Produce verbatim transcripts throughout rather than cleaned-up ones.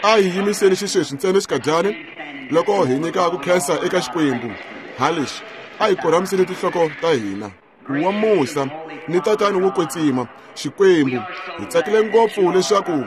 A hi yimiseni xisweswi ntsena xikadyani loko hi nyika ku khensa eka Xikwembu. Ha leswi, a hi korhamiseni tinhloko ta hina. Wa musa ni tatani wo kwetsima Xikwembu, hi tsakile ngopfu leswaku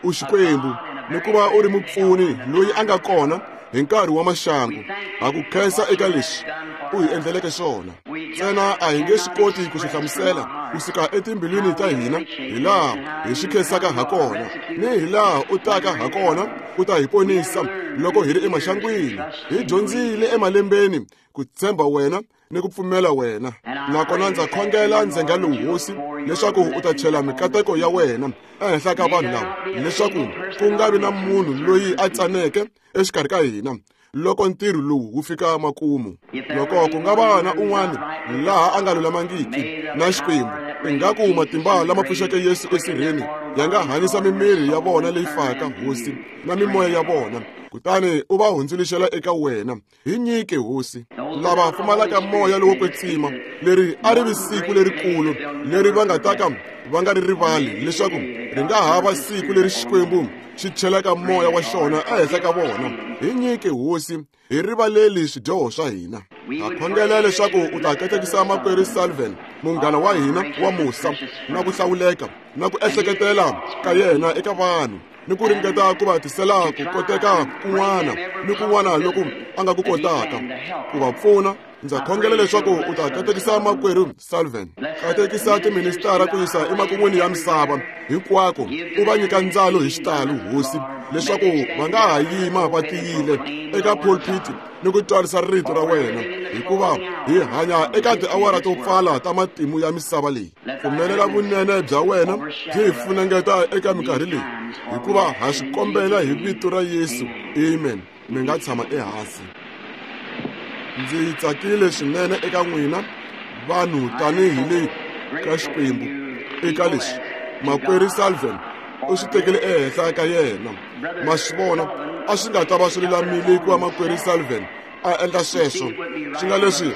u Xikwembu ni ku va u ri mupfuni loyi a nga kona hi nkarhi wa maxangu. Ha ku khensa eka leswi u hi endleleke swona. Ntsena a hi nge swi koti ku swi hlamusela kusuka etimbilwini ta hina hi laha hi swi khensaka ha kona ni hi laha u taka ha kona ku ta hi ponisa loko hi ri emaxangwini. Hi dyondzile emalembeni ku tshemba wena ni ku pfumela wena. Nakona ndza khongela ndzhenga lowu hosi leswaku u ta chela mikateko ya wena ehenhla ka vanhu lava, leswaku ku nga vi na munhu loyi a tsaneke exikarhi ka hina loko ntirho lowu wu fika makumu. Loko ku nga va na un'wana laha a nga lulamangiki na Xikwembu, ingaku matimba lama pfuxeke Yesu esirheni ya nga hanyisa mimiri ya vona leyi faka, hosi, na mimoya ya vona, kutani u va hundzuluxela eka wena. Hi nyike hosi lava pfumalaka moya lowo kwetsima, leri a ri vi siku lerikulu leri va nga ta ka va nga ri rivali, leswaku ri nga ha va siku leri Xikwembu xi chelaka moya wa xona ehenhla ka vona. Hi nyike hosi, hi rivaleli swidyoho swa hina. Ha khongela leswaku u ta katekisa makwerhu Sullivan, munghana wa hina wa musa na ku hlawuleka na ku ehleketela ka yena eka vanhu, ni ku ringeta ku va tisela ku koteka kun'wana ni kun'wana loku a nga ku kotaka ku va pfuna. Ndza khongela leswaku u ta katekisa makwerhu Sullivan, katekisa tiministara ku yisa emakun'wini ya misava hinkwako, u va nyika ndzalo hi xitalo hosi, leswaku va nga ha yima va tiyile eka pulpit ni ku twarisa rito ra wena, hikuva hi hanya eka tiawara to pfala ta matimu ya misava leyi. Pfumelela vunene bya wena byi hi funengeta eka minkarhi leyi, hikuva ha swi kombela hi vito ra Yesu. Amen. Mi nga tshama ehansi. Ndzi tsakile swinene eka n'wina vanhu tanihi le ka Xikwembu eka leswi makwerhu Sullivan u swi tekele ehenhla ka yena. Ma swi vona, a swi nga ta va swi lulamile ku va makwerhu Sullivan a endla sweswo, swi nga leswi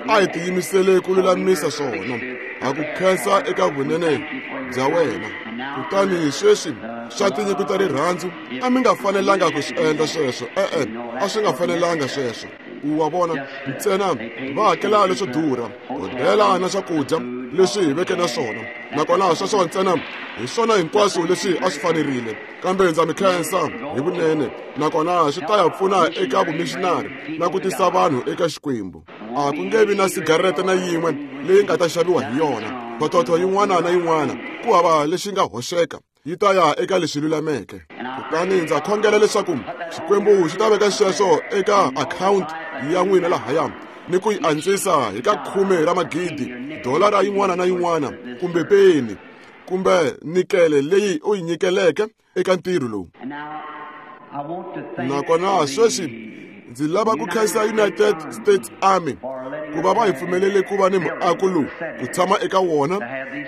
a hi tiyimisele ku lulamisa swona. Ha ku khensa eka vunene bya wena. Kutani sweswi swa tinyiko ta rirhandzu a mi nga fanelanga ku swi endla sweswo. E-e, a swi nga fanelanga sweswo. U wa vona, ntsena va hakela leswo durha, hodela na swakudya leswi hi veke na swona, nakona sweswo ntsena hi swona hinkwaswo leswi a swi fanerile. Kambe ndza mi khensa hi vunene, nakona swi ta ya pfuna eka vumishinari na ku tisa vanhu eka Xikwembu. A ku nge vi na sigarete na yin'we leyi nga ta xaviwa hi yona, phototho yin'wana na yin'wana ku hava lexi nga hoxeka, yi ta ya eka leswi lulameke. Kutani ndza khongela leswaku Xikwembu xi ta veka sweswo eka akhawunti ya n'wina lahaya ni ku yi antswisa hi ka khume ra magidi, dolara yin'wana na yin'wana, kumbe peni, kumbe nikele leyi u yi nyikeleke eka ntirho lowu. Nakona sweswi ndzi lava ku khensa United States Army ku va va hi pfumelele ku va ni muako lowu ku tshama eka wona,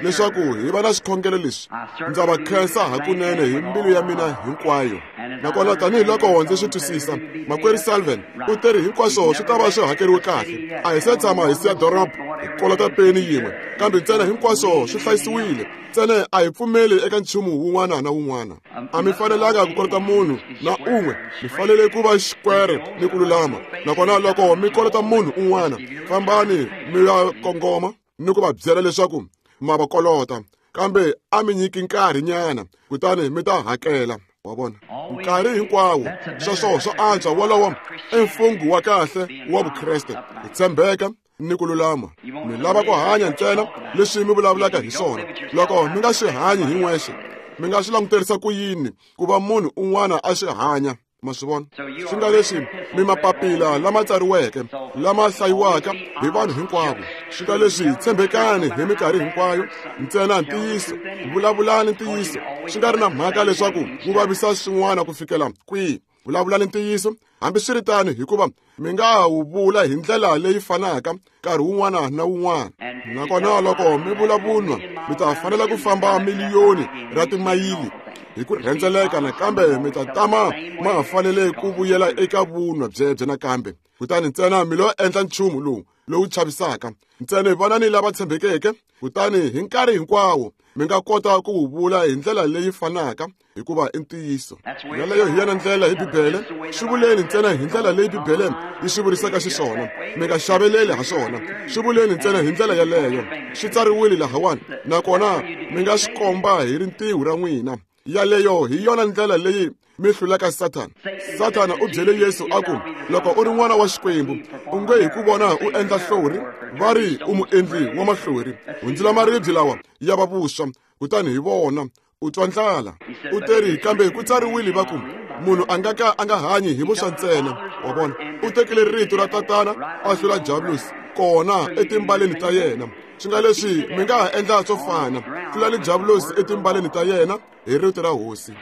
leswaku hi va na swikhongelo leswi. Ndza va khensa hakunene hi mbilu ya mina hinkwayo. Nakona tanihiloko ndzi swi twisisa, makwerhu Sullivan u teri hinkwaswo swi ta va swi hakeriwe kahle. A hi se tshama hi siya doroba hi kolota peni yin'we, kambe ntsena hinkwaswo swi hlayisiwile. Ntsena a hi pfumeli eka nchumu wun'wana na wun'wana. A mi fanelanga ku kolota munhu na un'we, mi fanele ku va xikwere ni ku lulama. Nakona loko mi kolota munhu un'wana, fambani mi ya kongoma ni ku va byela leswaku ma va kolota, kambe a mi nyiki nkarhi nyana, kutani mi ta hakela. Wa vona, nkarhi hinkwawo sweswo swa antswa. Wolowo i mfungho wa kahle wa Vukreste, ku tshembeka ni ku lulama. Mi lava ku hanya ntsena leswi mi vulavulaka hi swona. Loko mi nga swi hanyi hi n'wexe, mi nga swi languterisa ku yini ku va munhu un'wana a swi hanya? Ma swi vona, swi nga leswi mi mapapila lama tsariweke lama hlayiwaka hi vanhu hinkwavo. Swi nga leswi tshembekani hi minkarhi hinkwayo, ntsena ntiyiso, vulavulani ntiyiso, swi nga ri na mhaka leswaku wu vavisa swin'wana ku fikela kwihi. Vulavulani ntiyiso hambiswiritano, hikuva mi nga wu vula hi ndlela leyi fanaka nkarhi wun'wana na wun'wana. Nakona loko mi vula vunwa, mi ta fanela ku famba miliyoni ra timayili hi ku rhendzeleka nakambe mi ta tama ma fanele ku vuyela eka vunwa byebyo nakambe. Kutani ntsena mi lo endla nchumu lowu lowu chavisaka. Ntsena vanani lava tshembekeke, kutani hi nkarhi hinkwawo mi nga kota ku wu vula hi ndlela leyi fanaka, hikuva i ntiyiso. Yaleyo hi yona ndlela hi Bibele. Swi vuleni ntsena hi ndlela leyi Bibele yi swi vurisaka xiswona. Mi nga xaveleli ha swona. Swi vuleni ntsena hi ndlela yaleyo. Swi tsariwile lahawani, nakona mi nga swi komba hi rintiho ra n'wina. Yaleyo hi yona ndlela leyi mi hlulaka Sathana. Sathana u byele Yesu a ku, loko u ri n'wana wa Xikwembu, u nge hi ku vona u endla hlori, va ri u muendli wa mahlori. Hundzula maribye lawa ya va vuswa, kutani hi vona u twa ndlala. U teri kambe ku tsariwile va ku, munhu a nga ka a nga hanyi hi vuswa ntsena. Wa vona, u tekile rito ra tatana a hlula Diablosi kona etimbaleni ta yena. Swi nga leswi mi nga ha endla swo fana, hlulani Diablosi etimbaleni ta yena hi rito ra Hosi.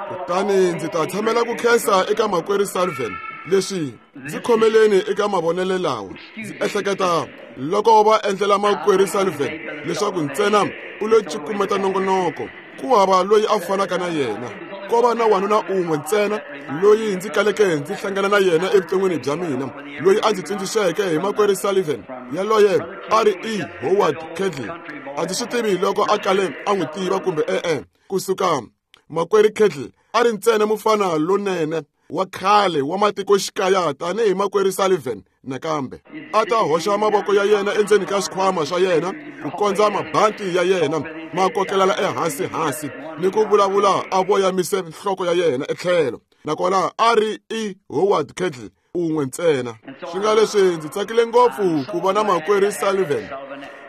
Kutani ndzi ta tshamela ku khensa eka makwerhu Sullivan leswi ndzi khomeleni eka mavonelo lawa. Ndzi ehleketa loko va endlela makwerhu Sullivan leswaku ntsena u lo cukumeta nongonoko, ku hava loyi a fanaka na yena. Ko va na wanuna un'we ntsena loyi ndzi kaleke ndzi hlangana na yena evuton'wini bya mina, loyi a ndzi tsundzuxeke hi makwerhu Sullivan. Yaloye a ri E. Howard Kettle. A ndzi swi tivi loko a kale a n'wi tiva kumbe e-e. Kusuka makwerhu Kettle a ri ntsena mufana lonene wa khale wa matikoxikaya tanihi makwerhu Sullivan nakambe. A ta hoxa mavoko ya yena endzeni ka swikhwama swa yena ku kondza mabanti ya yena ma kokelela ehansi hansi ni ku vulavula a voyamise nhloko ya yena etlhelo. Nakona a ri E. Howard Kettle un'we ntsena. Swi nga leswi ndzi tsakile ngopfu ku vona makwerhu Sullivan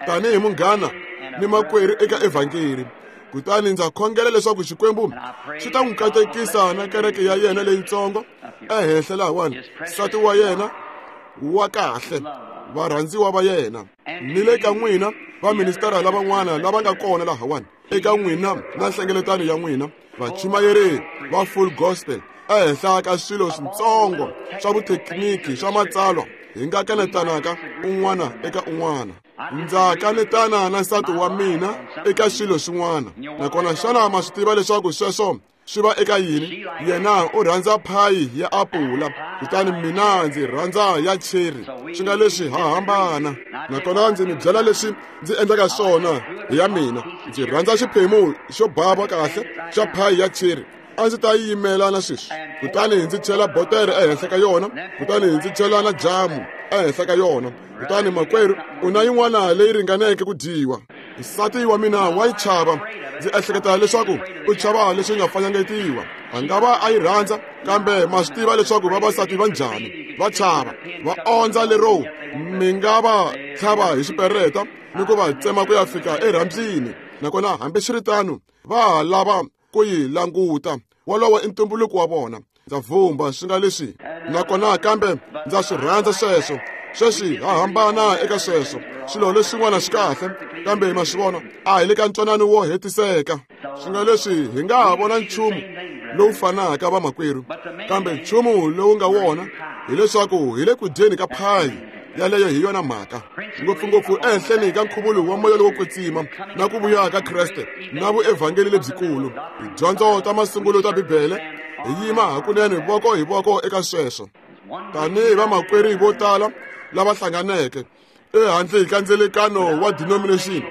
tanihi munghana ni makwerhu eka evhangeli. Kutani ndza khongela leswaku Xikwembu xi ta n'wi katekisa na kereke ya yena leyitsongo ehenhla lahawani, nsati wa yena wa kahle, varhandziwa va yena, ni le ka n'wina vaministara lavan'wana lava nga kona lahawani, eka n'wina na nhlengeletano ya n'wina vachumayeri va full gospel ehenhla ka swilo switsongo swa vuthekiniki swa matsalwa hi nga kanetanaka un'wana eka un'wana. Ndza kanetana na nsati wa mina eka swilo swin'wana. Nakona xana ma swi tiva leswaku sweswo swi va eka yini? Yena u rhandza phayi ya apula, kutani mina ndzi rhandza ya cherry. Swi nga leswi ha hambana. Nakona ndzi mi byela leswi ndzi endlaka swona hi ya mina. Ndzi rhandza xiphemu xo bava kahle xa phayi ya cherry. A ndzi ta yi yimela na sweswi, kutani ndzi chela botere ehenhla ka yona, kutani ndzi chela na jamu ehenhla ka yona. Kutani makwerhu u na yin'wana leyi ringaneke ku dyiwa. Nsati wa mina wa yi chava. Ndzi ehleketa leswaku u chava leswi nga fanyangetiwa. A nga va a yi rhandza, kambe ma swi tiva leswaku vavasati va njhani, va chava, va ondza lero mi nga va tlhava hi xipereta ni ku va tsema ku ya fika erhambyini. Nakona hambiswiritano va ha lava ku yi languta. Wolowo i ntumbuluko wa vona. Ndza vumba swi nga leswi, nakona kambe ndza swi rhandza sweswo. Sweswi ha hambana eka sweswo. Swilo leswin'wana swi kahle, kambe ma swi vona a hi le ka ntwanano wo hetiseka. Swi nga leswi hi nga ha vona nchumu lowu fanaka vamakwerhu, kambe nchumu lowu nga wona hileswaku hi le ku dyeni ka phayi. Yaleyo hi yona mhaka, ngopfungopfu ehenhleni ka nkhuvulo wa moya lowo kwetsima na ku vuya ka Kreste na vuevhangeli lebyikulu. Tidyondzo ta masungulo ta Bibele hi yima hakunene voko hi voko eka sweswo. Tanihi vamakwerhu vo tala lava hlanganeke ehandle ka ndzelekano wa denomination,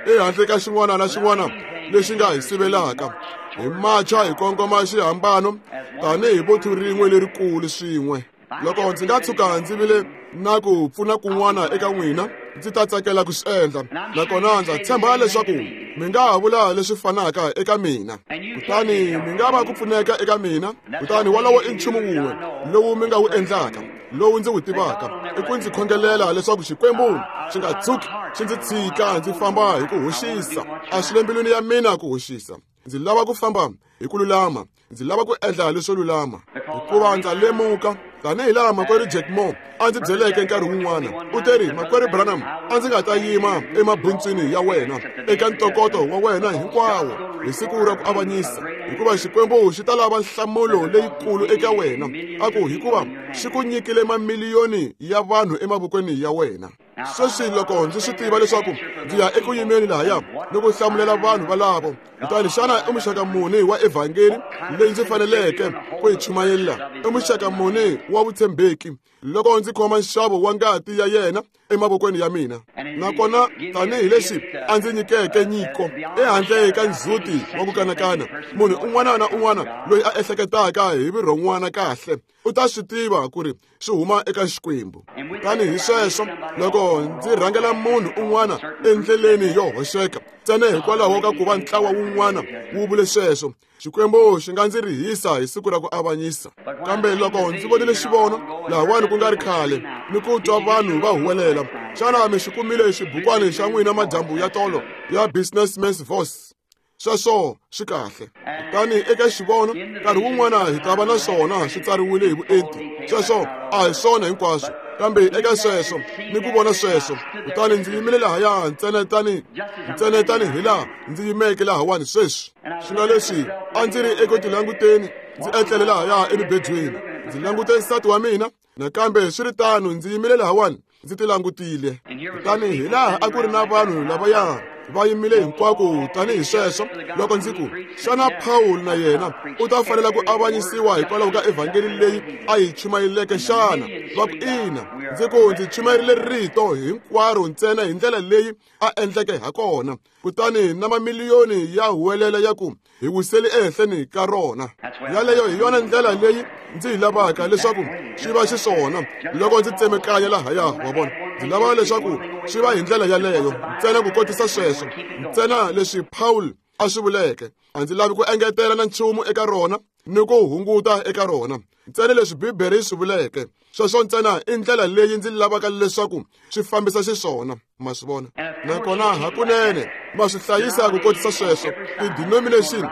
ehandle ka xin'wana na xin'wana lexi nga hi sivelaka, hi macha hi kongoma xihambano tanihi vuthu rin'we lerikulu swin'we. Loko ndzi nga tshuka ndzi vile na ku pfuna kun'wana eka n'wina, ndzi ta tsakela ku swi endla. Nakona ndza tshemba leswaku mi nga ha vula leswi fanaka eka mina, kutani mi nga va ku pfuneka eka mina. Kutani wolowo i nchumu wun'we lowu mi nga wu endlaka, lowu ndzi wu tivaka, i ku ndzi khongelela leswaku Xikwembu xi nga tshuki xi ndzi tshika ndzi famba hi ku hoxisa. A swi le mbilwini ya mina ku hoxisa. Ndzi lava ku famba hi ku lulama. Ndzi lava ku endla leswo lulama, hikuva ndza lemuka tanihi laha makwerhu Jack Moore a ndzi byeleke nkarhi wun'wana. U teri, makwerhu Branham, a ndzi nga ta yima emabuntswini ya wena eka ntokoto wa wena hinkwawo hi siku ra ku avanyisa, hikuva Xikwembu xi ta lava nhlamulo leyikulu eka wena. A ku hikuva xi ku nyikile mamiliyoni ya vanhu emavokweni ya wena. Sweswi loko ndzi swi tiva leswaku ndzi ya eku yimeni lahaya ni ku hlamulela vanhu valavo, kutani xana i muxaka muni wa evhangeli leyi ndzi faneleke ku yi chumayela? I muxaka muni wa vutshembeki loko ndzi khoma nxavo wa ngati ya yena emavokweni ya mina? Nakona tanihileswi a ndzi nyikeke nyiko ehandle ka ndzhuti wa ku kanakana, munhu un'wana na un'wana loyi a ehleketaka hi vurhon'wana kahle u ta swi tiva ku ri swi huma eka Xikwembu. Tanihi sweswo, loko ndzi rhangela munhu un'wana endleleni yo hoxeka ntsena hikwalaho ka ku va ntlawa wun'wana wu vule sweswo, Xikwembu xi nga ndzi rihisa hi siku ra ku avanyisa. Kambe loko ndzi vonile xivono lahawani ku nga ri khale ni ku twa vanhu va huwelela, xana mi xi kumile xibukwani xa n'wina madyambu ya tolo ya Businessman's Voice? Sweswo swi kahle. Kutani eka xivono nkarhi wun'wana hi ta va na swona swi tsariwile hi vuenti. Sweswo a hi swona hinkwaswo, kambe eka sweswo ni ku vona sweswo, kutani ndzi yimile lahaya ntsena tani ntsena tani hi laha ndzi yimeke lahawani sweswi. Swi nga leswi a ndzi ri eku tilanguteni, ndzi etlele lahaya emibedweni, ndzi langute nsati wa mina, nakambe swi ri tano ndzi yimile lahawani ndzi tilangutile. Kutani hi laha a ku ri na vanhu lavaya va yimile hinkwako tanihi sweswo, loko ndzi ku, xana Paul na yena u ta fanela ku avanyisiwa hikwalaho ka evhangeli leyi a yi chumayeleke xana? Va ku ina. Ndzi ku ndzi chumayerile rito hinkwaro ntsena hi ndlela leyi a endleke ha kona, kutani na mamiliyoni ya huwelela ya ku hi wiseli ehenhleni ka rona. Yaleyo hi yona ndlela leyi ndzi yi lavaka leswaku swi va xiswona loko ndzi tsemekanya lahaya, wa vona. Ndzi lava leswaku swi va hi ndlela yaleyo ntsena ku kotisa sweswo, ntsena leswi Paul a swi vuleke. A ndzi lavi ku engetela na nchumu eka rona ni ku hunguta eka rona, ntsena leswi Bibele yi swi vuleke. Sweswo ntsena i ndlela leyi ndzi lavaka leswaku swi fambisa xiswona, ma swi vona. Nakona hakunene ma swi hlayisa ku kotisa sweswo, ti-denomination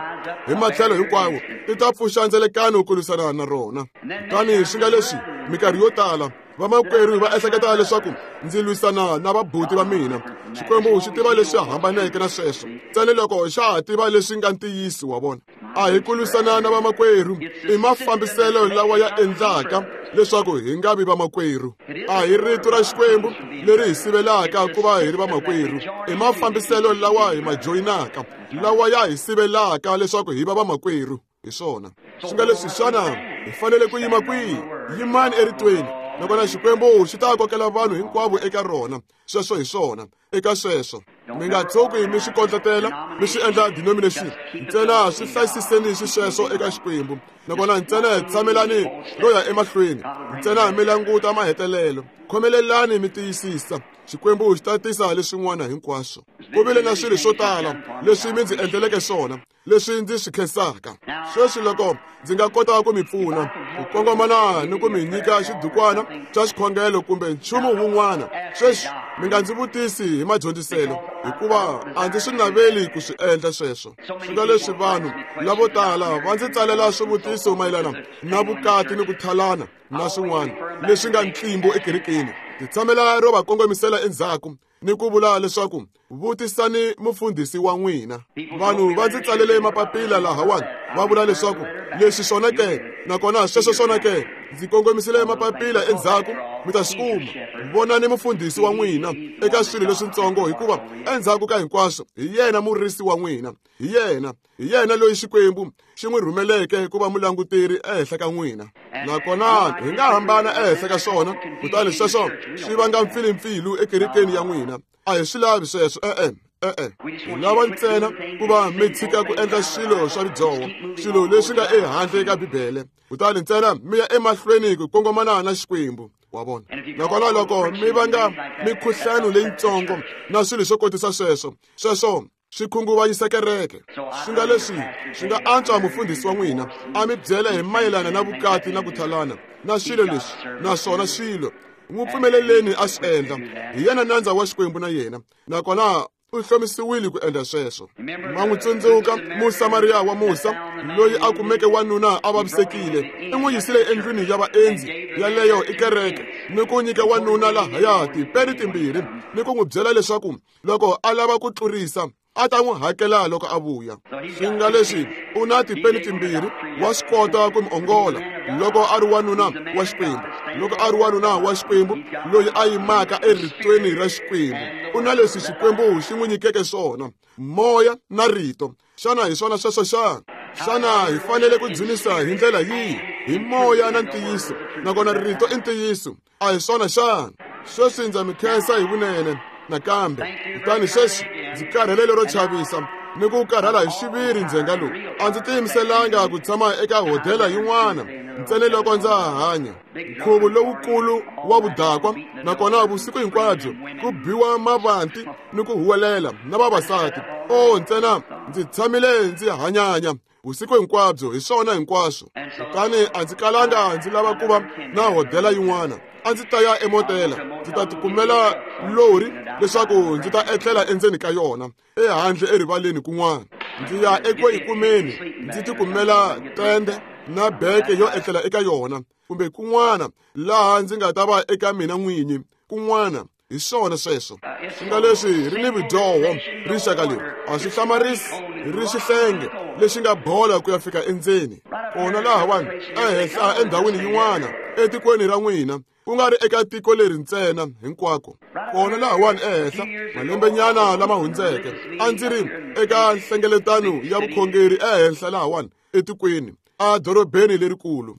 hi matlhelo hinkwawo ti ta pfuxa ndzelekano ku lwisana na rona. Kutani swi nga leswi minkarhi yo tala vamakwerhu va ehleketa leswaku ndzi lwisana na vabuti va mina. Xikwembu xi tiva leswi hambaneke na sweswo, ntsena loko xa ha tiva leswi nga ntiyiso, wa vona. A hi ku lwisana na vamakwerhu, i mafambiselo lawa ya endlaka leswaku hi nga vi vamakwerhu. A hi rito ra Xikwembu leri hi sivelaka ku va hi ri vamakwerhu, i mafambiselo lawa hi ma joyinaka lawa ya hi sivelaka leswaku hi va vamakwerhu. Hi swona swi nga leswi, xana hi fanele ku yima kwihi? Yimani eritweni, nakona Xikwembu xi ta kokela vanhu hinkwavo eka rona. Sweswo hi swona. Eka sweswo mi nga tshuki mi swi kondletela mi swi endla denomination, ntsena swi hlayisiseni xisweswo eka Xikwembu. Nakona ntsena tshamelani ro ya emahlweni, ntsena mi languta mahetelelo, khomelelani mi tiyisisa. Xikwembu xi ta tisa leswin'wana hinkwaswo. Ku vile na swilo swo tala leswi mi ndzi endleleke swona leswi ndzi swi khensaka. Sweswi loko ndzi nga kota ku mi pfuna ku kongomana ni ku mi nyika xidukwana xa xikhongelo kumbe nchumu wun'wana, sweswi mi nga ndzi vutisi hi madyondziselo, hikuva a ndzi swi naveli ku swi endla sweswo. Swi nga leswi vanhu lavo tala va ndzi tsalela swivutiso mayelana na vukati ni ku thalana na swin'wana leswi nga ntlimbo ekerekeni. Ndzi tshamela ro va kongomisela endzhaku ni ku vula leswaku vutisani mufundhisi wa n'wina. Vanhu va ndzi tsalele mapapila lahawani va vula leswaku leswi swona ke, nakona sweswo swona ke. Ndzi kongomisile mapapila endzhaku, mi ta swi kuma. Vonani mufundhisi wa n'wina eka swilo leswitsongo, hikuva endzhaku ka hinkwaswo hi yena murisi wa n'wina, hi yena hi yena loyi Xikwembu xi n'wi rhumeleke ku va mulanguteri ehenhla ka n'wina. Nakona hi nga hambana ehenhla ka swona, kutani sweswo swi vanga mpfilimpfilu ekerekeni ya n'wina. A hi swi lavi sweswo, e-e, e-e. Hi lava ntsena ku va mi tshika ku endla swilo swa vudyoho, swilo leswi nga ehandle ka Bibele, kutani ntsena mi ya emahlweni ku kongomana na Xikwembu, wa vona. Nakona loko mi vanga mikhuhlano leyitsongo na swilo swo kotisa sweswo, sweswo swi khunguvanyisa kereke. Swi nga leswi swi nga antswa mufundhisi wa n'wina a mi byela hi mayelana na vukati na ku thalana na swilo leswi, naswona swilo n'wi pfumeleleni a swi endla. Hi yena nandza wa Xikwembu na yena, nakona u hlomisiwile ku endla sweswo. Ma n'wi tsundzuka Musamariya wa musa loyi a kumeke wanuna a vavisekile, i n'wi yisile endlwini ya vaendzi yaleyo i kereke, ni ku nyika wanuna lahaya tipeni timbirhi ni ku n'wi byela leswaku loko a lava ku tlurisa a ta n'wi hakela loko a vuya. Swi nga leswi u na tipeni timbirhi, wa swi kota ku mi ongola loko a ri wanuna wa Xikwembu. Loko a ri wanuna wa Xikwembu loyi a yimaka eritweni ra Xikwembu, u na leswi Xikwembu xi n'wi nyikeke swona, moya na rito. Xana hi swona sweswo xana? Xana hi fanele ku dzunisa hi ndlela yihi? Hi moya na ntiyiso, nakona rito i ntiyiso. A hi swona xana? Sweswi ndza mi khensa hi vunene nakambe. Kutani sweswi ndzi karhele lero chavisa ni ku karhala hi xiviri ndzhenga lowu. A ndzi tiyimiselanga ku tshama eka hodela yin'wana ntsena loko ndza ha hanya. Nkhuvo lowukulu wa vudakwa, nakona vusiku hinkwabyo ku biwa mavanti ni ku huwelela na vavasati. O ntsena ndzi tshamile ndzi hanyanya vusiku hinkwabyo, hi swona hinkwaswo. Kutani a ndzi kalanga ndzi lava ku va na hodela yin'wana. A ndzi ta ya emotela, ndzi ta tikumela lori leswaku ndzi ta etlela endzeni ka yona, ehandle erivaleni kun'wana. Ndzi ya eku yi kumeni, ndzi tikumela tende na beke yo etlela eka yona, kumbe kun'wana laha ndzi nga ta va eka mina n'winyi kun'wana. Hi swona sweswo. Swi nga leswi ri ni vudyoho rixaka leri, a swi hlamarisi ri xihlenge lexi nga bola ku ya fika endzeni. Kona lahawani ehenhla endhawini yin'wana etikweni ra n'wina, ku nga ri eka tiko leri ntsena, hinkwako. Kona lahawani ehenhla malembenyana lama hundzeke a ndzi ri eka nhlengeletano ya vukhongeri ehenhla lahawani etikweni, edorobeni lerikulu.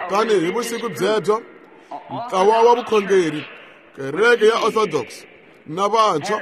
Kutani hi vusiku byebyo ntlawa wa vukhongeri, kereke ya Orthodox na vantshwa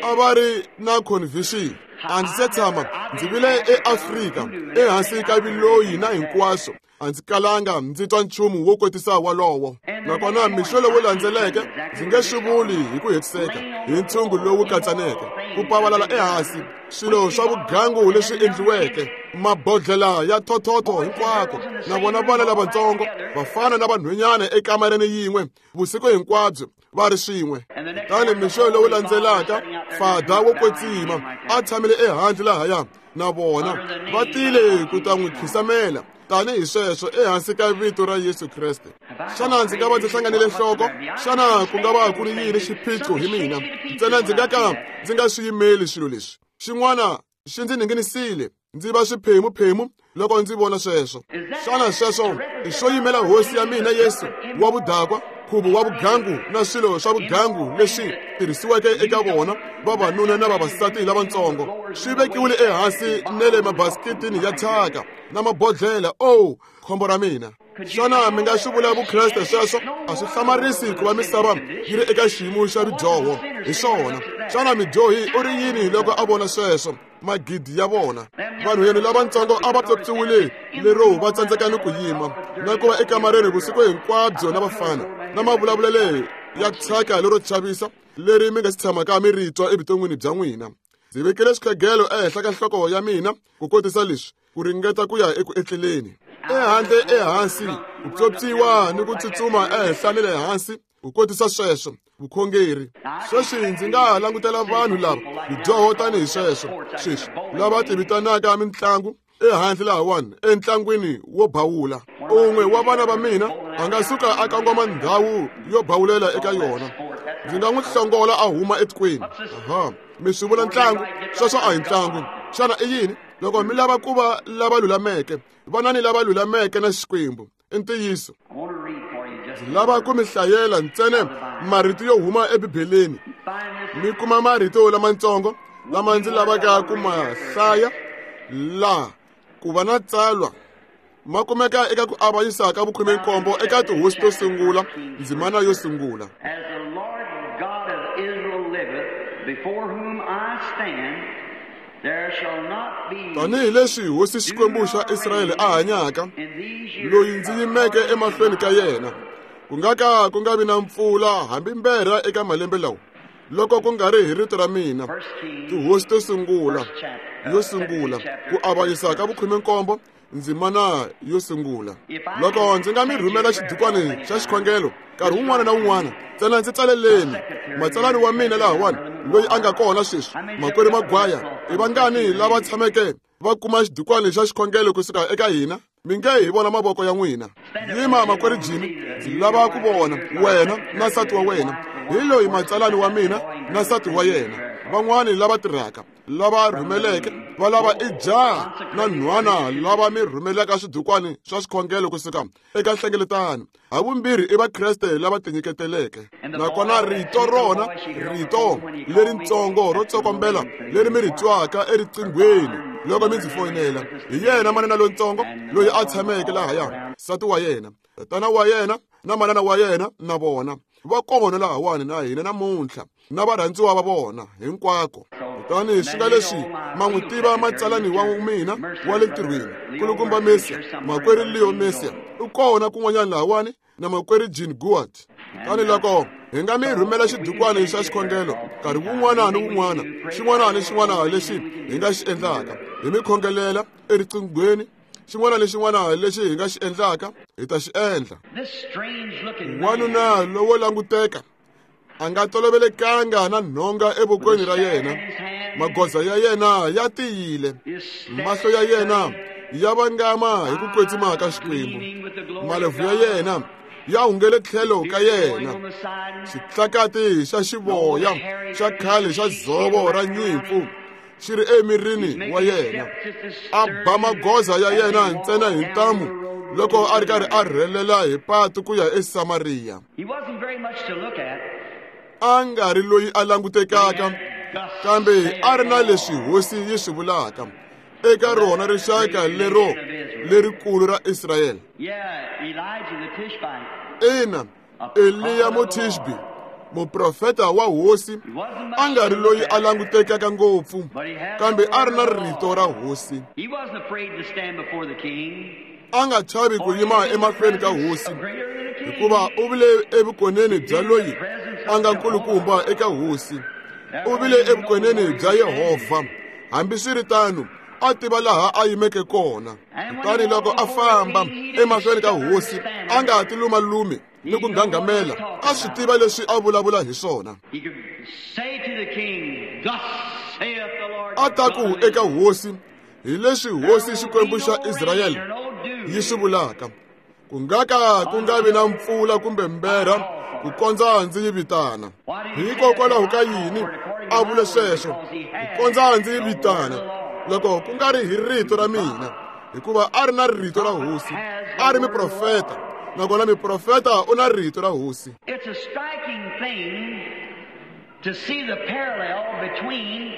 a va ri na convention. A ndzi se tshama ndzi vile eAfrika ehansi ka viloyi na hinkwaswo. A ndzi kalanga ndzi twa nchumu wo kotisa walowo. Nakona mixo lowu landzeleke ndzi nge swi vuli hi ku hetiseka hi ntshungu lowu katsaneke, ku pavalala ehansi swilo swa vugangu leswi endliweke, mabodlela ya thothotho hinkwako, na vona vana lavatsongo vafana na vanhwanyana ekamareni yin'we vusiku hinkwabyo va ri swin'we. Kutani mixo lowu landzelaka fada wo kwetsima a tshamile ehandle lahaya na vona, va tile ku ta n'wi khisamela tanihi sweswo ehansi ka vito ra Yesu Kreste. Xana ndzi nga va ndzi hlanganile nhloko? Xana ku nga va ku ri yini xiphiqo hi mina? Ntsena ndzi nga ka ndzi nga swi yimeli swilo leswi. Xin'wana xi ndzi ninginisile, ndzi va swiphemuphemu loko ndzi vona sweswo. Xana sweswo i swo yimela hosi ya mina Yesu wa vudakwa, nkhuvo wa vugangu na swilo swa vugangu leswi tirhisiweke eka vona vavanuna na vavasati lavatsongo, swi vekiwile ehansi na le mabasiketini ya thyaka na mabodlela? O khombo ra mina! Xana mi nga swi vula vukreste sweswo? A swi hlamarisi ku va misava yi ri eka xiyimo xa vudyoho. Hi swona. Xana midyohi u ri yini loko a vona sweswo? Magidi ya vona vanhu lavatsongo a va pyopyiwile lero va tsandzeka ni ku yima na ku va ekamareni vusiku hinkwabyo na vafana na mavulavulelo ya thyaka lero chavisa leri mi nga si tshamaka mi ri twa evuton'wini bya n'wina. Ndzi vekile xikhegelo ehenhla ka nhloko ya mina ku kotisa leswi, ku ringeta ku ya eku etleleni. Ehandle ehansi ku pyopyiwa ni ku tsutsuma ehenhla ni le hansi ku kotisa sweswo vukhongeri. Sweswi ndzi nga langutela vanhu lava vudyoho tanihi sweswo sweswi lava tivitanaka mitlangu ehandle lahawani entlangwini wo bawula. Un'we wa vana va mina a nga suka a kongoma ndhawu yo bawulela eka yona, ndzi nga n'wi hlongola a huma etikweni. Aha, mi swi vula ntlangu? Sweswo a hi ntlangu. Xana i yini? Loko mi lava ku va lava lulameke, vanani lava lulameke na Xikwembu. I ntiyiso. Ndzi lava ku mi hlayela ntsena marito yo huma eBibeleni. Mi kuma marito lamatsongo lama ndzi lavaka ku ma hlaya laha ku va na tsalwa ma kumeka eka ku avanyisa ka vukhume-nkombo eka tihosi to sungula, ndzimana yo sungula. As the Lord God of Israel liveth, before whom I stand, there shall not be Tanihi leswi hosi Xikwembu xa Israyele a hanyaka, loyi ndzi yimeke emahlweni ka yena, ku nga ka ku nga vi na mpfula hambi mberha eka malembe lawa, loko ku nga ri hi rito ra mina. Tihosi to sungula yo sungula, ku avanyisa ka vukhume-nkombo, ndzimana yo sungula. Loko ndzi nga mi rhumela xidukwani xa xikhongelo nkarhi wun'wana na wun'wana, ntsena ndzi tsaleleni matsalani wa mina lahawani loyi a nga kona sweswi, makwerhu Magwaya. I vangani lava tshameke va kuma xidukwani xa xikhongelo kusuka eka hina? Mi nge hi vona mavoko ya n'wina. Yima makwerhu Jimmy, ndzi lava ku vona wena na nsati wa wena. Hi loyi matsalani wa mina na nsati wa yena. Van'wani lava tirhaka lava rhumeleke va lava i jaha na nhwana lava mi rhumelaka swidukwani swa swikhongelo kusuka eka nhlengeletano. Havumbirhi i Vakreste lava tinyiketeleke. Nakona rito rona, rito leritsongo ro tsokombela leri mi ri twaka eriqinghweni loko mi ndzi foyinela, hi yena manana lontsongo loyi a tshameke lahaya, nsati wa yena, tatana wa yena na manana wa yena na vona va kona lahawani na hina namuntlha na varhandziwa va vona hinkwako. Kutani swi nga leswi ma n'wi tiva matsalani wa mina wa le ntirhweni, kulukumba Mesia, makwerhu Leo Mesia u kona kun'wanyana lahawani na makwerhu Jean Goat. Kutani loko hi nga mi rhumela xidukwani xa xikhongelo nkarhi wun'wana ni wun'wana, xin'wana ni xin'wana lexi hi nga xi endlaka hi mi khongelela eriqinghweni, xin'wana ni xin'wana lexi hi nga xi endlaka hi ta xi endla. Wanuna lowo languteka a nga tolovelekanga na nhonga evokweni ra yena, magoza ya yena ya tiyile, mahlo ya yena ya vangama hi ku kwetsima ka Xikwembu, malebvu ya yena ya hungele tlhelo ka yena, xitlakati xa xivoya xa khale xa dzovo ra nyimpfu xi ri emirini wa yena. A ba magoza ya yena ntsena hi ntamu loko a ri karhi a rhelela hi patu ku ya eSamariya. A nga ri loyi a langutekaka, kambe a ri na leswi hosi yi swi vulaka eka rona rixaka lero lerikulu ra Israyele. Ina, Eliya Mutishbi, muprofeta wa hosi, a nga ri loyi a langutekaka ngopfu, kambe a ri na rito ra hosi. A nga chavi ku yima emahlweni ka hosi, hikuva u vile evukoneni bya loyi a nga nkulukumba eka hosi. U vile evukoneni bya Yehovha. Hambiswiritano, a tiva laha a yimeke kona. Kutani loko a famba emahlweni ka hosi, a nga ti lumalumi ni ku nghanghamela, a swi tiva leswi a vulavula hi swona. A ta ku eka hosi, hi leswi hosi Xikwembu xa Israyele yi swi vulaka, ku nga ka ku nga vi na mpfula kumbe mberha ku kondza ndzi yi vitana. Hikokwalaho ka yini a vule sweswo? Ku kondza ndzi yi vitana, loko ku nga ri hi rito ra mina, hikuva a ri na rito ra hosi, a ri muprofeta, nakona muprofeta u na rito ra hosi. It's a striking thing to see the parallel between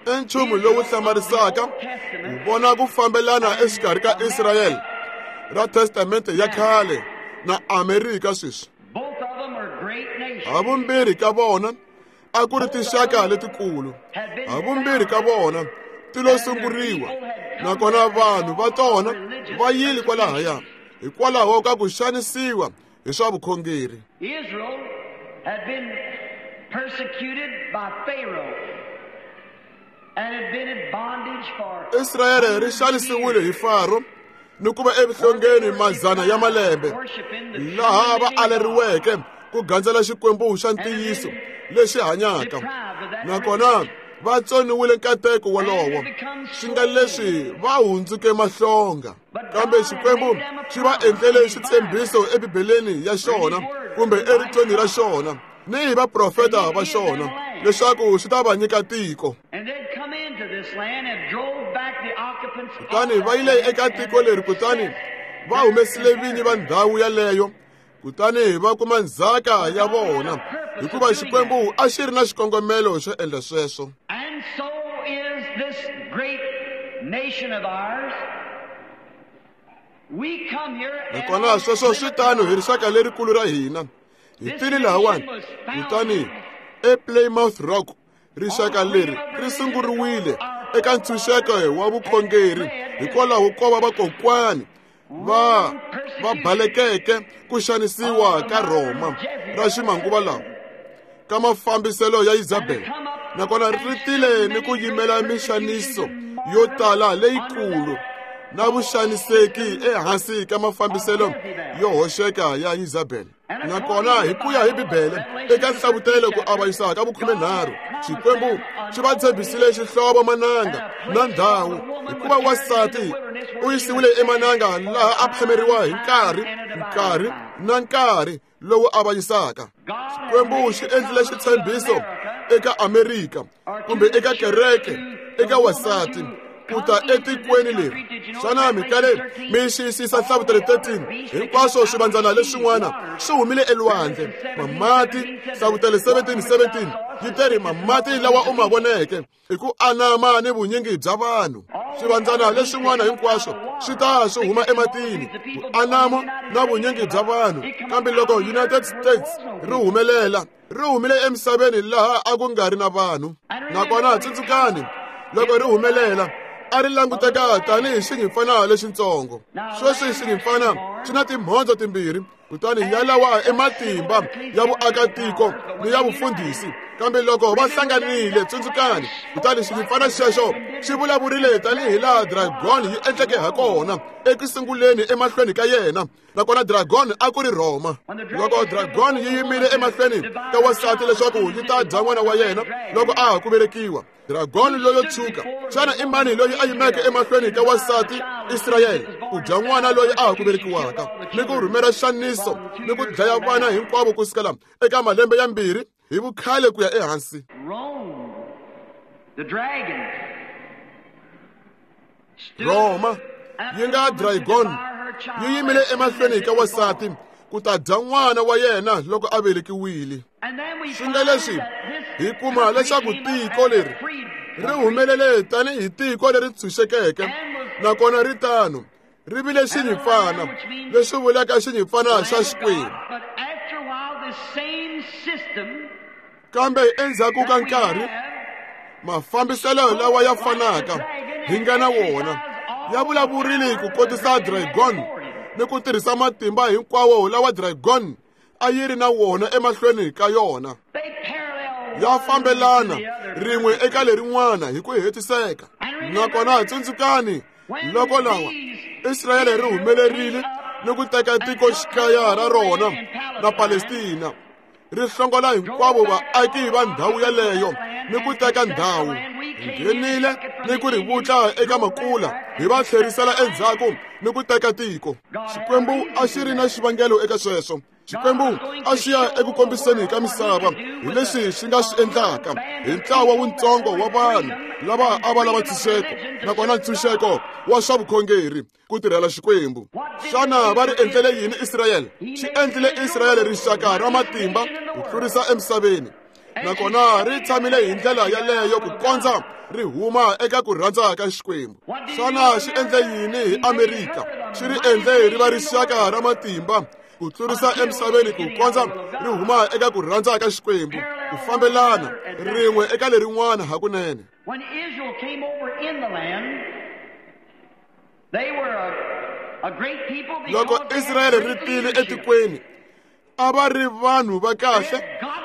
I nchumu lowu hlamarisaka ku vona ku fambelana exikarhi ka Israyele ra Testamente ya khale na Amerika sweswi. Havumbirhi ka vona a ku ri tinxaka letikulu, havumbirhi ka vona ti lo sunguriwa, nakona vanhu va tona va yile kwalahaya hikwalaho ka ku xanisiwa hi swa vukhongeri. Israel had been persecuted by Pharaoh and had been in bondage for Israyele ri xanisiwile hi Faro ni ku va evuhlongeni mazana ya malembe, laha va aleriweke ku gandzela Xikwembu xa ntiyiso lexi hanyaka, nakona va tsoniwile nkateko wolowo, swi nga leswi va hundzuke mahlonga. Kambe Xikwembu xi va endlele xitshembiso eBibeleni ya xona kumbe eritweni ra xona ni hi vaprofeta va xona leswaku swi ta va nyika tiko. Kutani va yile eka tiko leri, kutani va humesile vinyi va ndhawu yaleyo, kutani va kuma ndzhaka ya vona, hikuva Xikwembu a xi ri na xikongomelo xo endla sweswo. And so is this great nation of ours. We come here Nakona sweswo swi tano hi rixaka lerikulu ra hina. Hi tile lahawani, kutani ePlymouth Rock rixaka leri ri sunguriwile eka ntshunxeko wa vukhongeri hikwalaho ko va vakokwani va va balekeke ku xanisiwa ka Rhoma ra ximanguva lawa ka mafambiselo ya Isabel, nakona ri tile ni ku yimela mixaniso yo tala leyikulu na vuxaniseki ehansi ka mafambiselo yo hoxeka ya Isabel. Nakona hi ku ya hi Bibele eka nhlavutelo ku avanyisa ka vukhumenharhu, Xikwembu xi va tshembisile xihlovo mananga na ndhawu, hikuva wansati u yisiwile emananga laha a phameriwa hi nkarhi nkarhi na nkarhi lowu avanyisaka. Xikwembu xi endlile xitshembiso eka Amerika kumbe eka kereke eka wasati ku ta etikweni leri. Xana mi kale mi xiyisisa Nhlavutelo thirteen? Hinkwaswo swivandzana leswin'wana swi humile elwandle. Mamati, Nhlavutelo seventeen seventeen yi teri mamati lawa u ma voneke hi ku anama ni vunyingi bya vanhu. Swivandzana leswin'wana hinkwaswo swi ta swi huma ematini, ku anama na vunyingi bya vanhu. Kambe loko United States ri humelela, ri humile emisaveni laha a ku nga ri na vanhu. Nakona tsundzukani, loko ri humelela a ri languteka tanihi xinyimpfana lexitsongo. Sweswi xinyimpfana xi na timhondzo timbirhi, kutani yalawa i matimba ya vuakatiko ni ya vufundhisi. Kambe loko va hlanganile, tsundzukani, kutani xinyimpfana xexo xi vulavurile tanihi laha dragon yi endleke ha kona eku sunguleni emahlweni ka yena. Nakona dragon a ku ri Rhoma. Loko dragon yi yimile emahlweni ka wasati leswaku yi ta dya n'wana wa yena loko a ha ku velekiwa, dragon loyo tshuka, xana i mani loyi a yimeke emahlweni ka wasati Israyele ku dya n'wana loyi a ha ku velekiwaka ni ku rhumela xaniso ni ku dlaya vana hinkwavo ku sukela eka malembe ya mbirhi hi vukhale ku ya ehansi? Rhoma yi nga dragon yi yimile emahlweni ka wasati ku ta dya n'wana wa yena loko a velekiwile. Swi nga leswi hi kuma leswaku tiko leri ri humelele tanihi tiko leri tshunxekeke, nakona ri tano ri vile xinyimpfana, leswi vulaka xinyimpfana xa Xikwembu. Kambe endzhaku ka nkarhi, mafambiselo lawa ya fanaka hi nga na wona ya vulavurile ku kotisa dragon ni ku tirhisa matimba hinkwawo lawa dragon a yi ri na wona emahlweni ka yona. Ya fambelana rin'we eka lerin'wana hi ku hetiseka. Nakona tsundzukani, loko lawa Israyele ri humelerile ni ku teka tikoxikaya ra rona na Palestina, ri hlongola hinkwavo vaaki va ndhawu yaleyo ni ku teka ndhawu, nghenile ni ku ri vutla eka makula, hi va tlherisela endzhaku ni ku teka tiko. Xikwembu a xi ri na xivangelo eka sweswo. Xikwembu a xi ya eku kombiseni ka misava hi leswi xi nga swi endlaka hi ntlawa wutsongo wa vanhu lava a va lava ntshunxeko, nakona ntshunxeko wa swa vukhongeri ku tirhela Xikwembu. Xana va ri endlele yini Israyele? Xi endlile Israyele rixaka ra matimba ku tlurisa emisaveni, nakona ri tshamile hi ndlela yaleyo ku kondza ri huma eka ku rhandza ka Xikwembu. Xana xi endle yini hi Amerika? Xi ri endle ri va rixaka ra matimba ku tlurisa emisaveni ku kondza ri huma eka ku rhandza ka Xikwembu, ku fambelana rin'we eka lerin'wana hakunene. When Israel came over in the land, they were a, a great people. Loko Israyele ri tile etikweni, a va ri vanhu va kahle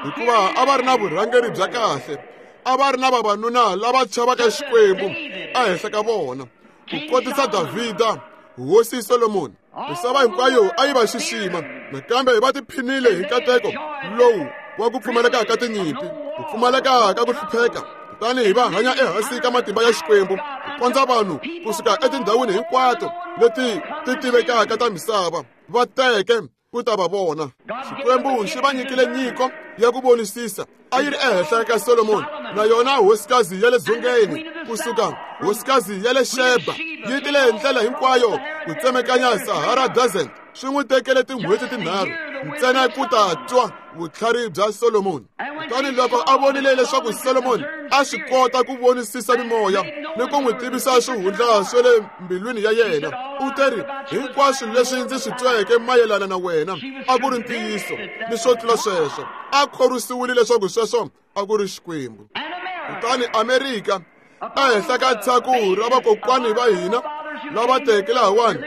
hikuva a va ri na vurhangeri bya kahle, a va ri na vavanuna lava chavaka Xikwembu ehenhla ka vona, ku kotisa Davhida, hosi Solomoni. Misava hinkwayo a yi va xixima, nakambe va tiphinile hi nkateko lowu wa ku pfumaleka ka tinyimpi, ku pfumaleka ka ku hlupheka, kutani hi va hanya ehansi ka matimba ya Xikwembu ku kondza vanhu kusuka etindhawini hinkwato leti ti tivekaka ta misava va teke ku ta va vona. Xikwembu xi va nyikile nyiko ya ku vonisisa a yi ri ehenhla ka Solomoni, na yona hosikazi ya le dzongeni kusuka hosikazi ya le Sheba yi tile hi ndlela hinkwayo ku tsemekanya Sahara Desert. Swi n'wi tekele tin'hweti tinharhu ntsena ku ta twa vutlhari bya Solomoni. Kutani loko a vonile leswaku Solomoni a swi kota ku vonisisa mimoya ni ku n'wi tivisa swihundla swa le mbilwini ya yena, u teri, hinkwaswo leswi ndzi swi tweke mayelana na wena a ku ri ntiyiso ni swo tlula sweswo. A khorwisiwile leswaku sweswo a ku ri Xikwembu. Kutani Amerika ehenhla ka tshaku ra vakokwani va hina lava teke lahawani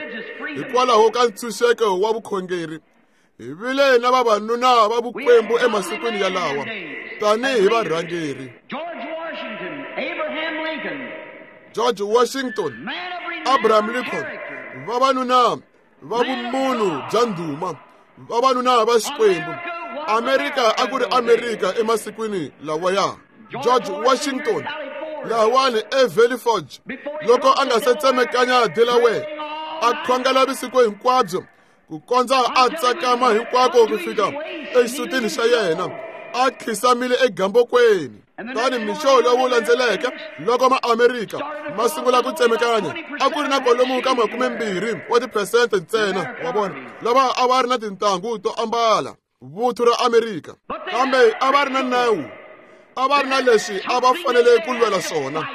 hikwalaho ka ntshunxeko wa vukhongeri, hi vile na vavanuna va vukwembu emasikwini yalawa tanihi varhangeri. George Washington, Abraham Lincoln, vavanuna va vumunhu bya ndhuma, vavanuna va Xikwembu. Amerika a ku ri Amerika emasikwini lawaya. George Washington lahawani eValley Forge, loko a nga se tsemekanya Delaware, a khongela vusiku hinkwabyo ku kondza a tsakama hinkwako ku fika exisutini xa yena, A khisamile egambokweni. Tani mixo lowu landzeleke loko ma-Amerika ma sungula ku tsemekanya, a ku ri na kwalomu ka makumembirhi wa tiphesente ntsena wa vona lava a va ri na tintangu to ambala vuthu ra Amerika. Kambe a va ri na nawu, a va ri na leswi a va fanele ku lwela swona.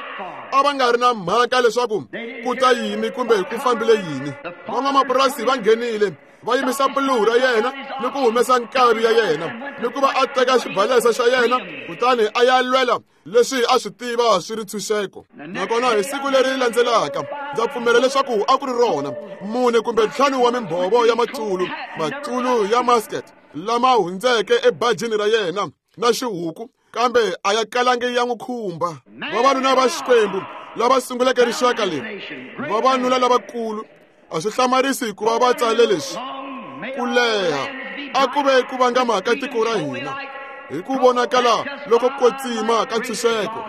A va nga ri na mhaka leswaku ku ta yini kumbe ku fambile yini. Van'wamapurasi va nghenile va yimisa puluhu ra yena ni ku humesa nkavi ya yena ni ku va a teka xibalesa xa yena kutani a ya lwela leswi a swi tiva swi ri ntshunxeko. Nakona hi siku leri landzelaka ndza pfumela leswaku a ku ri rona mune kumbe ntlhanu wa mimbhovo ya matsulu matsulu ya musket lama hundzeke ebajini ra yena na xihuku, kambe a ya kalangi ya n'wi khumba. Vavanuna va Xikwembu lava sunguleke rixaka leri, vavanuna lavakulu, a swi hlamarisi hikuva va tsale leswi: ku leha a ku ve ku vangama ka tiko ra hina hi ku vonakala loko kwetsima ka ntshunxeko.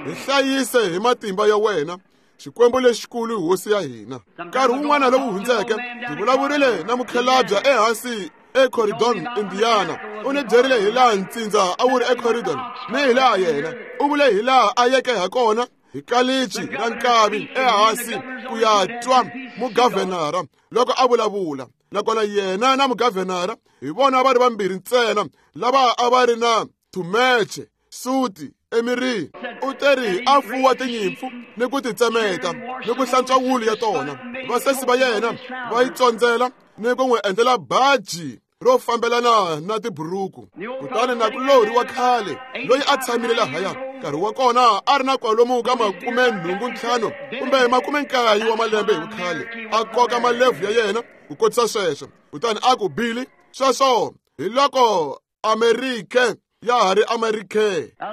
Hi hlayise hi matimba ya wena, Xikwembu lexikulu, hosi ya hina. Nkarhi wun'wana lowu hundzeke ndzi vulavurile na mukhalabye ehansi eCorydon, Indiana. U ni byerile hi laha ntsindza a wu ri eCorydon ni hi laha yena u vule hi laha a yeke ha kona hi kalichi ra nkavi ehansi ku ya twa mugavhenara loko a vulavula. Nakona yena na mugavhenara hi vona va ri vambirhi ntsena lava a va ri na thumeche suti emirini. U teri a fuwa tinyimpfu ni ku ti tsemeta ni ku hlantswa wulu ya tona. Vasesi va yena va yi tsondzela ni ku n'wi endlela baji ro fambelana na tiburuku. Kutani nakulorhi wa khale loyi a tshamile lahaya nkarhi wa kona a ri na kwalomu ka makume nhungu ntlhanu kumbe makume nkaye wa malembe hi vukhale, a koka malebvu ya yena ku kotisa sweswo. Kutani a ku, Billy, sweswo hi loko Amerika ya ha ri Amerika.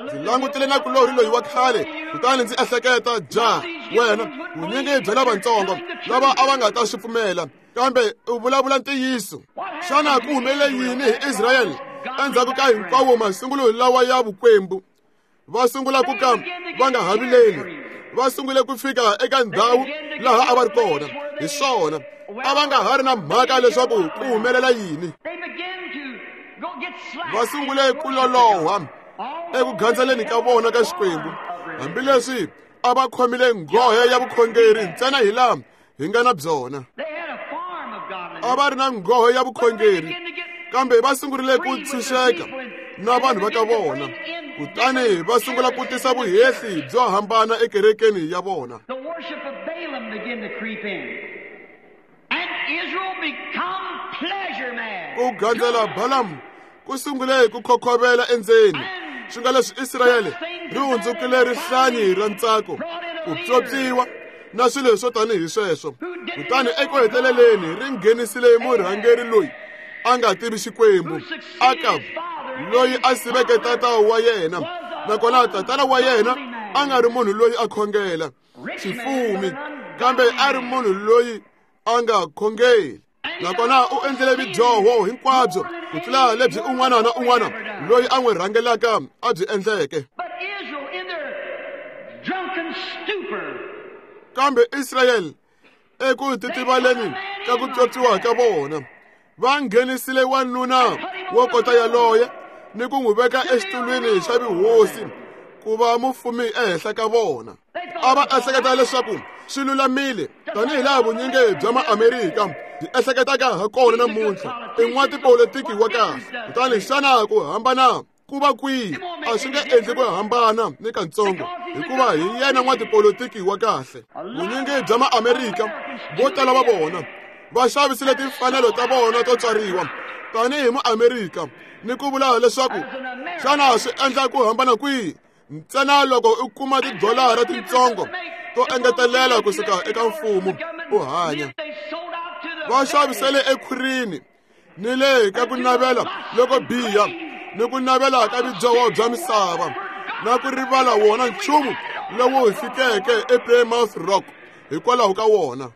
Ndzi langutile nakulorhi loyi wa khale kutani ndzi ehleketa, ja wena vunyingi bya lavatsongo lava a va nga ta swi pfumela, kambe u vulavula ntiyiso. Xana ku humelele yini hi Israyele endzhaku ka hinkwawo masungulo lawa ya vukwembu? Va sungula ku ka va nga ha vileli. Va sungule ku fika eka ndhawu laha a va ri kona. Hi swona, a va nga ha ri na mhaka leswaku ku humelela yini. Va sungule ku loloha eku gandzeleni ka vona ka Xikwembu, hambileswi a va khomile nghohe ya vukhongeri ntsena hi laha hi nga na byona. A va ri na nghohe ya vukhongeri, kambe va sungurile ku tshunxeka na vanhu va ka vona. Kutani va sungula ku tisa vuhehli byo hambana ekerekeni ya vona. Ku gandzela Balaam ku sungule ku khokhovela endzeni, swi nga leswi Israyele ri hundzukile rihlanyi ra ntsako, ku pyopyiwa na swilo swo tanihi sweswo. Kutani eku heteleleni ri nghenisile murhangeri loyi a nga tivi Xikwembu, Akabu, loyi a siveke tata wa yena. Nakona tatana wa yena a nga ri munhu loyi a khongela xifumi, kambe a ri munhu loyi a nga khongeli. Nakona u endlile vudyoho hinkwabyo ku tlula lebyi un'wana na un'wana loyi a n'wi rhangelaka a byi endleke. Kambe Israyele eku titivaleni ka ku pyopyiwa ka vona, va nghenisile wanuna wo kota yaloye ni ku n'wi veka exitulwini xa vuhosi ku va mufumi ehenhla ka vona. A va ehleketa leswaku swi lulamile tanihi laha vunyingi bya ma-Amerika byi ehleketaka ha kona namuntlha. I n'watipolitiki wa kahle. Kutani xana ku hambana ku va kwihi? A swi nge endli ku hambana ni katsongo, hikuva hi yena n'watipolitiki wa kahle. Vunyingi bya ma-Amerika vo tala va vona va xavisile timfanelo ta vona to tswariwa tanihi mu-Amerika ni ku vula leswaku xana swi endla ku hambana kwihi ntsena loko u kuma tidolara titsongo to engetelela kusuka eka mfumo u hanya. Va xavisele ekhwirini ni le ka ku navela loko biha ni ku navela ka vudyoho bya misava na ku rivala wona nchumu lowu hi fikeke ePlymouth Rock hikwalaho ka wona.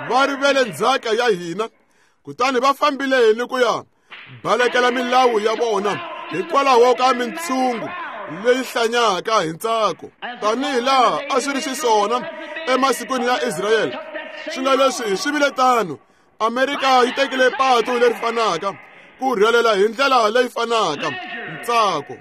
Va rivele ndzhaka ya hina, kutani va fambile ni ku ya balekela milawu ya vona hikwalaho ka mintshungu leyi hlanyaka hi ntsako, tanihi laha a swi ri xiswona emasikwini ya Israyele. Swi nga leswi swi vile tano, Amerika yi tekile patu leri fanaka, ku rhelela hi ndlela leyi fanaka, Ntsako.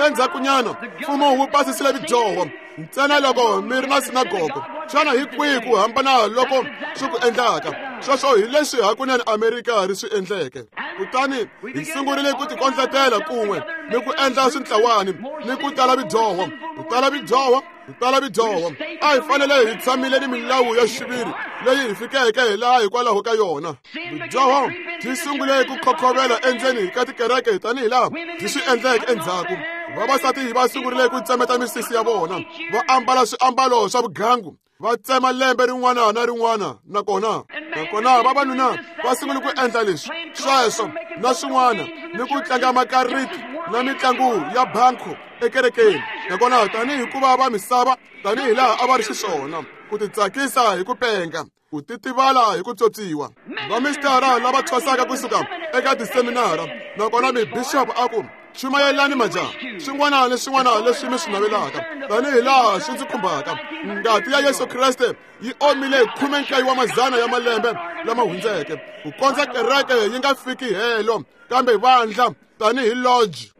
Endzhakunyana mfumo wu pasisile vudyoho ntsena loko mi ri na sinagogo. Xana hi kwihi ku hambana loko swi ku endlaka? Sweswo hi leswi hakunene Amerika ri swi endleke. Kutani hi sungurile ku tikondletela kun'we ni ku endla swintlawani ni ku tala vudyoho, ku tala vudyoho, ku tala vudyoho. A hi fanele hi tshamile ni milawu ya xiviri leyi hi fikeke hi laha hikwalaho ka yona. Vudyoho byi sungule ku khokhovela endzeni ka tikereke tanihi laha byi swi endleke endzhaku. Vavasati va sungurile ku tsemeta misisi ya vona, va ambala swiambalo swa vugangu, va tsema lembe rin'wana na rin'wana. Nakona nakona vavanuna va sungule ku endla leswi sweswo na swin'wana ni ku tlanga makariti na mitlangu ya banko ekerekeni. Nakona tanihi hikuva va misava tanihi laha a va ri xiswona, ku titsakisa hi ku penga, ku titivala hi ku tswotswiwa. Vamistara lava thwasaka kusuka eka tiseminara, nakona mibixopo a ku chumayelani majaha swin'wana ni swin'wana leswi mi swi navelaka tanihi laha swi ndzi khumbaka. Ngati ya Yesu Kreste yi omile khume nkaye wa mazana ya malembe lama hundzeke ku kondza kereke yi nga fiki helo, kambe vandla tanihi lodge.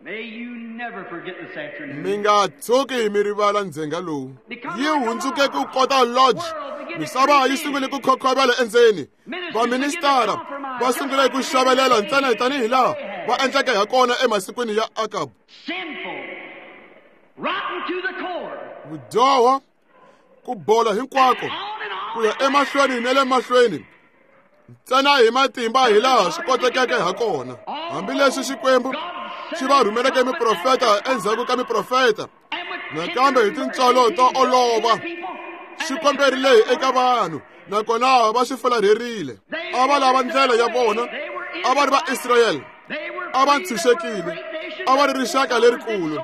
Mi nga tshuki mi rivala ndzhenga lowu. Yi hundzuke ku kota lodge. Misava yi sungule ku khokhovela endzeni. Vaministara va sungule ku xavelela ntsena tanihi laha va endleke ha kona emasikwini ya Akabu. Vudyoho, ku bola hinkwako, ku ya emahlweni na le mahlweni, ntsena hi matimba hi laha swi kotekeke ha kona. Hambileswi Xikwembu xi va rhumeleke miprofeta endzhaku ka miprofeta, nakambe hi tintswalo to olova xi komberile eka vanhu, nakona va swi fularherile. A va lava ndlela ya vona. A va ri va Israyele, a va ntshunxekile, a va ri rixaka lerikulu.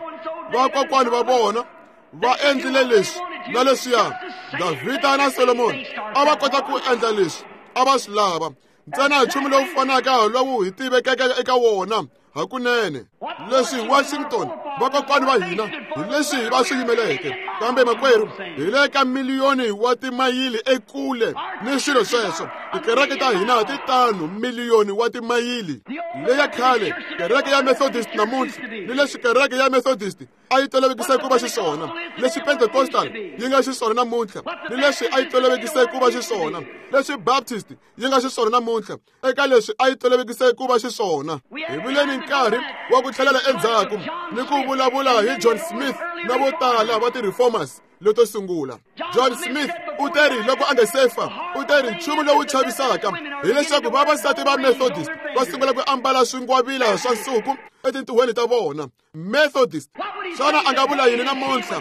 Vakokwani va vona va endlile leswi na leswiya. Davhida na Solomoni a va kota ku endla leswi a va swi lava. Ntsena nchumu lowu fanaka lowu hi tivekeke eka wona hakunene. Leswi Washington vakokwani va hina hi leswi va swi yimeleke, kambe makwerhu hi le ka miliyoni wa timayili ekule ni swilo sweswo. Tikereke ta hina ti tano miliyoni wa timayili. Leya khale kereke ya Methodist namuntlha ni leswi kereke ya Methodist a yi tolovekise ku va xiswona, leswi Pentecostal yi nga xiswona namuntlha ni leswi a yi tolovekise ku va xiswona, leswi Baptist yi nga xiswona namuntlha eka leswi a yi tolovekise ku va xiswona. Hi vile ni nkarhi wa ku tlhelela endzhaku ni ku vulavula hi John Smith na vo tala va ti-reformers leto sungula. John Smith u teri loko a nga se fa, u teri nchumu lowu chavisaka hileswaku vavasati va Methodist va sungula ku ambala swingwavila swa nsuku etintuhweni ta vona. Methodist, xana a nga vula yini namuntlha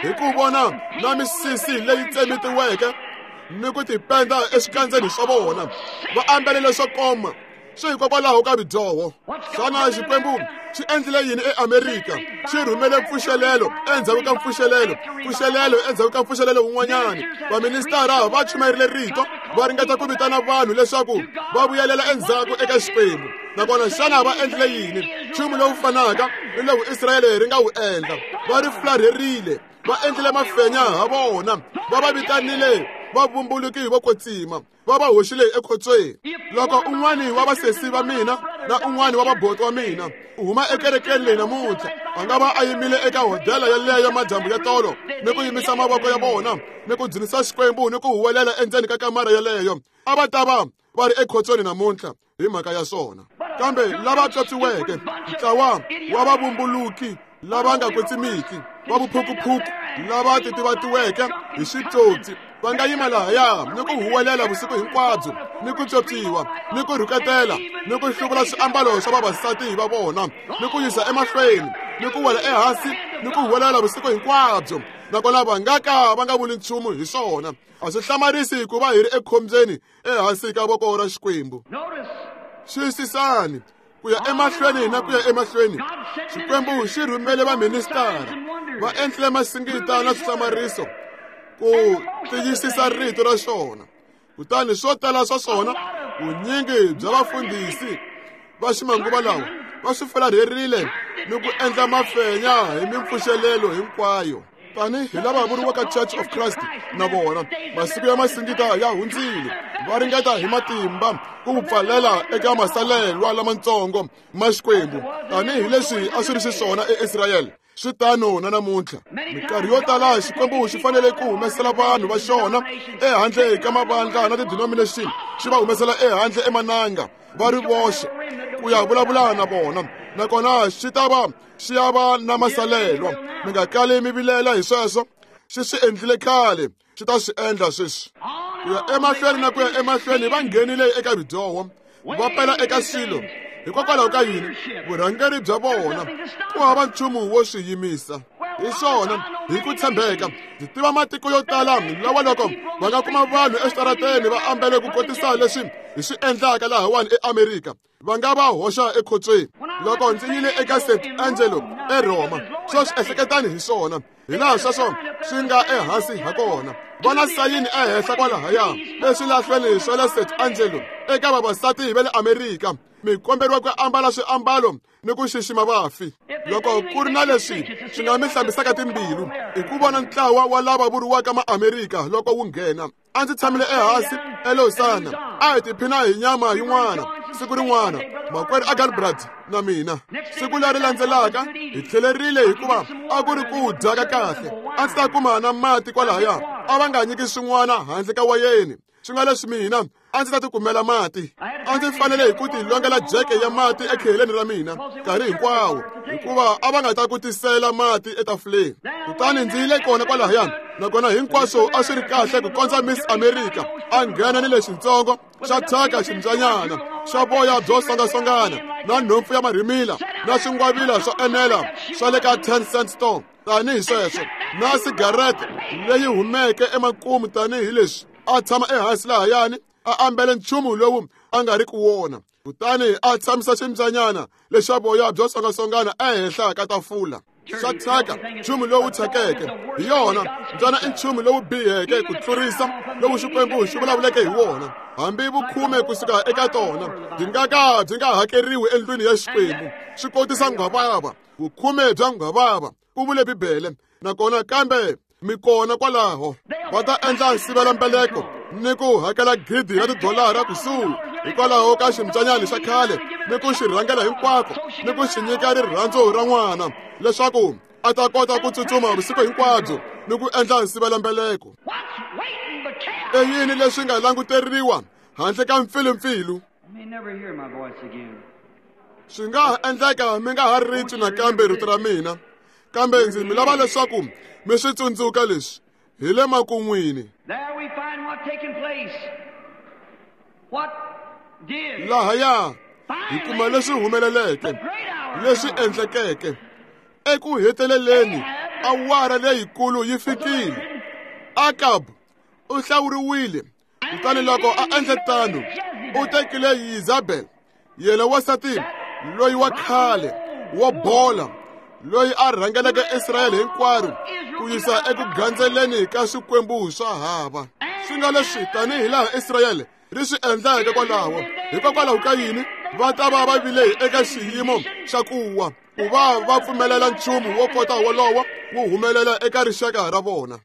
hi ku vona na misisi leyi tsemetiweke ni ku tipenda exikandzeni swa vona, va ambalele swo koma swi hikokwalaho ka vudyoho? Xana Xikwembu xi endlile yini eAmerika? Xi rhumele mpfuxelelo endzhaku ka mpfuxelelo, mpfuxelelo endzhaku ka mpfuxelelo wun'wanyana. Vaministara va chumayerile rito, va ringeta ku vitana vanhu leswaku va vuyelela endzhaku eka Xikwembu. Nakona xana va endlile yini? Nchumu lowu fanaka ni lowu Israyele ri nga wu endla. Va ri fularherile, va endlile mafenya ha vona, va va vitanile vavumbuluki vo kwetsima, va va hoxile ekhotsweni. Loko un'wani wa vasesi va mina na un'wani wa vaboti wa mina u huma ekerekeni leyi namuntlha, a nga va a yimile eka hodela yaleyo madyambu ya tolo ni ku yimisa mavoko ya vona ni ku dzunisa Xikwembu ni ku huwelela endzeni ka kamara yaleyo, a va ta va va ri ekhotsweni namuntlha hi mhaka ya swona. Kambe lava tswotswiweke, ntlawa wa vavumbuluki lava nga kwetsimiki, va vuphukuphuku lava titivatiweke hi switsotsi, va nga yima lahaya ni ku huwelela vusiku hinkwabyo ni ku tswotswiwa ni ku rhuketela ni ku hluvula swiambalo swa vavasati va vona ni ku yisa emahlweni ni ku wela ehansi ni ku huwelela vusiku hinkwabyo, nakona va nga ka va nga vuli nchumu hi swona. A swi hlamarisi ku va hi ri ekhombyeni ehansi ka voko ra Xikwembu. Xiyisisani ku ya emahlweni na ku ya emahlweni. Xikwembu xi rhumele vaministara, va endlile masingita na swihlamariso ku tiyisisa rito ra xona. Kutani swo tala swa swona, vunyingi bya vafundhisi va ximanguva lawa va swi fularherile ni ku endla mafenya hi mimpfuxelelo hinkwayo. Tanihi lava vuriwaka Church of Christ na vona, masiku ya masingita ya hundzile. Va ringeta hi matimba ku pfalela eka masalelwa lamatsongo ma Xikwembu, tanihi leswi a swi ri xiswona eIsrayele. Swi tano na namuntlha. Minkarhi yo tala Xikwembu xi fanele ku humesela vanhu va xona ehandle ka mavandla na ti-denomination, xi va humesela ehandle emananga va ri voxe ku ya vulavula na vona, nakona xi ta va xi ya va na masalelwa. Mi nga kali mi vilela hi sweswo, xi swi endlile khale, xi ta swi endla sweswi. Ku ya emahlweni na ku ya emahlweni va nghenile eka ridyoho, va pela eka swilo. Hikokwalaho ka yini? Vurhangeri bya vona ku hava nchumu wo swi yimisa. Hi swona, hi ku tshembeka, ndzi tiva matiko yo tala lawa loko va nga kuma vanhu exitarateni va ambele ku kotisa leswi hi swi endlaka lahawani eAmerika, va nga va hoxa ekhotsweni. Loko ndzi yile eka Saint Angelo eRoma, sweswi ehleketani hi swona, hi laha sweswo swi nga ehansi ha kona. Va na sayini ehenhla kwalahaya eswilahlweni swa le Saint Angelo eka vavasati va le Amerika, mi komberiwa ku ambala swiambalo ni ku xixima vafi. Loko ku ri na leswi swi nga mi hlambisaka timbilu, i ku vona ntlawa wa lava vuriwaka maAmerika loko wu nghena. A ndzi tshamile ehansi eLausana, a hi tiphina hi nyama yin'wana siku rin'wana, makwerhu Agalbrad na mina. Siku leri landzelaka hi tlhelerile hikuva a ku ri ku dya ka kahle. A ndzi ta kuma na mati kwalahaya, a va nga nyiki swin'wana handle ka wayeni. Swi nga leswi mina a ndzi ta tikumela mati. A ndzi fanele hi ku tilongela jeke ya mati ekheleni ra mina nkarhi hinkwawo, hikuva a va nga ta ku tisela mati etafuleni. Kutani ndzi yile kona kwalahaya, nakona hinkwaswo a swi ri kahle ku kondza Miss America a nghena ni lexintsongo xa thyaka ximbyanyana xa voya byo songasongana na nhompfu ya marhimila na swingwavila swo enela swa le ka ten cent store tanihi sweswo, na sigarete leyi humeke emakumu tanihi leswi. A tshama ehansi lahayani a ambele nchumu lowu a nga ri ku wona, kutani a tshamisa ximbyanyana lexa voya byo songasongana ehenhla ka tafula. Xa thyaka, nchumu lowu thyakeke. Hi yona mbyana i nchumu lowu biheke ku tlurisa lowu Xikwembu xi vulavuleke hi wona. Hambi vukhume kusuka eka tona byi nga ka byi nga hakeriwi endlwini ya Xikwembu. Swi kotisa nghwavava, vukhume bya nghwavava, ku vule Bibele. Nakona kambe mi kona kwalaho va ta endla nsivelambeleko ni ku hakela gidi ra tidolara kusuhi hikwalaho ka ximbyanyana xa khale, ni ku xi rhangela hinkwako ni ku xi nyika rirhandzu ra n'wana leswaku a ta kota ku tsutsuma vusiku hinkwabyo ni ku endla nsivelambeleko. I yini leswi nga languteriwa handle ka mpfilumpfilu? Swi nga ha endleka mi nga ha ri twi nakambe rito ra mina, kambe ndzi mi lava leswaku mi swi tsundzuka leswi hi le makun'wini. Lahaya hi kuma leswi humeleleke, leswi endlekeke. Eku heteleleni awara leyikulu yi fikile. Akab u hlawuriwile, kutani loko a endle tano u tekile Yezabel, yena wansati loyi wa khale wo bola, loyi a rhangeleke Israyele hinkwaro ku yisa eku gandzeleni ka swikwembu swa hava. Swi nga leswi tanihi laha Israyele ri swi endleke kwalaho. Hikokwalaho ka yini va ta va va vile eka xiyimo xa ku wa, ku va va pfumelela nchumu wo kota wolowo wu humelela eka rixaka ra vona.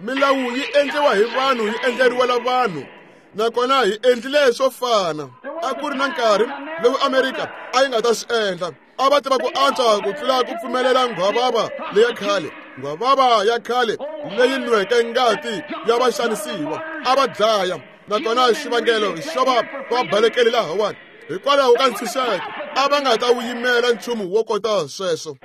Milawu yi endliwa hi vanhu, yi endleriwela vanhu, nakona hi endlile swo fana. A ku ri na nkarhi lowu Amerika a yi nga ta swi endla. A va tiva ku antswa ku tlula ku pfumelela nghwavava leya khale, nghwavava ya khale leyi nweke ngati ya vaxanisiwa. A va dlaya, nakona xivangelo xo va va balekele lahawani hikwalaho ka ntshunxeko. A va nga ta wu yimela nchumu wo kota sweswo.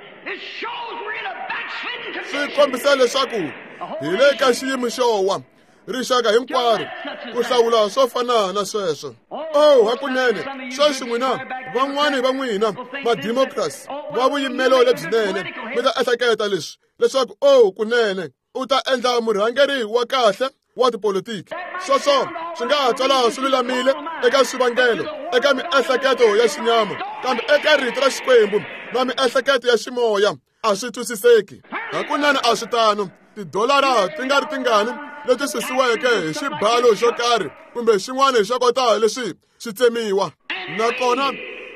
Swi kombisa leswaku hi le ka xiyimo xo wa rixaka hinkwaro ku hlawula swo fana na sweswo. Oh, hakunene sweswi n'wina van'wani va n'wina mademocrats va vuyimelo lebyinene mi ta ehleketa leswi leswaku oh kunene u ta endla murhangeri wa kahle wa tipolitiki. Sweswo swi nga ha twala swi lulamile eka swivangelo, eka miehleketo ya xinyama, kambe eka rito ra Xikwembu na miehleketo ya ximoya a swi twisiseki. Hakunene a swi tano. Tidolara ti nga ri tingani leti susiweke hi xibalo xo karhi kumbe xin'wana xo kota leswi swi tsemiwa, nakona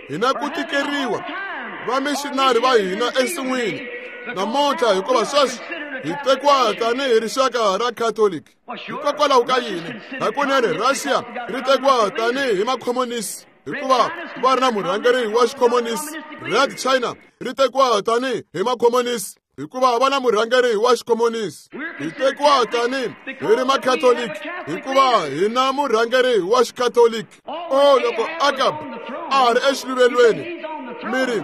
hi na ku tikeriwa Vamixinari va hina ensin'wini namuntlha, hikuva sweswi hi tekiwa tanihi rixaka ra Catholic. Hikokwalaho ka yini? Hakunene Russia ri tekiwa tanihi makhomonisi hikuva va ri na murhangeri wa xikhomonisi. Red China ri tekiwa tanihi hi makhomonisi hikuva va na murhangeri wa xikhomonisi. Hi tekiwa tanihi hi ri makhatoliki hikuva hi na murhangeri wa xikatoliki. O loko Akab a ri exiluvelweni, mi ri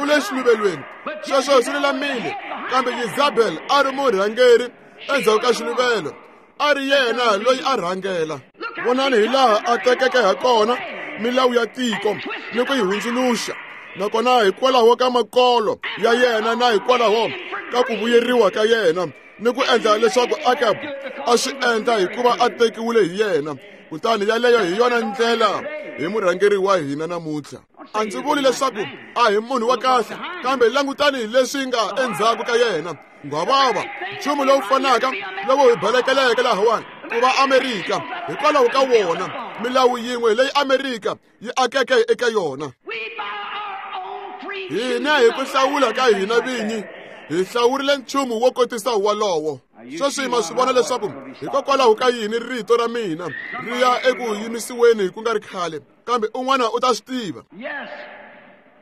u le xiluvelweni, sweswo swi lulamile, kambe Jezebel a ri murhangeri endzhaku ka xiluvelo, a ri yena loyi a rhangela. Vonani hi laha a tekeke ha kona milawu ya tiko ni ku yi hundzuluxa, nakona hikwalaho ka makolo ya yena na hikwalaho ka ku vuyeriwa ka yena ni ku endla leswaku Akab a swi endla hikuva a tekiwile hi yena. Kutani yaleyo hi yona ndlela hi murhangeri wa hina namuntlha. A ndzi vuli leswaku a hi munhu wa kahle, kambe langutani leswi nga endzhaku ka yena. Nghwavava, nchumu lowu fanaka lowu hi balekeleke lahawani ku va Amerika hikwalaho ka wona, milawu yin'we leyi Amerika yi akeke eka yona. Hina hi ku hlawula ka hina vinyi hi hlawurile nchumu wo kotisa walowo. Sweswi ma swi vona leswaku hikokwalaho ka yini rito ra mina ri ya eku yimisiweni ku nga ri khale, kambe un'wana u ta swi tiva.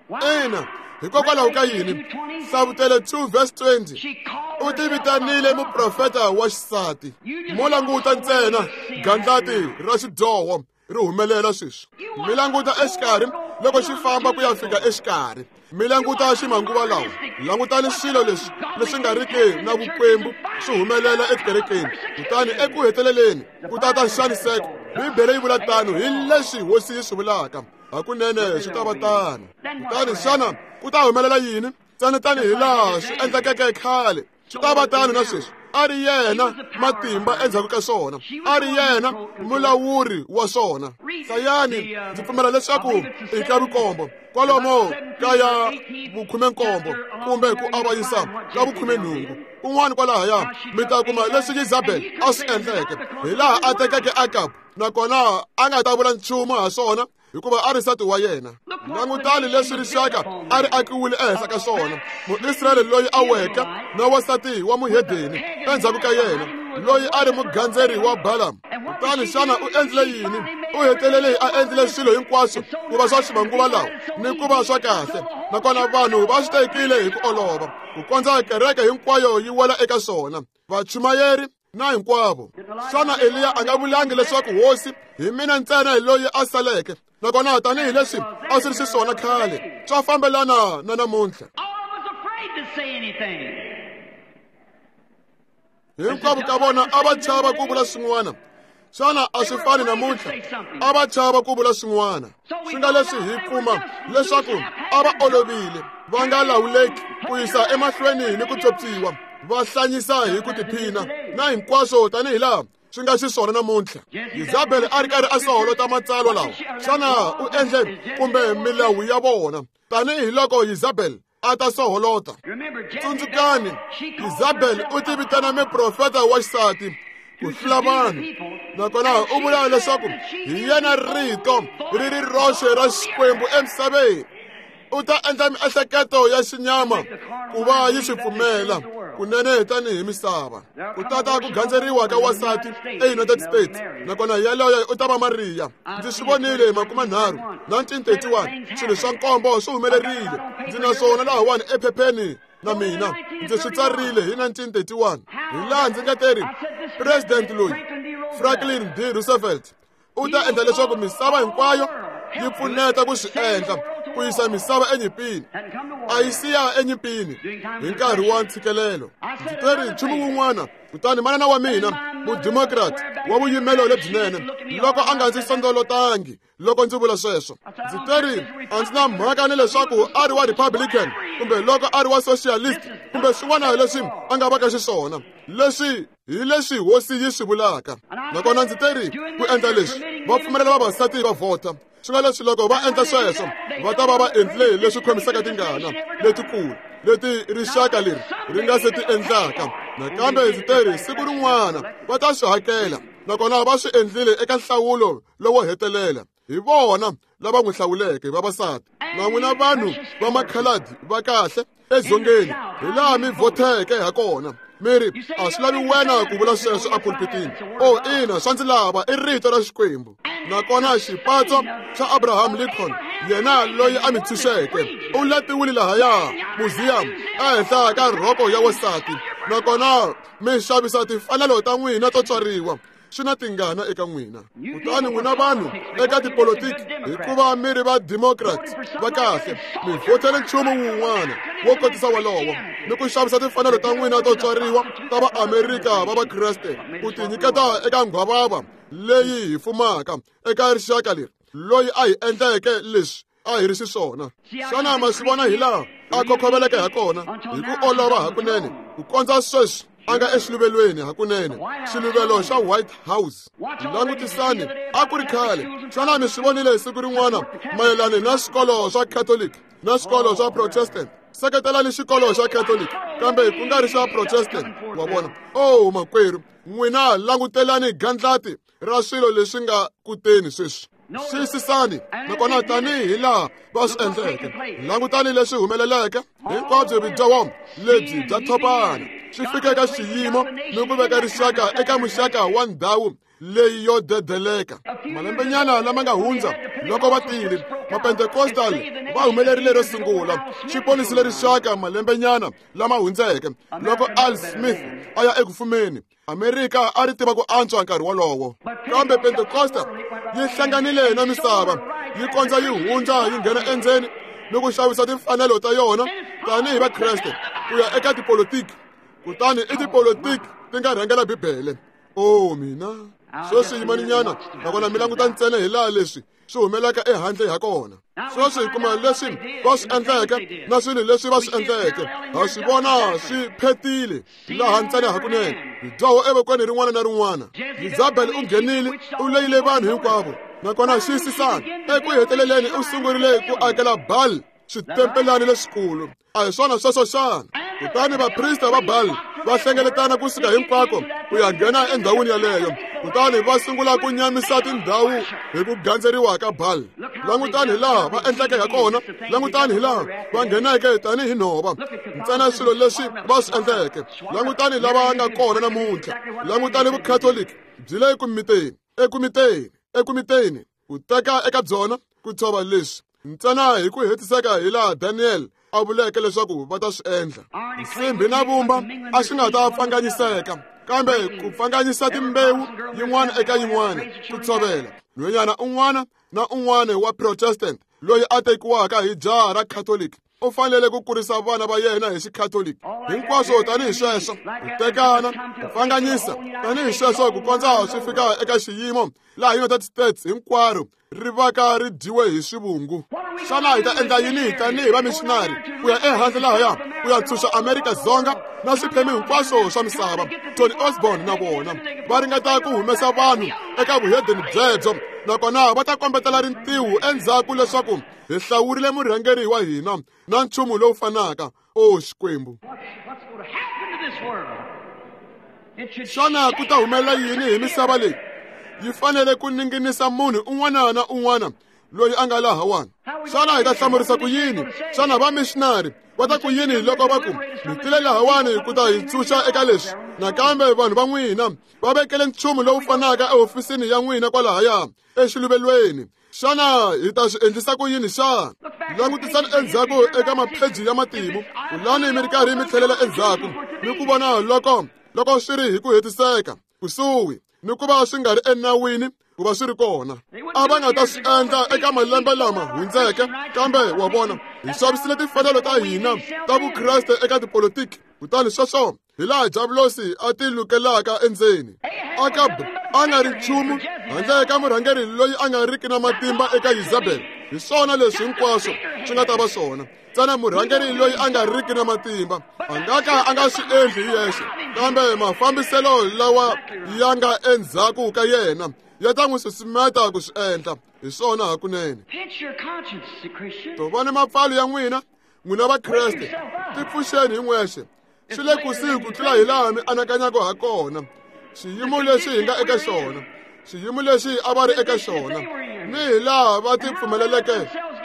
Ina, hikokwalaho ka yini? Hlavutelo two verse twenty, u ti vitanile muprofeta wa xisati. Mo languta ntsena gandlati ra xidyoho ri humelela sweswi. Mi languta exikarhi loko xi famba ku ya fika exikarhi. Mi languta ximanguva lawa, langutani swilo leswi leswi nga riki na vukwembu swi humelela etikerekeni. Kutani eku heteleleni ku ta ta nxaniseko. Bibele yi vula tano, hi leswi hosi yi swi vulaka. Hakunene swi ta va tano. Kutani xana ku ta humelela yini? Ntsena tanihi laha swi endlekeke khale, swi ta va tano na sweswi. A ri yena matimba endzhaku ka swona, a ri yena mulawuri wa swona. Hlayani, ndzi pfumela leswaku i ka vukombo kwalomo ka ya vukhumenkombo kumbe ku avanyisa ka vukhumenhungu kun'wana kwalahaya, mi ta kuma leswi Jezebel a swi endleke, hi laha a tekeke Akab, nakona a nga ta vula nchumu ha swona hikuva a ri nsati wa yena. Langutani leswi rixaka a ri akiwile ehenhla ka swona. Muisrayele loyi a weke na wansati wa muhedeni endzhaku ka yena, loyi a ri mugandzeri wa Balaam. Kutani xana u endlile yini? U hetelele a endlile swilo hinkwaswo ku va swa ximanguva lawa ni ku va swa kahle, nakona vanhu va swi tekile hi ku olova ku kondza kereke hinkwayo yi wela eka swona, vachumayeri na hinkwavo. Xana Eliya a nga vulangi leswaku hosi hi mina ntsena hi loyi a saleke, nakona tanihi leswi a swi ri xiswona khale, swa fambelana na namuntlha? Hinkwavo ka vona a va chava ku vula swin'wana. Xana a swi fani namuntlha? A va chava ku vula swin'wana. Swi nga leswi hi kuma leswaku a va olovile, va nga lawuleki ku yisa emahlweni ni ku tsopsiwa, va hlanyisa hi ku tiphina na hinkwaswo tanihi laha swi nga xiswona namuntlha. Jezebel a ri karhi a soholota matsalwa lawa. Xana u endle kumbe milawu ya vona tanihi loko Jezebel a ta soholota? Tsundzukani, Jezebel u ti vitana muprofeta wa xisati ku hlula vanhu, nakona u vula leswaku hi yena rito ri ri roxe ra Xikwembu emisaveni. U ta endla miehleketo ya xinyama ku va yi swi pfumela kunene tanihi misava. Ku tata ku gandzeriwa ka wansati eUnited States, nakona yaloye u ta va Mariya. Ndzi swi vonile hi makumenharhu nineteen thirty-one, swilo swa nkombo swi humelerile. Ndzi na swona lahawani ephepheni na mina, ndzi swi tsarile hi nineteen thirty-one. Hi laha ndzi nga teri president loyi Franklin D. Roosevelt u ta endla leswaku misava hinkwayo yi pfuneta ku swi endla ku yisa misava enyimpini. A yi siya enyimpini hi nkarhi wa ntshikelelo. Ndzi teri nchumu wun'wana, kutani manana wa mina mudemokrat wa vuyimelo lebyinene loko a nga ndzi sondolotangi loko ndzi vula sweswo. Ndzi teri a ndzi na mhaka ni leswaku a ri wa Republican kumbe loko a ri wa socialist kumbe swin'wana leswi a nga vaka xiswona. Leswi hi leswi hosi yi swi vulaka. Nakona ndzi teri ku endla leswi va pfumelela vavasati va vhota. Swi nga leswi loko va endla sweswo va ta va va endle leswi khomisaka tingana letikulu leti rixaka leri ri nga se ti endlaka. Nakambe ndzi teri siku rin'wana va ta swi hakela, nakona va swi endlile eka nhlawulo lowo hetelela. Hi vona lava n'wi hlawuleke vavasati. Na n'wina vanhu va makhaladi va kahle edzongeni hi laha mi vhotheke ha kona. Mi ri a swi lavi wena ku vula sweswo epulpitini. O ina, swa ndzi lava i rito ra Xikwembu. Nakona xipatso xa Abraham Lincoln, yena loyi a mi tshunxeke, u latiwile lahaya museum ehenhla ka rhoko ya wansati. Nakona mi xavisa timfanelo ta n'wina to tswariwa. Swi na tingana eka n'wina. Kutani n'wina vanhu eka tipolotiki, hikuva mi ri va democrat va kahle, mi vhotele nchumu wun'wana wo kotisa wolowo ni ku xavisa timfanelo ta n'wina to tswariwa ta Vaamerika va Vakreste, ku tinyiketa eka nghwavava leyi hi fumaka eka rixaka leri, loyi a hi endleke leswi a hi ri xiswona. Xana ma swi vona hi laha a khokhoveleke ha kona hi ku olova hakunene ku kondza sweswi a nga exiluvelweni hakunene, xiluvelo xa White House. Langutisani, a ku ri khale. Xana mi swi vonile siku rin'wana mayelana na swikolo swa Catholic na swikolo swa Protestant? Seketelani xikolo xa Catholic kambe ku nga ri xa Protestant. Wa vona? Oh makwerhu, n'wina langutelani gandlati ra swilo leswi nga kuteni sweswi. Xiyisisani, nakona tanihi laha va swi endleke. Langutani leswi humeleleke hinkwabyo vudyoho lebyi bya thopana swi fika eka xiyimo ni ku veka rixaka eka muxaka wa ndhawu leyi yo dedeleka. Malembenyana lama nga hundza loko va tile Mapentekostal va humelerile ro sungula, xi ponisile rixaka malembenyana lama hundzeke loko Al Smith a ya eku fumeni. Amerika a ri tiva ku antswa nkarhi wolowo, kambe Pentekosta yi hlanganile na misava, yi kondza yi hundza yi nghena endzeni ni ku xavisa timfanelo ta yona tanihi Vakreste ku ya eka tipolotiki. Kutani i tipolotiki ti nga rhangela Bibele. Oh mina, sweswi yimaninyana, nakona mi languta ntsena hi laha leswi swi humelaka ehandle ha kona. Sweswi hi kuma leswi va swi endleke na swilo leswi va swi endleke. Ha swi vona swi phetile laha ntsena hakunene. Dyoho evokweni rin'wana na rin'wana. Jezebel u nghenile, u leyile vanhu hinkwavo. Nakona xiyisisani, eku heteleleni u sungurile ku akela Baal switempelani leswikulu. A hi swona sweswo xana? Kutani vaprista va Baal va hlengeletana kusuka hinkwako ku ya nghena endhawini yaleyo. Kutani va sungula ku nyamisa tindhawu hi ku gandzeriwa ka Baal. Langutani hi laha va endleke ha kona, langutani hi laha va ngheneke tanihi nhova. Ntsena swilo leswi va swi endleke. Langutani lava nga kona namuntlha. Langutani Vukhatoliki byi le ku miteni, eku miteni, eku miteni, ku teka eka byona ku tshova leswi ntsena hi ku hetiseka hi laha Daniel a vuleke leswaku va ta swi endla. Nsimbi na vumba a swi nga ta pfanganyiseka, kambe ku pfanganyisa timbewu yin'wana eka yin'wana ku tshovela. Nhwanyana un'wana na un'wana wa Protestant loyi a tekiwaka hi jaha ra Catholic u fanele ku kurisa vana va yena hi Xikhatoliki. Hinkwaswo tanihi sweswo, ku tekana, ku pfanganyisa tanihi sweswo ku kondza swi fika eka xiyimo laha United States hinkwaro ri vaka ri dyiwe hi swivungu. Xana hi ta endla yini tanihi vamishinari ku ya ehandle lahaya ku ya tshunxa Amerika Dzonga na swiphemu hinkwaswo swa misava? Tony Osborne na vona va ringeta ku humesa vanhu eka vuhedeni byebyo, nakona va ta kombetela rintiho endzhaku leswaku hi hlawurile murhangeri wa hina na nchumu lowu fanaka. O Xikwembu, xana ku ta humelela yini hi misava leyi? Yi fanele ku ninginisa munhu un'wana na un'wana loyi a nga lahawani. Xana hi ta hlamurisa ku yini? Xana vamishinari va ta ku yini loko va ku mi tile lahawani ku ta hi tshunxa eka leswi? Nakambe vanhu va n'wina va vekele nchumu lowu fanaka ehofisini ya n'wina kwalahaya exiluvelweni. Xana hi ta swi endlisa ku yini xana? Langutisani endzhaku eka mapheji ya matimu, kulani mi ri karhi mi tlhelela endzhaku ni ku vona loko loko swi ri hi ku hetiseka kusuhi ni ku va swi nga ri enawini ku va swi ri kona. A va nga ta swi endla eka malembe lama hundzeke, kambe wa vona, hi xavisile timfanelo ta hina ta Vukreste eka tipolotiki. Kutani sweswo hi laha Diablosi a ti lukelaka endzeni. Akab a nga ri nchumu handle ka murhangeri loyi a nga riki na matimba eka Jezebel. Hi swona leswi hinkwaswo swi nga ta va swona. Ntsena murhangeri loyi a nga riki na matimba a nga ka a nga swi endli hi yexe, kambe mafambiselo lawa ya nga endzhaku ka yena ya ta n'wi susumeta ku swi endla. Hi swona hakunene. Tovani mapfalo ya n'wina, n'wina Vakreste, tipfuxeni hi n'wexe. Swi le kusuhi ku tlula hi laha mi anakanyaka ha kona. Xiyimo lexi hi nga eka xona, Xiyimo lexi a va ri eka xona ni hi laha va ti pfumeleleke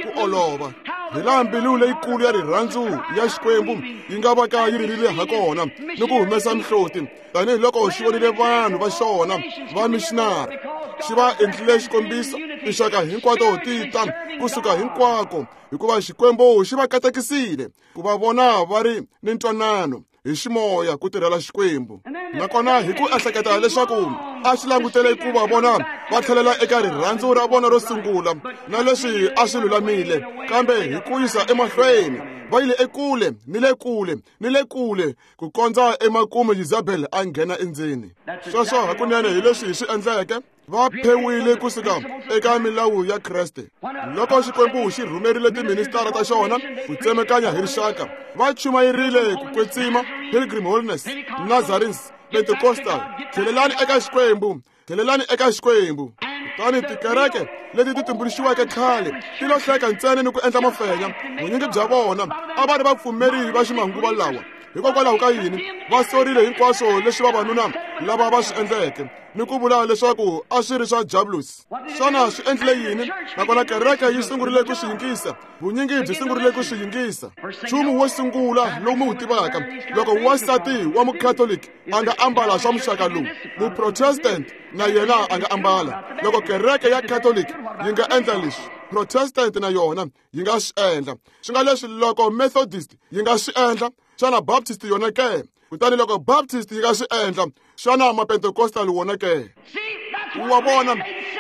ku olova, hi laha mbilu leyikulu ya rirhandzu ya Xikwembu yi nga va ka yi ririle ha kona ni ku humesa mihloti, tanihiloko xi vonile vanhu va xona va missionary xi va endlile xikombiso tinxaka hinkwato ti ta kusuka hinkwako, hikuva Xikwembu xi va katekisile ku va vona va ri ni ntwanano hi ximoya ku tirhela Xikwembu. Nakona hi ku ehleketa leswaku a xi langutele ku va vona va tlhelela eka rirhandzu ra vona ro sungula na leswi a swi lulamile, kambe hi ku yisa emahlweni va yile ekule ni le kule ni le kule ku kondza emakumu Jezebel a nghena endzeni. Sweswo hakunene hi leswi hi swi endleke, va phewile kusuka eka milawu ya Kreste. Loko Xikwembu xi rhumerile tiministara ta xona ku tsemekanya hi rixaka, va chumayerile ku kwetsima, Pilgrim Holiness, Nazarenes, Pentecostal. Tlhelelani eka Xikwembu, tlhelelani eka Xikwembu. Kutani tikereke leti ti tumbuluxiweke khale ti lo hleka ntsena ni ku endla mafenya. Vunyingi bya vona a va ri vapfumeri va ximanguva lawa. Hikokwalaho ka yini va sorile hinkwaswo leswi vavanuna lava va swi endleke ni ku vula leswaku a swi ri swa Diablos? Xana swi endlile yini? Nakona kereke yi sungurile ku swi yingisa, vunyingi byi sungurile ku swi yingisa. Nchumu wo sungula lowu mi wu tivaka, loko wansati wa Mukhatoliki a nga ambala swa muxaka lowu, Muprotestant na yena a nga ambala. Loko kereke ya Catholic yi nga endla leswi, Protestant na yona yi nga swi endla. Swi nga leswi loko Methodist yi nga swi endla, xana Baptist yona ke? Kutani loko Baptist yi nga swi endla, xana Mapentecostal wona ke? Wa vona,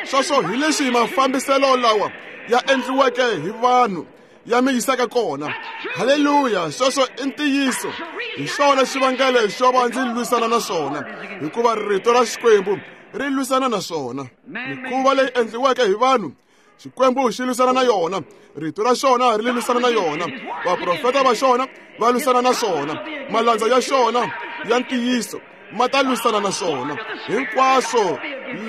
sweswo hi leswi mafambiselo lawa ya endliweke hi vanhu ya mi yisaka kona. Haleluya, sweswo i ntiyiso. Hi xona xivangelo xo va ndzi lwisana na swona, hikuva rito ra Xikwembu ri lwisana na swona. Mikhuva leyi endliweke hi vanhu, Xikwembu xi lwisana na yona, rito ra xona ri lwisana na yona, vaprofeta va xona va lwisana na swona, malandza ya xona ya ntiyiso ma ta lwisana na swona. Hinkwaswo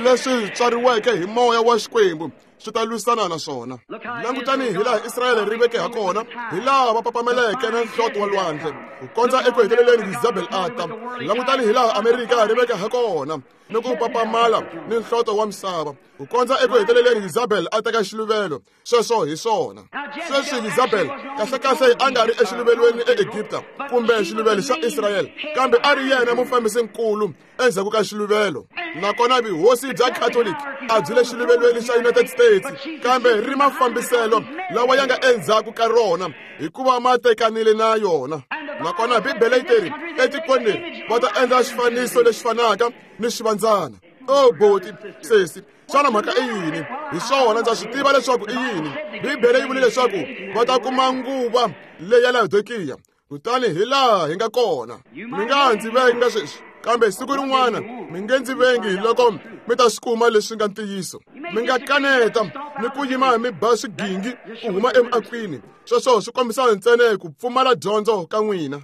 leswi tswariweke hi moya wa Xikwembu swi ta lwisana na swona. Langutani hi laha Israyele ri veke ha kona, hi laha va papameleke na nhloti wa lwandle ku kondza eku heteleleni Jezebel a ta. Langutani hi laha Amerika ri veke ha kona ni ku papamala ni nhloto wa misava ku kondza eku heteleleni Jezebel a teka xiluvelo. Sweswo hi swona. Sweswi Jezebel kahlekahle a nga ri exiluvelweni eEgipta kumbe xiluvelo xa Israyele, kambe a ri yena mufambisinkulu endzhaku ka xiluvelo. Nakona vuhosi bya Catholic a byi le xiluvelweni xa United States, kambe ri mafambiselo lawa ya nga endzhaku ka rona hikuva ma tekanile na yona. Nakona Bibele yi teri etikweni leri va ta endla xifaniso lexi fanaka ni xivandzana. Oh boti, sesi, xana mhaka i yini? Hi swona ndza swi tiva leswaku i yini. Bibele yi vule leswaku va ta kuma nguva leyi ya Laodikiya. Kutani hi laha hi nga kona. Mi nga ndzi venga sweswi, kambe siku rin'wana mi nge ndzi vengi loko mi ta swi kuma leswi nga ntiyiso. Mi nga kaneta ni ku yima mi ba swigingi ku huma emiakwini. Sweswo swi kombisa ntsena ku pfumala dyondzo ka n'wina.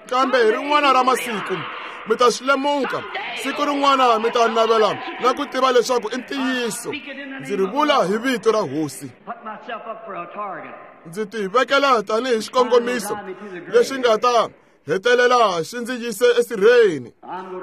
Kambe hi rin'wana ra masiku mi ta swi lemuka. Siku rin'wana mi ta navela na ku tiva leswaku i ntiyiso. Ndzi ri vula hi vito ra Hosi. Ndzi ti vekela tanihi xikongomiso lexi nga ta hetelela xi ndzi yise esirheni.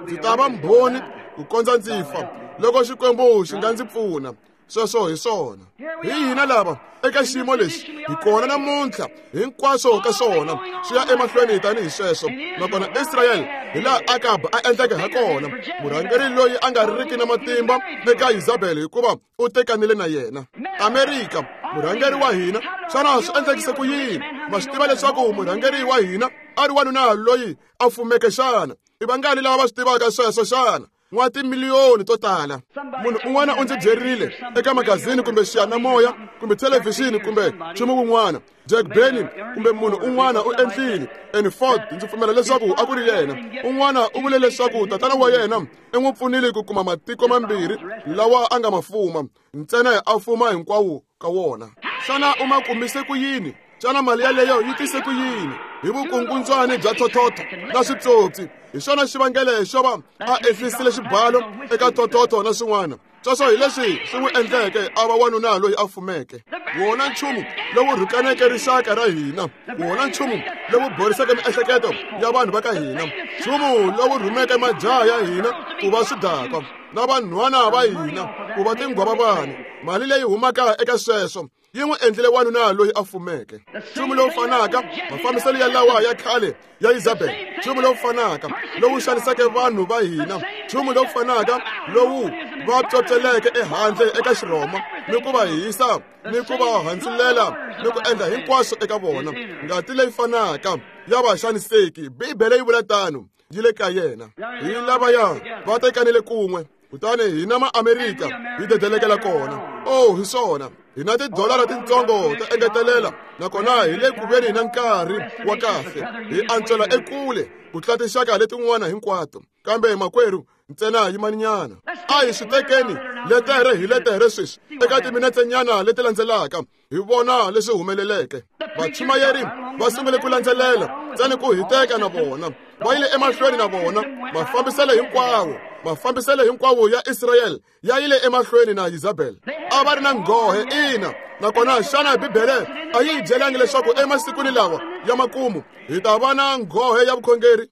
Ndzi ta va mbhoni ku kondza ndzi fa loko Xikwembu xi nga ndzi pfuna. Sweswo hi swona. Hi hina lava eka xiyimo lexi hi kona namuntlha, hinkwaswo ka swona swi ya emahlweni tanihi sweswo. Nakona Israyele hi laha Akab a endleke ha kona, murhangeri loyi a nga riki na matimba eka Jezebel hikuva u tekanile na yena. Amerika, murhangeri wa hina, xana swi endlekise ku yini? Ma swi tiva leswaku murhangeri wa hina a ri wanuna loyi a fumeke xana? I vangani lava va swi tivaka sweswo xana? N'wa timiliyoni to tala. Munhu un'wana u ndzi byerile eka magazini kumbe xiyanimoya kumbe thelevhixini kumbe nchumu wun'wana, Jack Benny kumbe munhu un'wana u endlile and Ford, ndzi pfumela leswaku a ku ri yena. Un'wana u vule leswaku tatana wa yena i n'wi pfunile ku kuma matiko mambirhi lawa a nga ma fuma, ntsena a fuma hinkwawo ka wona. Xana u ma kumise ku yini? Xana mali yaleyo yi tise ku yini? Hi vukungundzwani bya thothotho na switsotsi. Hi xona xivangelo xo va a ehlisile xibalo eka thothotho na swin'wana. Sweswo hi leswi swi n'wi endleke a va wanuna loyi a fumeke. Wona nchumu lowu rhukaneke rixaka ra hina, wona nchumu lowu boriseke miehleketo ya vanhu va ka hina, nchumu lowu rhumeke majaha ya hina ku va swidakwa, na vanhwana va hina ku va tinghwavavana. Mali leyi humaka eka sweswo yi n'wi endlile wanuna loyi a fumeke. Nchumu lowu fanaka, mafambiselo ya lawa ya khale ya Isabel, nchumu lowu fanaka lowu xaniseke vanhu va hina, nchumu lowu fanaka lowu va pyopyeleke ehandle eka Xirhoma ni ku va hisa ni ku va handzulela ni ku endla hinkwaswo eka vona. Ngati leyi fanaka ya vaxaniseki, Bibele yi vula tano, yi le ka yena. Hi lavaya va tekanile kun'we, kutani hina ma-Amerika hi dedelekela kona. Oh, hi swona, hina tidolara tintsongo to engetelela, nakona hi le ku veni na nkarhi wa kahle, hi antswela ekule ku tlula tinxaka letin'wana hinkwato. Kambe makwerhu, ntsena yimaninyana, a hi swi tekeni letere hi letere sweswi eka timinetsenyana leti landzelaka, hi vona leswi humeleleke. Vachumayeri va sungule ku landzelela ntsena ku hiteka na vona, va yile emahlweni na vona. Mafambiselo hinkwawo, mafambiselo hinkwawo ya Israyele ya yile emahlweni na Isabel. A va ri na nghohe, ina. Nakona xana Bibele a yi hi byelangi leswaku emasikwini lawa ya makumu hi ta va na nghohe ya vukhongeri?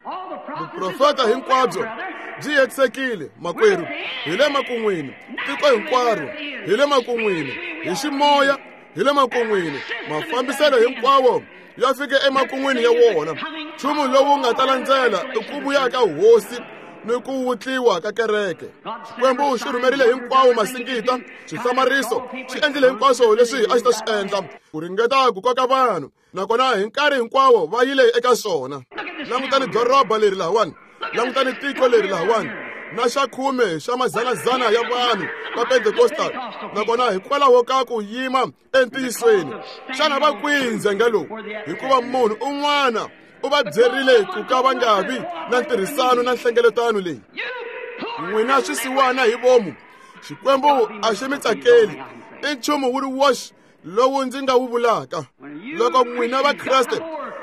Vuprofeta hinkwabyo byi hetisekile, makwerhu. Hi le makun'wini, tiko hinkwaro hi le makun'wini, hi ximoya hi le makun'wini. Mafambiselo hinkwawo ya fike emakun'wini ya wona. Nchumu lowu nga ta landzela i ku vuya ka hosi ni ku wutliwa ka kereke. Xikwembu xi rhumerile hinkwawo masingita, swihlamariso, xi endlile hinkwaswo leswi a xi ta swi endla ku ringeta ku koka vanhu, nakona hi nkarhi hinkwawo va yile eka swona. Langutani doroba leri lahawani, langutani tiko leri lahawani, na xa khume xa mazanazana ya vanhu va Pentecostal, nakona hikwalaho ka ku yima entiyisweni. Xana va kwihi ndzhenga lowu? Hikuva munhu un'wana u va byerile ku ka va nga vi na ntirhisano na nhlengeletano leyi. N'wina swisiwana hi vomu, Xikwembu a xi mi tsakeli. I nchumu wu ri woxe lowu ndzi nga wu vulaka. Loko n'wina va Kreste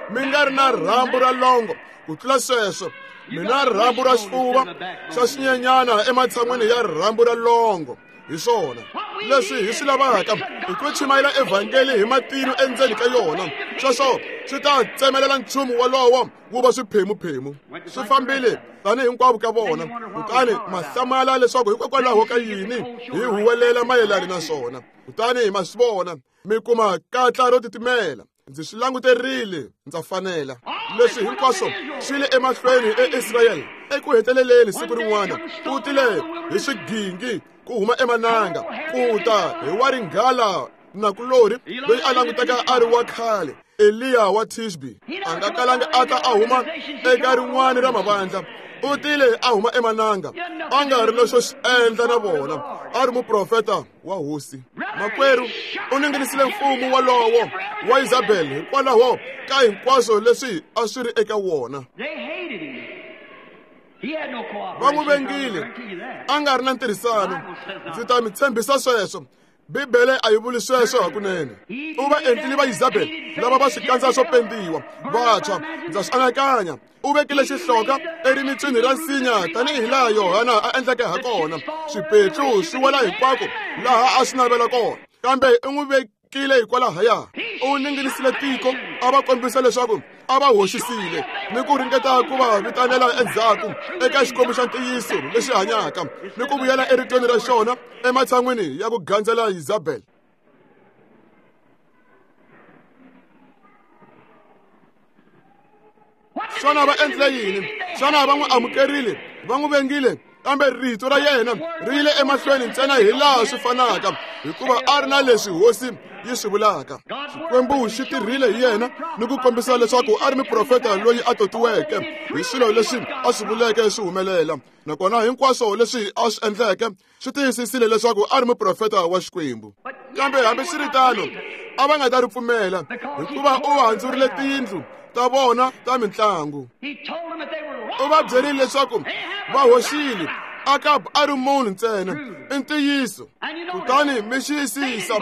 mi nga ri na rhambu ra longo ku tlula sweswo, mi na rhambu ra xifuva xa xinyenyana ematshan'wini ya rhambu ra longo. Hi swona leswi hi swi lavaka, i ku chumayela evhangeli hi matino endzeni ka yona. Sweswo swi ta tsemelela nchumu wolowo wu va swiphemuphemu. Swi fambile tanihi hinkwavo ka vona, kutani ma hlamala leswaku hikokwalaho ka yini hi huwelela mayelana na swona. Kutani ma swi vona, mi kuma katla ro titimela. Ndzi swi languterile, ndza fanela. Leswi hinkwaswo swi le emahlweni eIsrayele. Eku heteleleni siku rin'wana ku tile hi swigingi ku huma emananga, ku ta hi wa ringhala nakulorhi loyi a languteka a ri wa khale, Eliya wa Tishbi. A nga kalanga a ta a huma eka rin'wana ra mavandla, u tile a huma emananga, a nga ri na xo xi endla na vona, a ri muprofeta wa hosi. Makwerhu, u ninginisile mfumo wolowo wa Isabel hikwalaho ka hinkwaswo leswi a swi ri eka wona. Va n'wi vengile, a nga ri na ntirhisano. Ndzi ta mi tshembisa sweswo. Bibele a yi vuli sweswo hakunene. U va endlile va Isabel lava va swikandza swo pendiwa vantshwa. Ndza swi anakanya u vekile xihloka erimitswini ra nsinya tanihi laha Yohana a endleke ha kona. Swipetlu swi wela hinkwako laha a swi navela kona, kambe u n'wi vekile hikwalahaya. U ninginisile tiko, a va kombisa leswaku a va hoxisile ni ku ringeta ku va vitanela endzhaku eka Xikwembu xa ntiyiso lexi hanyaka ni ku vuyela eritweni ra xona ematshan'wini ya ku gandzela Isabel. Xana va endlile yini? Xana va n'wi amukerile? Va n'wi vengile? Kambe rito ra yena ri yile emahlweni ntsena hi laha swi fanaka, hikuva a ri na leswi hosi yi swi vulaka. Xikwembu xi tirhile hi yena ni ku kombisa leswaku a ri muprofeta loyi a totiweke hi swilo leswi a swi vuleke swi humelela, nakona hinkwaswo leswi a swi endleke swi tiyisisile leswaku a ri muprofeta wa Xikwembu. Kambe hambiswiritano a va nga ta ri pfumela, hikuva u handzurile tiyindlu ta vona ta mintlangu. U va byerile leswaku va hoxile, Akab a ri munhu ntsena, i ntiyiso. Kutani mi xiyisisa,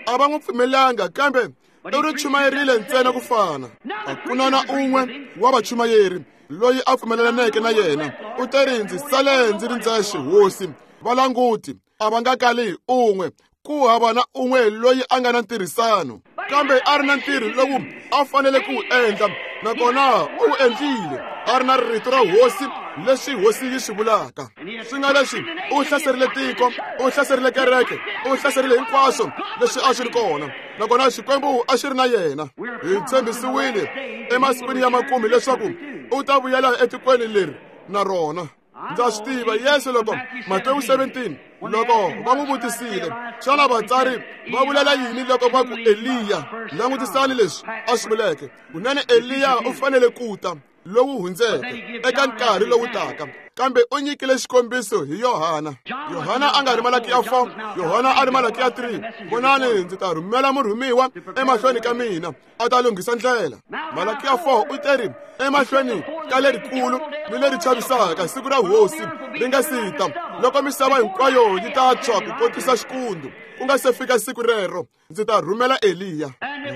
a va n'wi pfumelanga, kambe u ri chumayerile ntsena ku fana. A ku na na un'we wa vachumayeri loyi a pfumelelaneke na yena. U teri, ndzi sale ndzi ri ndzexe, hosi. Valanguti a va nga kali un'we, ku hava na un'we loyi a nga na ntirhisano, kambe a ri na ntirho lowu a fanele ku wu endla, nakona u wu endlile. A ri na rito ra hosi leswi hosi yi swi vulaka. Swi nga leswi u hlaserile tiko, u hlaserile kereke, u hlaserile hinkwaswo leswi a swi ri kona, nakona Xikwembu a xi ri na yena. Hi tshembisiwile emasikwini ya makume leswaku u ta vuyela etikweni leri na rona. Ndza swi tiva Yesu loko Matewu seventeen loko va n'wi vutisile, xana vatsari va vulela yini loko va ku Eliya? Langutisani leswi a swi vuleke. Kunene Eliya u fanele ku ta lowu hundzeke eka nkarhi lowu taka, kambe u nyikile xikombiso hi Yohana. Yohana a nga ri Malakiya four, Yohana a ri Malakiya three. Vonani, ndzi ta rhumela murhumiwa emahlweni ka mina, a ta lunghisa ndlela. Malakiya four u teri emahlweni ka lerikulu ni leri chavisaka siku ra hosi ri nga si ta, loko misava hinkwayo yi ta tshwa ku kotisa xikundu. Ku nga se fika siku rero, ndzi ta rhumela Eliya.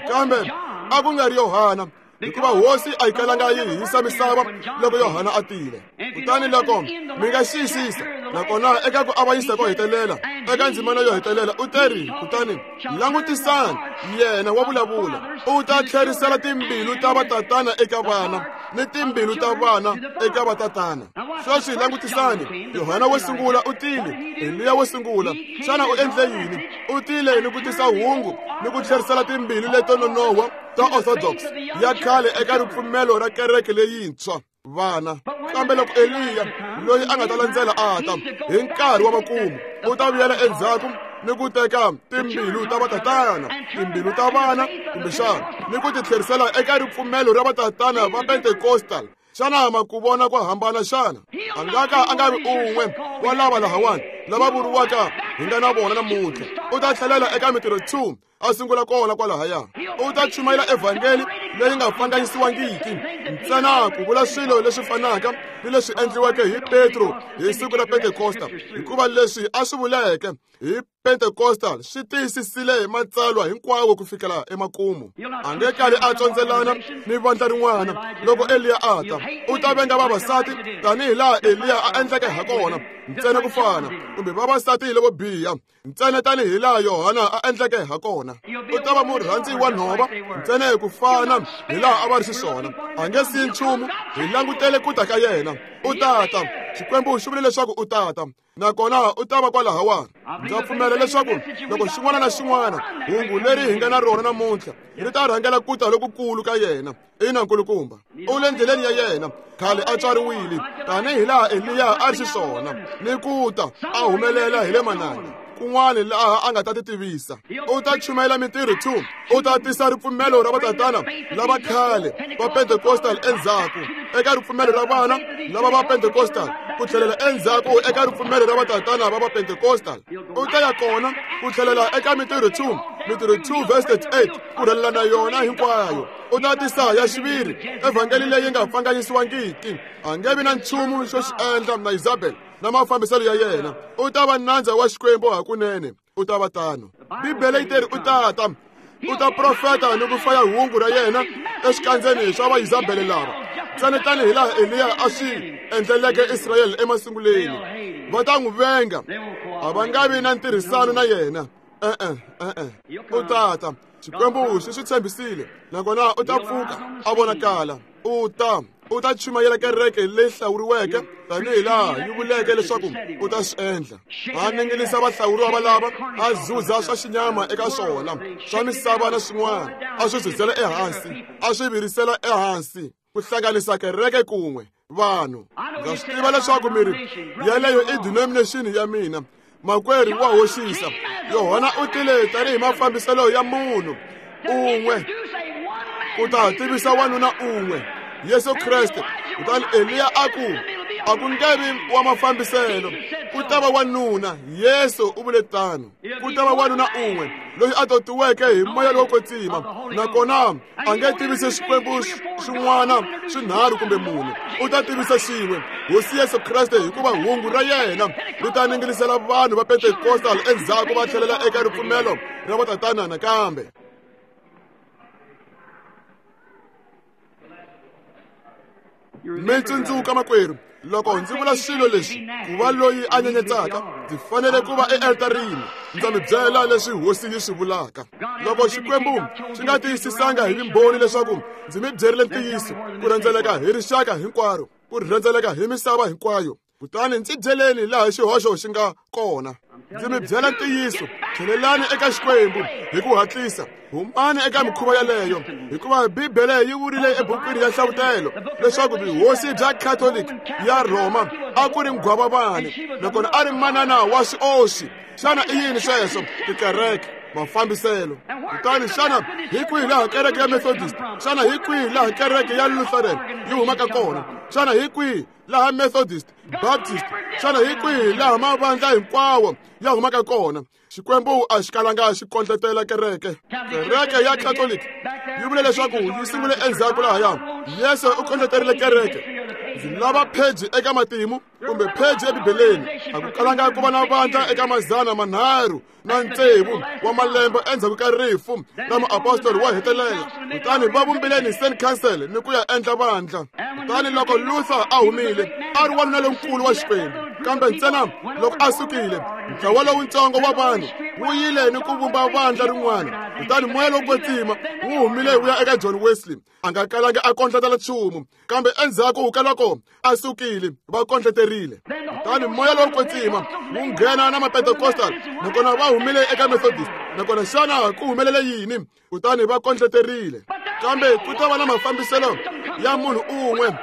Kambe a ku nga ri Yohana, hikuva hosi a yi kalanga yi hisa misava loko Yohana a tile. Kutani loko mi nga xiyisisa, nakona eka ku avanyisa ko hetelela, eka ndzimana yo hetelela, u teri, kutani langutisani, yena wa vulavula, u ta tlherisela timbilu ta vatatana eka vana ni timbilu ta vana eka vatatana. Sweswi langutisani, Yohana wo sungula u tile, Eliya wo sungula. Xana u endle yini? U tile ni ku tisa hungu ni ku tlherisela timbilu leto nonoha ta orthodox ya khale eka ripfumelo ra kereke leyintshwa, vana. Kambe loko Eliya loyi a nga ta landzela a ta hi nkarhi wa makumu, u ta vuyela endzhaku ni ku teka timbilu ta vatatana, timbilu ta vana kumbexana, ni ku ti tlherisela eka ripfumelo ra vatatana va Pentecostal. Xana ma ku vona ku hambana xana? A nga ka a nga vi un'we wa lava lahawani lava vuriwaka hi nga na vona namuntlha. U ta tlhelela eka Mintirho two, a sungula kona kwalahaya. U ta chumayela evhangeli leyi nga pfanganyisiwangiki, ntsena ku vula swilo leswi fanaka ni leswi endliweke hi Petro hi siku ra Pentekosta, hikuva leswi a swi vuleke hi Pentecostal swi tiyisisile hi matsalwa hinkwawo ku fikela emakumu. A nge kali a tsondzelana ni vandla rin'wana loko Eliya a ta. U ta venga vavasati tanihi laha Eliya a endleke ha kona, ntsena ku fana, kumbe vavasati lavo biha, ntsena tanihi laha Yohana a endleke ha kona. U ta va murhandzi wa nhova, ntsena hi ku fana hi laha a va ri xiswona. A nge siyi nchumu, hi langutele ku ta ka yena. U ta ta. Xikwembu xi vule leswaku u ta ta, nakona u ta va kwalahawani. Ndza pfumela leswaku loko xin'wana na xin'wana hungu leri hi nga na rona namuntlha ri ta rhangela ku ta lokukulu ka yena. Ina nkulukumba, u le ndleleni ya yena. Khale a tswariwile tanihi laha Eliya a ri xiswona, ni ku ta a humelela hi le mananga kun'wana laha a nga ta ti tivisa. U ta chumayela Mintirho two, u ta tisa ripfumelo ra vatatana lava khale va Pentecostal endzhaku eka ripfumelo ra vana lava va Pentecostal, ku tlhelela endzhaku eka ripfumelo ra vatatana va va Pentecostal. U ta ya kona ku tlhelela eka Mintirho two, Mintirho two verse thirty-eight, ku rhelela na yona hinkwayo. U ta tisa ya xiviri evhangeli leyi nga pfanganyisiwangiki. A nge vi na nchumu xo xi endla na Isabel na mafambiselo ya yena. U ta va nandza wa Xikwembu hakunene, u ta va tano. Bibele yi teri u ta ta, u ta profeta ni ku faya hungu ra yena exikandzeni swa va Isabele lava, ntsena tanihi laha Eliya a swi endleleke Israyele emasunguleni. Va ta n'wi venga, a va nga vi na ntirhisano na yena. E-e, e-e, u ta ta. Xikwembu xi swi tshembisile, nakona u ta pfuka a vonakala. U ta u ta chumayela kereke leyi hlawuriweke tanihi laha yi vuleke leswaku u ta swi endla. A ninginisa vahlawuriwa valava, a zuza swa xinyama eka swona, swa misava na swin'wana, a swi zuzela ehansi, a swi virisela ehansi, ku hlanganisa kereke kun'we vanhu. Ndza swi tiva leswaku miri yeleyo i denomination ya mina. Makwerhu wa hoxisa. Yohana u tile tanihi mafambiselo ya munhu un'we ku ta tivisa wanuna un'we, Yesu Kreste. Kutani Eliya a ku, a ku nge vi wa mafambiselo, ku ta va wanuna. Yesu u vule tano, ku ta va wanuna un'we loyi a totiweke hi moya lowo kwetsima, nakona a nge tivisi Xikwembu xin'wana swinharhu kumbe mune, u ta tivisa xin'we, Hosi Yesu Kreste, hikuva hungu ra yena ri ta ninginisela vanhu va Pentecostal endzhaku va tlhelela eka ripfumelo ra vatatana nakambe. Mi tsundzuka makwerhu, loko ndzi vula swilo leswi, ku va loyi a nyenyetsaka, ndzi fanele ku va ealtarini. Ndza mi byela leswi hosi yi swi vulaka. Loko Xikwembu xi nga tiyisisanga hi vumbhoni leswaku ndzi mi byerile ntiyiso ku rhendzeleka hi rixaka hinkwaro, ku rhendzeleka hi misava hinkwayo. Kutani ndzi byeleni laha xihoxo xi nga kona. Ndzi mi byela ntiyiso, tlhelelani eka Xikwembu hi ku hatlisa, humani eka mikhuva yaleyo, hikuva Bibele yi vurile ebukwini ya Nhlavutelo leswaku vuhosi bya Catholic ya Rhoma a ku ri nghwavavani, nakona a ri manana wa swioxi. Xana i yini sweswo? Tikereke, mafambiselo. Kutani xana hi kwihi laha kereke ya Methodist, xana hi kwihi laha kereke ya Lutheran yi humaka kona? Xana hi kwihi laha Methodist, Baptist, xana hi kwihi laha mavandla hinkwawo ya humaka kona? Xikwembu a xi kalanga xi kondletela kereke. Kereke ya Catholic yi vule leswaku yi sungule endzhaku lahaya. Yesu u kondleterile kereke. Ndzi lava pheji eka matimu kumbe pheji eBibeleni. A ku kalanga ku va na vandla eka mazana manharhu na tsevu wa malembe endzhaku ka rifu ra muapostoli wo hetelela. Kutani va vumbile Nicene Council ni ku ya endla vandla. Kutani loko Luther a humile, a ri wanuna lonkulu wa Xikwembu, kambe ntsena loko a sukile, ntlawa lowutsongo wa vanhu wu yile ni ku vumba vandla rin'wana. Kutani moya lowo kwetsima wu humile wu ya eka John Wesley. A nga kalanga a kondletela nchumu, kambe endzhaku ka loko a sukile va kondleterile. Kutani moya lowo kwetsima wu nghena na Mapentecostal, nakona va humile eka Methodist. Nakona xana ku humelele yini? Kutani va kondleterile. Kambe ku ta va na mafambiselo ya munhu un'we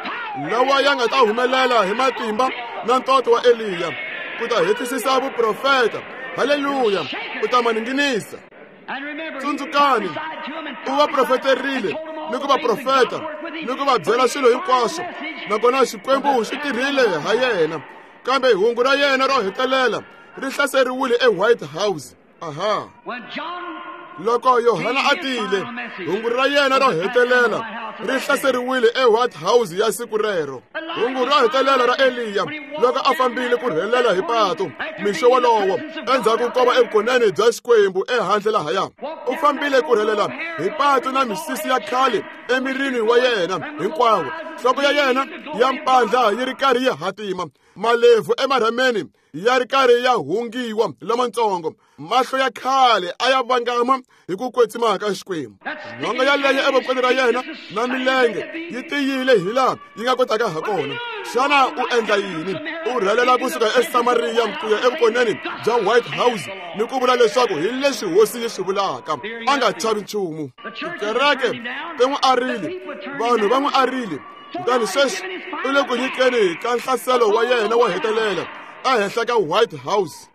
lawa ya nga ta humelela hi matimba na ntoto wa Eliya ku ta hetisisa vuprofeta. Haleluya! U ta maninginisa. Tsundzukani, u va profeterile ni ku va profeta ni ku va byela swilo hinkwaswo, nakona Xikwembu xi tirhile ha yena. Kambe hungu ra yena ro hetelela ri hlaseriwile eWhite House. Aha. Loko Yohana a tile, hungu ra yena ro hetelela ri hlaseriwile eWhite House ya siku rero. Hungu ro hetelela ra Eliya loko a fambile ku rhelela hi pato mixo wolowo endzhaku ko va evukoneni bya Xikwembu ehandle lahaya. U fambile ku rhelela hi pato na misisi ya khale emirini wa yena hinkwawo. Nhloko ya yena ya mpandla yi ri karhi yi hatima, malebvu emarhameni ya ri karhi ya hungiwa lamatsongo, mahlo ya khale a ya vangama hi ku kwetsima ka Xikwembu. Nhonga yaleyo evokweni ra yena na milenge yi tiyile hi laha yi nga kotaka ha kona. Xana u endla yini? U rhelela kusuka eSamariya ku ya evukoneni bya White House ni ku vula leswaku hi leswi hosi yi swi vulaka. A nga chavi nchumu. Tikereke ti n'wi arile, vanhu va n'wi arile. Kutani sweswi u le ku nyikeni ka nhlaselo wa yena wo hetelela ehenhla ka White House.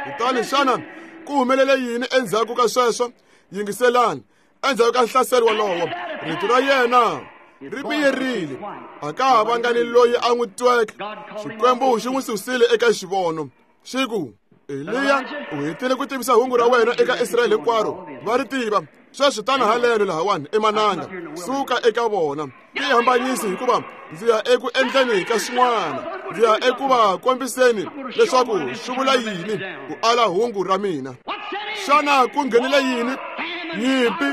Kutani xana ku humelele yini endzhaku ka sweswo? Yingiselani, endzhaku ka nhlaselo wolowo, rito ra yena ri miyerile. A ka ha vanga ni loyi a n'wi tweke. Xikwembu xi n'wi susile eka xivono. Xi ku, Eliya, u hetile ku tivisa hungu ra wena eka Israyele hinkwaro. Va ri tiva. Sweswi tana haleno lahawani emananga, suka eka vona. Tihambanyisi hikuva ndzi ya eku endleni ka swin'wana. Ndzi ya eku va kombiseni leswaku swi vula yini ku ala hungu ra mina. Xana ku nghenile yini? Nyimpi,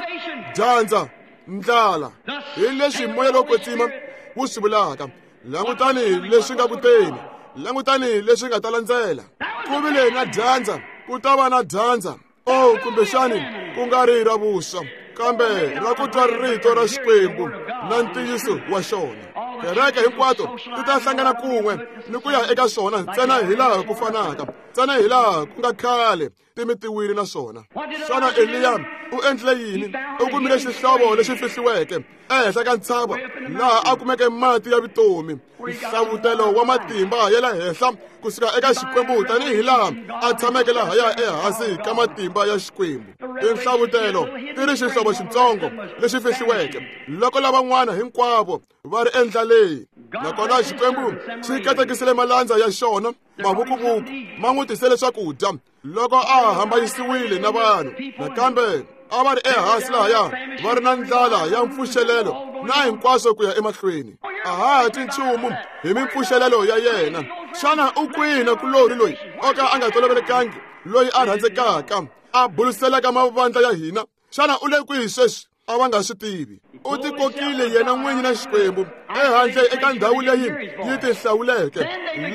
dyandza, ndlala. Hi leswi moya lowo kwetsima wu swi vulaka. Langutani leswi nga kuteni, langutani leswi nga ta landzela. Ku vile na dyandza, ku ta va na dyandza. Oh, kumbexani ku nga ri ra vuswa, kambe ra ku twa rito ra Xikwembu na ntiyiso wa xona. Kereke hinkwato ti ta hlangana kun'we ni ku ya eka swona ntsena hi laha ku fanaka, ntsena hi laha ku nga khale ti mitiwile na swona. Xana Eliya u endlile yini? U kumile xihlovo lexi fihliweke ehenhla ka ntshava laha a kumeke mati ya vutomi, nhlavutelo wa matimba ya le henhla kusuka eka Xikwembu, tanihi laha a tshameke lahaya ehansi ka matimba ya Xikwembu. Tinhlavutelo ti ri xihlovo xitsongo lexi fihliweke loko lavan'wana hinkwavo va ri endlaleni. Nakona Xikwembu xi katekisile malandza ya xona mavukuvuku, ma n'wi tisele swakudya loko a hambanyisiwile na vanhu. Nakambe a va ri ehansi lahaya va ri na ndlala ya mpfuxelelo na hinkwaswo ku ya emahlweni. A ha twi nchumu hi mimpfuxelelo ya yena. Xana u kwihi na kulori loyi o ka a nga tolovelekangi, loyi a rhandzekaka, a buluselaka mavandla ya hina? Xana u le kwihi sweswi? A va nga swi tivi. U tikokile yena n'winyi na Xikwembu ehandle eka ndhawu leyi yi tihlawuleke,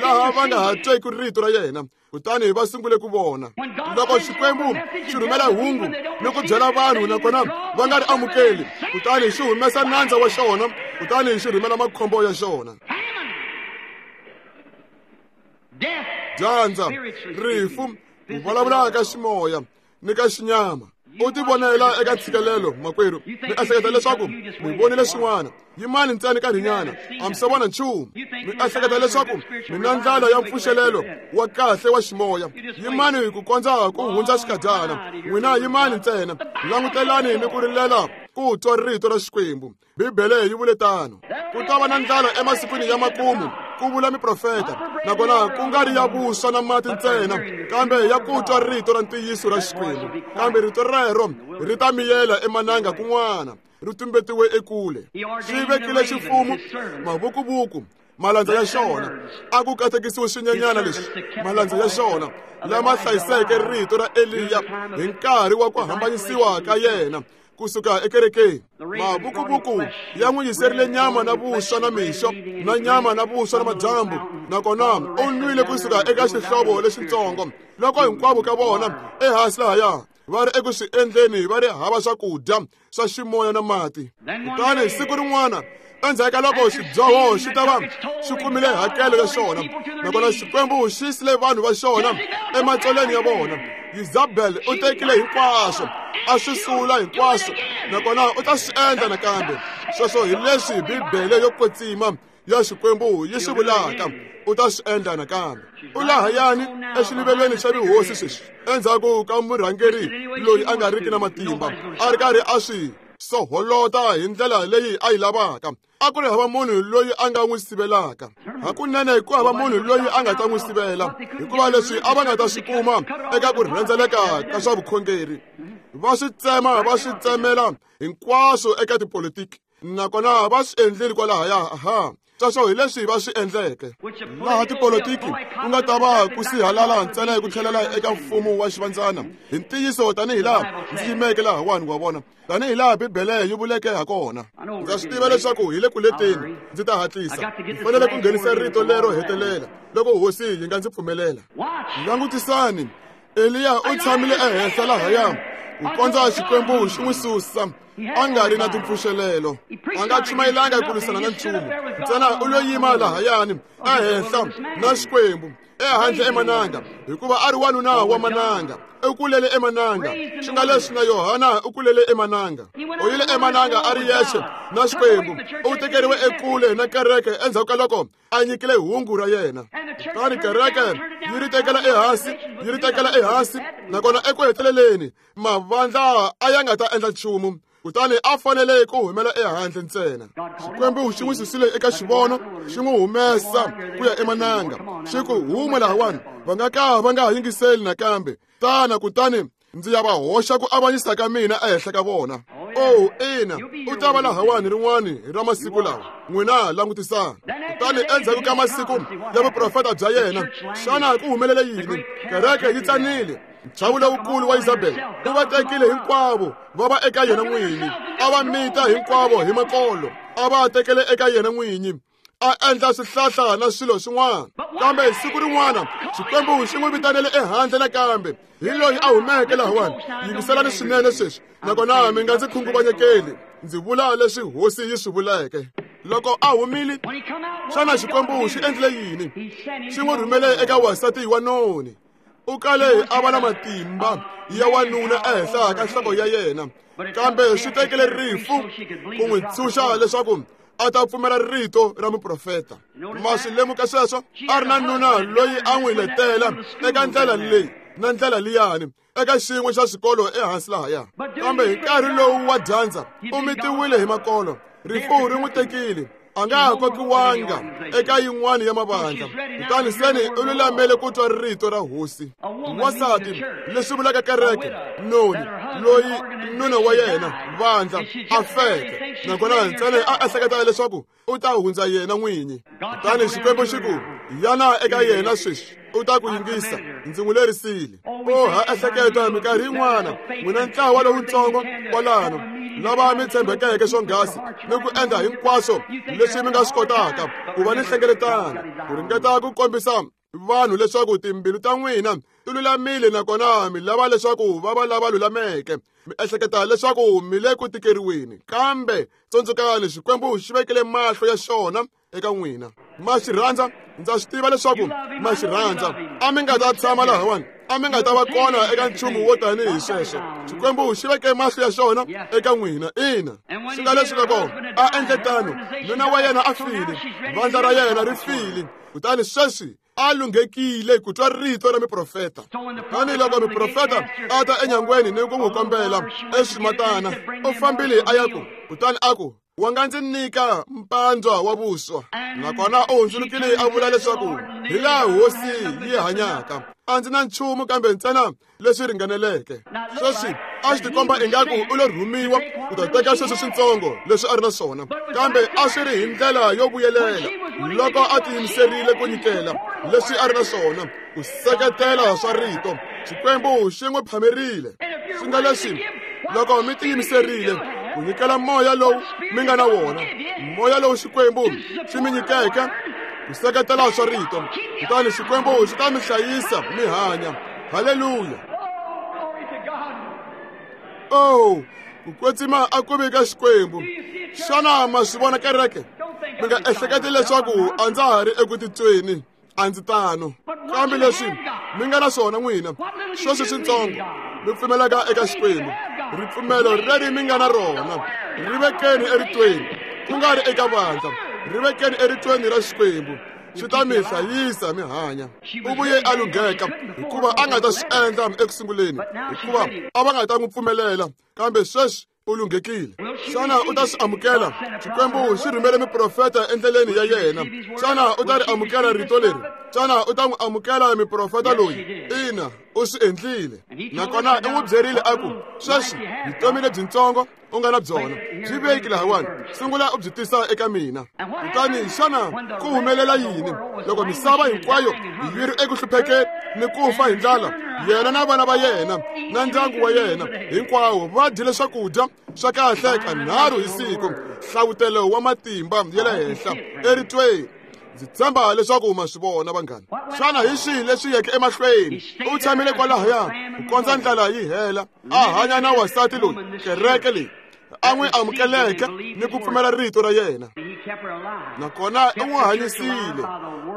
laha va nga ha tweki rito ra yena. Kutani va sungule ku vona. Loko Xikwembu xi rhumela hungu ni ku byela vanhu nakona va nga ri amukeli, kutani xi humesa nandza wa xona kutani xi rhumela makhombo ya xona. Dyandza, rifu, ku vulavula ka ximoya ni ka xinyama. U tivonela eka ntshikelelo, makwerhu. Mi ehleketa leswaku mi vonile swin'wana. Yimani ntsena nkarhinyana, a mi se vona nchumu. Mi ehleketa leswaku mi na ndlela ya mpfuxelelo wa kahle wa ximoya. Yimani ku kondza ku hundza xikadyana. N'wina yimani ntsena, langutelani ni ku rilela ku twa rito ra Xikwembu. Bibele yi vule tano. Ku ta va na ndlala emasikwini ya makumu, ku vula miprofeta, nakona ku nga ri ya vuswa na mati ntsena, kambe ya ku twa rito ra ntiyiso ra Xikwembu. Kambe rito rero ri ta miyela emananga kun'wana, ri tumbetiwe ekule. Xi vekile xifumu, mavukuvuku, malandza ya xona. A ku katekisiwe swinyenyana leswi, malandza ya xona lama hlayiseke rito ra Eliya hi nkarhi wa ku hambanyisiwa ka yena kusuka ekerekeni. Mavukuvuku ya n'wi yiserile nyama na vuswa na mixo, na nyama na vuswa na madyambu, nakona u nwile kusuka eka xihlovo lexitsongo. Loko hinkwavo ka vona ehansi lahaya va ri eku swi endleni, va ri hava swakudya swa ximoya na mati. Kutani siku rin'wana, endzhaku ka loko xidyoho xi ta va xi kumile hakelo ya xona, nakona Xikwembu xi yisile vanhu va xona ematsolweni ya vona, Yezabel u tekile hinkwaswo, a swi sula hinkwaswo, nakona u ta swi endla nakambe. Sweswo hi leswi Bibele yo kwetsima ya Xikwembu yi swi vulaka, u ta swi endla nakambe. U lahayani exiluvelweni xa vuhosi sweswi, endzhaku ka murhangeri loyi a nga riki na matimba, a ri karhi a swi soholota hi ndlela leyi a yi lavaka. A ku ri hava munhu loyi a nga n'wi sivelaka. Hakunene ku hava munhu loyi a nga ta n'wi sivela, hikuva leswi a va nga ta swi kuma eka ku rhendzeleka ka swa vukhongeri, va swi tsema, va swi tsemela hinkwaswo eka tipolitiki, nakona va swi endlile kwalahaya. Aha, sweswo hi leswi va swi endleke. Laha tipolitiki ku nga ta va ku sihalala ntsena hi ku tlhelela eka mfumo wa xivandzana. Hi ntiyiso, tanihi laha ndzi yimeke lahawani, wa vona, tanihi laha Bibele yi vuleke hakona. Ndza swi tiva leswaku hi le ku leteni, ndzi ta hatlisa. Ndzi fanele ku nghenisa rito lero hetelela loko hosi yi nga ndzi pfumelela. Langutisani, Eliya u tshamile ehenhla lahaya ku kondza Xikwembu xi n'wi susa, a nga ri na timpfuxelelo. A nga chumayelanga ku lwisana na nchumu, ntsena u lo yima lahayani ehenhla na Xikwembu ehandle emananga, hikuva a ri wanuna wa mananga. U kulele emananga, swi nga leswi na Yohana u kulele emananga. U yile emananga a ri yexe na Xikwembu. U tekeriwe ekule na kereke endzhaku ka loko a nyikile hungu ra yena. Kutani kereke yi ri tekela ehansi, yi ri tekela ehansi, nakona eku heteleleni mavandla a ya nga ta endla nchumu. Kutani a fanele ku humela ehandle ntsena. Xikwembu xi n'wi susile eka xivono, xi n'wi humesa ku ya emananga, xi ku huma lahawani, va nga ka va nga ha yingiseli nakambe. Tana kutani ndzi ya va hoxa ku avanyisa ka mina ehenhla ka vona. Oh, ina, u ta va lahawani rin'wani ra masiku lawa. N'wina langutisani. Kutani endzhaku ka masiku ya vuprofeta bya yena, xana ku humelele yini? Kereke yi tsanile. Nchavu lowukulu wa Isabel u va tekile hinkwavo va va eka yena n'winyi, a va mita hinkwavo hi makolo, a va tekele eka yena n'winyi, a endla swihlahla na swilo swin'wana. Kambe siku rin'wana Xikwembu xi n'wi vitanele ehandle nakambe, hi loyi a humeke lahawani. Yingiselani swinene sweswi, nakona mi nga ndzi khunguvanyekeli. Ndzi vula leswi hosi yi swi vuleke. Loko a humile, xana Xikwembu xi endlile yini? Xi n'wi rhumele eka wansati wa noni. U kale a va na matimba ya wanuna ehenhla ka nhloko ya yena, kambe swi tekele rifu ku n'wi ntshunxa leswaku a ta pfumela rito ra muprofeta. Ma swi lemuka sweswo? A ri na nuna loyi a n'wi letela eka ndlela leyi na ndlela liyani, eka xin'we xa swikolo ehansi lahaya. Kambe hi nkarhi lowu wa dyandza, u mitiwile hi makolo. Rifu ri n'wi tekile, a nga ha kokiwanga eka yin'wana ya mavandla. Kutani seni u lulamele ku twa rito ra hosi. Wansati, leswi vulaka kereke, noni loyi nuna wa yena vandla a feke, nakona ntsena a ehleketa leswaku u ta hundza yena n'winyi. Kutani Xikwembu xi ku, yana eka yena sweswi, u ta ku yingisa, ndzi n'wi lerisile. O ha ehleketa minkarhi yin'wana, n'wina ntlawa lowutsongo kwalano, lava mi tshembekeke swonghasi ni ku endla hinkwaswo leswi mi nga swi kotaka ku va ni nhlengeletano, ku ringeta ku kombisa vanhu leswaku timbilu ta n'wina ti lulamile nakona mi lava leswaku va va lava lulameke. Mi ehleketa leswaku mi le ku tikeriweni, kambe tsundzukani Xikwembu xi vekele mahlo ya xona eka n'wina. Ma xi rhandza, ndza swi tiva leswaku ma xi rhandza. A mi nga ta tshama lahawani, a mi nga ta va kona eka nchumu wo tanihi sweswo. Xikwembu xi veke mahlo ya xona eka n'wina. Ina, swi nga leswi loko a endle tano, nuna wa yena a file, vandla ra yena ri file, kutani sweswi a lunghekile ku twa rito ra miprofeta. Tani loko miprofeta a ta enyangweni ni ku n'wi kombela eswimatana, u fambile a ya ku, kutani a ku, wa nga ndzi nyika mpandzwa wa vuswa. Nakona u hundzulukile a vula leswaku hi laha hosi yi hanyaka, a ndzi na nchumu kambe ntsena leswi ringaneleke. Sweswi a swi tikomba ingaku u lo rhumiwa ku ta teka sweswo switsongo leswi a ri na swona, kambe a swi ri hi ndlela yo vuyelela loko a tiyimiserile ku nyikela leswi a ri na swona ku seketela swa rito. Xikwembu xi n'wi phamerile. Swi nga leswi loko mi tiyimiserile ku nyikela moya lowu mi nga na wona, moya lowu Xikwembu xi mi nyikeke ku seketela swa rito, kutani Xikwembu xi ta mi hlayisa mi hanya. Haleluya! Oh, ku kwetsima a ku ve ka Xikwembu. Xana ma swi vona kereke? Mi nga ehleketi leswaku a ndza ha ri eku titweni, a ndzi tano. Kambe leswi mi nga na swona n'wina, sweswi switsongo mi pfumelaka eka Xikwembu, ripfumelo leri mi nga na rona ri vekeni eritweni, ku nga ri eka vandla, ri vekeni eritweni ra Xikwembu, swi ta mi hlayisa mi hanya. U vuye a lungheka hikuva a nga ta swi endla ekusunguleni, hikuva a va nga ta n'wi pfumelela, kambe sweswi u lunghekile. Xana u ta swi amukela? Xikwembu xi rhumele miprofeta endleleni ya yena. Xana u ta ri amukela rito leri? Xana u ta n'wi amukela miprofeta loyi? Ina, u swi endlile. Nakona u n'wi byerile a ku, sweswi vutomi lebyintsongo u nga na byona byi veki lahawani, sungula u byi tisa eka mina. Kutani xana ku humelela yini loko misava hinkwayo yi ri eku hluphekeni ni ku fa hi ndlala? Yena na vana va yena na ndyangu wa yena hinkwawo va dyile swakudya swa kahle kanharhu hi siku, hlavutelo wa matimba ya le henhla eritweni. Ndzi tshemba leswaku ma swi vona vanghana. Xana hi swihi leswi yeke emahlweni? U tshamile kwalahaya ku kondza ndlala yi hela, a hanya na wansati loyi kereke leyi a n'wi amukeleke ni ku pfumela rito ra yena. Nakona u n'wi hanyisile,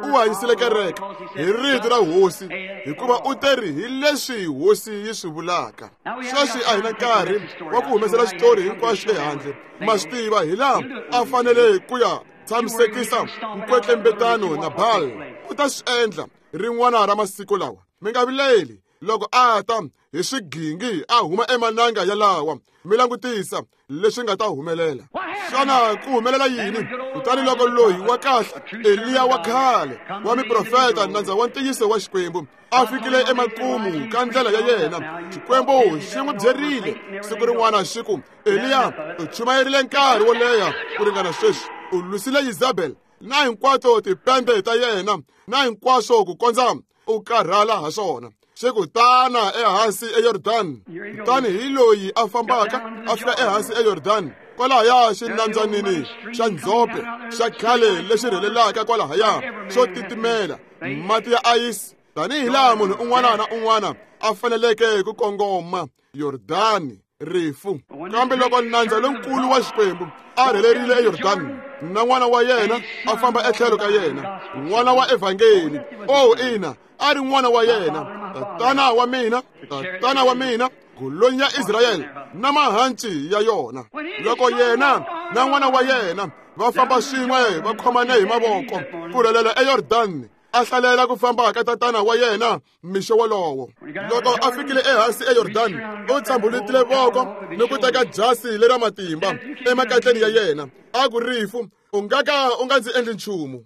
u hanyisile kereke hi rito ra hosi, hikuva u teri hi leswi hosi yi swi vulaka. Sweswi a hi na nkarhi wa ku humesela xitori hinkwaxo ehandle. Ma swi tiva hi laha a fanele ku ya tshamisekisa nkwetlembetano na Baal. U ta swi endla rin'wana ra masiku lawa. Mi nga vileli loko a ta hi swigingi a huma emananga yalawa, mi langutisa leswi nga ta humelela. Xana ku humelela yini? Kutani loko loyi wa kahle Eliya wa khale wa miprofeta, nandza wa ntiyiso wa Xikwembu, a fikile emakumu ka ndlela ya yena, Xikwembu xi n'wi byerile siku rin'wana xi ku, Eliya u chumayerile nkarhi wo leha ku ringana sweswi, u lwisile Yezabel na hinkwato tipembe ta yena na hinkwaswo ku kondza u karhala ha swona. Xi ku tana ehansi eYordani. Kutani hi loyi a fambaka a fika ehansi eYordani, kwalahaya xinambyana xa ndzhope xa khale lexi rhelelaka kwalahaya xo titimela, mati ya ayisi, tanihi laha munhu un'wana na un'wana a faneleke ku kongoma Yordani, rifu. Kambe loko nandza lonkulu wa Xikwembu a rhelerile eYordani na n'wana wa yena a famba etlhelo ka yena, n'wana wa evhangeli, oh ina, a ri n'wana wa yena, tatana wa mina, tatana wa mina, golonyi ya Israyele na mahanci ya yona. Loko yena na n'wana wa yena va famba swin'we va khomane hi mavoko ku rhelela eYordani, a hlalela ku famba ka tatana wa yena mixo wolowo. Loko a fikile ehansi eYordani, u tshambulutile voko ni ku teka jasi lera matimba emakatleni ya yena, a ku, rifu, u nga ka u nga ndzi endli nchumu.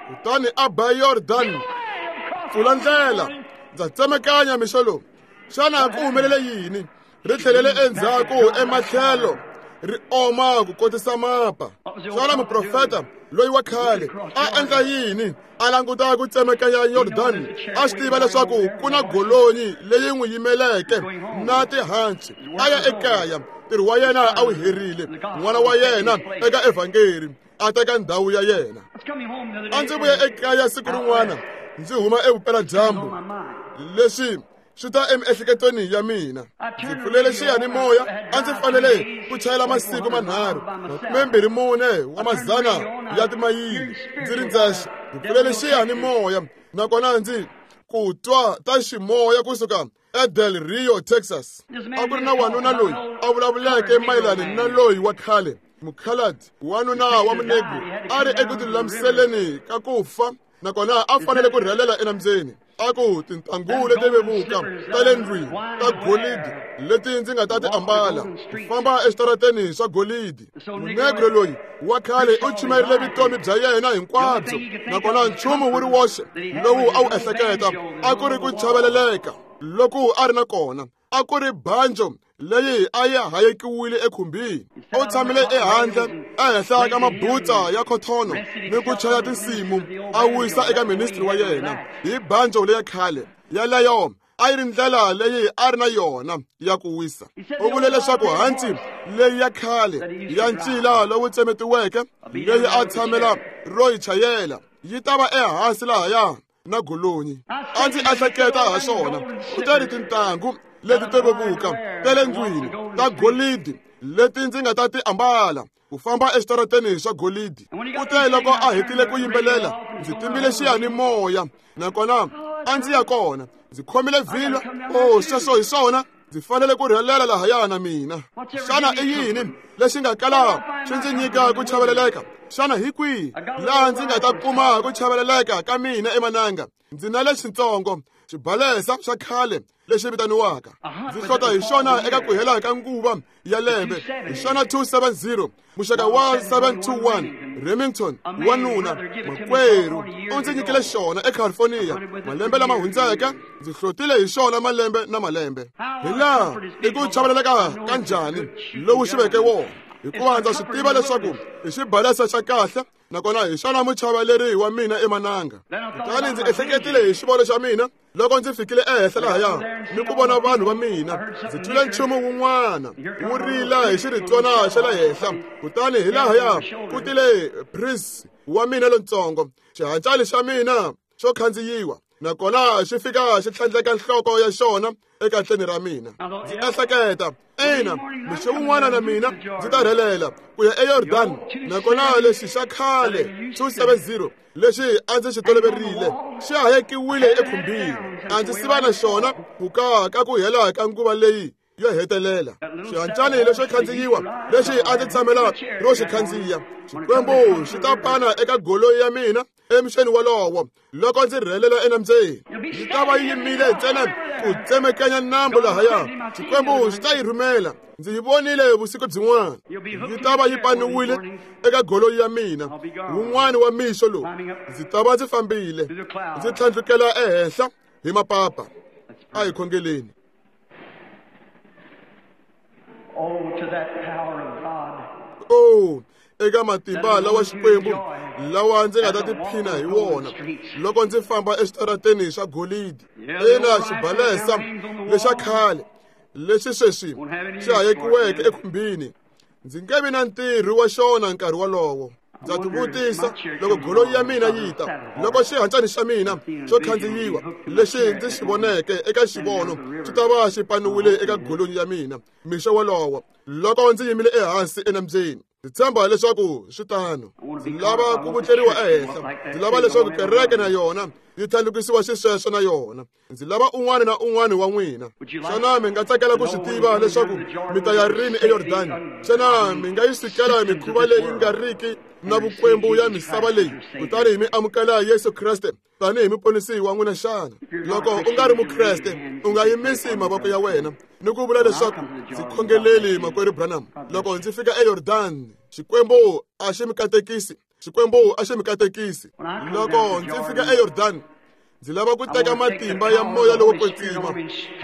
Kutani a ba Yordani, pfula ndlela, ndza tsemakanya mixo lowu. Xana ku humelele yini? Ri tlhelele endzhaku ematlhelo, ri oma ku kotisa mapa. Xana muprofeta loyi wa khale a endla yini? A languta ku tsemakanya Yordani, a swi tiva leswaku ku na golonyi leyi n'wi yimeleke na tihanci. A ya ekaya, ntirho wa yena a wu herile, n'wana wa yena eka evhangeli a teka ndhawu ya yena. A ndzi vuya ekaya siku rin'wana ndzi huma evupeladyambu, leswi swi ta emiehleketweni ya mina. Ndzi pfulele xiyanimoya, a ndzi fanele ku chayela masiku manharhu makumembirhi mune wa mazana ya timayili ndzi ri ndzexe. Ndzi pfulele xiyanimoya nakona ndzi ku twa ta ximoya kusuka eDel Rio, Texas. A ku ri na wanuna loyi a vulavuleke mayelana na loyi wa khale mukhaladi, wanuna wa munegro a ri eku tilulamiseleni ka ku fa, nakona a fanele ku rhelela enambyeni. A ku tintangu leti vevuka ta le ndlwini ta golidi leti ndzi nga ta ti ambala ku famba eswitarateni swa golidi. Munegro loyi wa khale u chumayerile vutomi bya yena hinkwabyo, nakona nchumu wu ri woxe lowu a wu ehleketa a ku ri ku chaveleleka loku a ri na kona, a ku ri banjo leyi a yi hayekiwile ekhumbini. U tshamile ehandle ehenhla ka mabutsa ya khothono ni ku chaya tinsimu a wisa eka ministri wa yena hi banjo leya khale. Yaleyo a yi ri ndlela leyi a ri na yona ya ku wisa. U vule leswaku hanci leyi ya khale ya ncila lowu tsemetiweke leyi a tshamela ro yi chayela yi ta va ehansi lahaya na golonyi. A ndzi ehleketa ha swona, kutani tintangu leti to vevuka ta le ndlwini ta golidi leti ndzi nga ta ti ambala ku famba eswitarateni swa golidi. Kute loko a hetile ku yimbelela, ndzi timbile xiyanimoya nakona a ndzi ya kona ndzi khomile vhilwa. O, sweswo hi swona, ndzi fanele ku rhelela lahaya na mina. Xana i yini lexi nga kala xi ndzi nyika ku chaveleleka? Xana hi kwihi laha ndzi nga ta kuma ku chaveleleka ka mina emananga? Ndzi na lexitsongo xibalesa xa khale lexi vitaniwaka, ndzi hlota hi xona eka ku hela ka nguva ya lembe. Hi xona two seven zero muxaka wa seven two one Remington, wanuna makwerhu u ndzi nyikile xona eCalifornia malembe lama hundzeke. Ndzi hlotile hi xona malembe na malembe. Hi laha i ku chaveleleka ka njhani lowu xi veke wona, hikuva ndza swi tiva leswaku i xibalesa xa kahle nakona hi xona muchaveleri wa mina emananga. Kutani ndzi ehleketile hi xivono xa mina loko ndzi fikile ehenhla lahaya ni ku vona vanhu va mina. Ndzi twile nchumu wun'wana wu rila hi xiritswana xa le henhla, kutani hi lahaya ku tile Prince wa mina lontsongo, xihancani xa mina xo khandziyiwa, nakona xi fika xi tlhandleka nhloko ya xona ekatleni ra mina. Ndzi ehleketa, ina, mixo wun'wana na mina ndzi ta rhelela ku ya eYordan, nakona lexi xa khale two seven zero lexi a ndzi xi toloverile xi hayekiwile ekhumbini. A ndzi siva na xona ku ka ka ku hela ka nguva leyi yo hetelela. Xihancani lexo khandziyiwa lexi a ndzi tshamela ro xi khandziya, Xikwembu xi ta pana eka goloi ya mina emixeni wolowo loko ndzi rhelela enambyeni. Yi ta va yi yimile ntsena ku tsemekanya nambu lahaya. Xikwembu xi ta yi rhumela. Ndzi yi vonile vusiku byin'wana, yi ta va yi paniwile eka goloi ya mina. Wun'wana wa mixo lowu ndzi ta va ndzi fambile ndzi tlhandlukela ehenhla hi mapapa. A hi khongeleni. Oh, to that power of God. Oh, eka matimba lawa Xikwembu lawa ndzi nga ta tiphina hi wona loko ndzi famba eswitarateni swa golidi. Ina, xibalesa lexa khale lexi sweswi xi hayekiweke ekhumbini, ndzi nge vi na ntirho wa xona nkarhi wolowo. Ndza tivutisa loko goloi ya mina yi ta, loko xihancani xa mina xo khandziyiwa lexi ndzi xi voneke eka xivono xi ta va xi paniwile eka goloi ya mina mixo wolowo loko ndzi yimile ehansi enambyeni. Ndzi tshemba leswaku swi tano. Ndzi lava ku vutleriwa ehenhla. Ndzi lava leswaku kereke na yona yi tlhandlukisiwa xisweswo na yona. Ndzi lava un'wana na un'wana wa n'wina. Xana mi nga tsakela ku swi tiva leswaku mi ta ya rini eYordani? Xana mi nga yi sukela mikhuva leyi nga riki na vukwembu ya misava leyi kutani mi amukela Yesu Kreste tanihi muponisi wa n'wina xana? Loko u nga ri mukreste, u nga yimisi mavoko ya wena ni ku vula leswaku ndzi khongeleli makwerhu Branham. Loko ndzi fika eYordani, Xikwembu a xi mi katekisi. Xikwembu a xi mi katekisi. Loko ndzi fika eYordani, ndzi lava ku teka matimba ya moya lowo kwetsima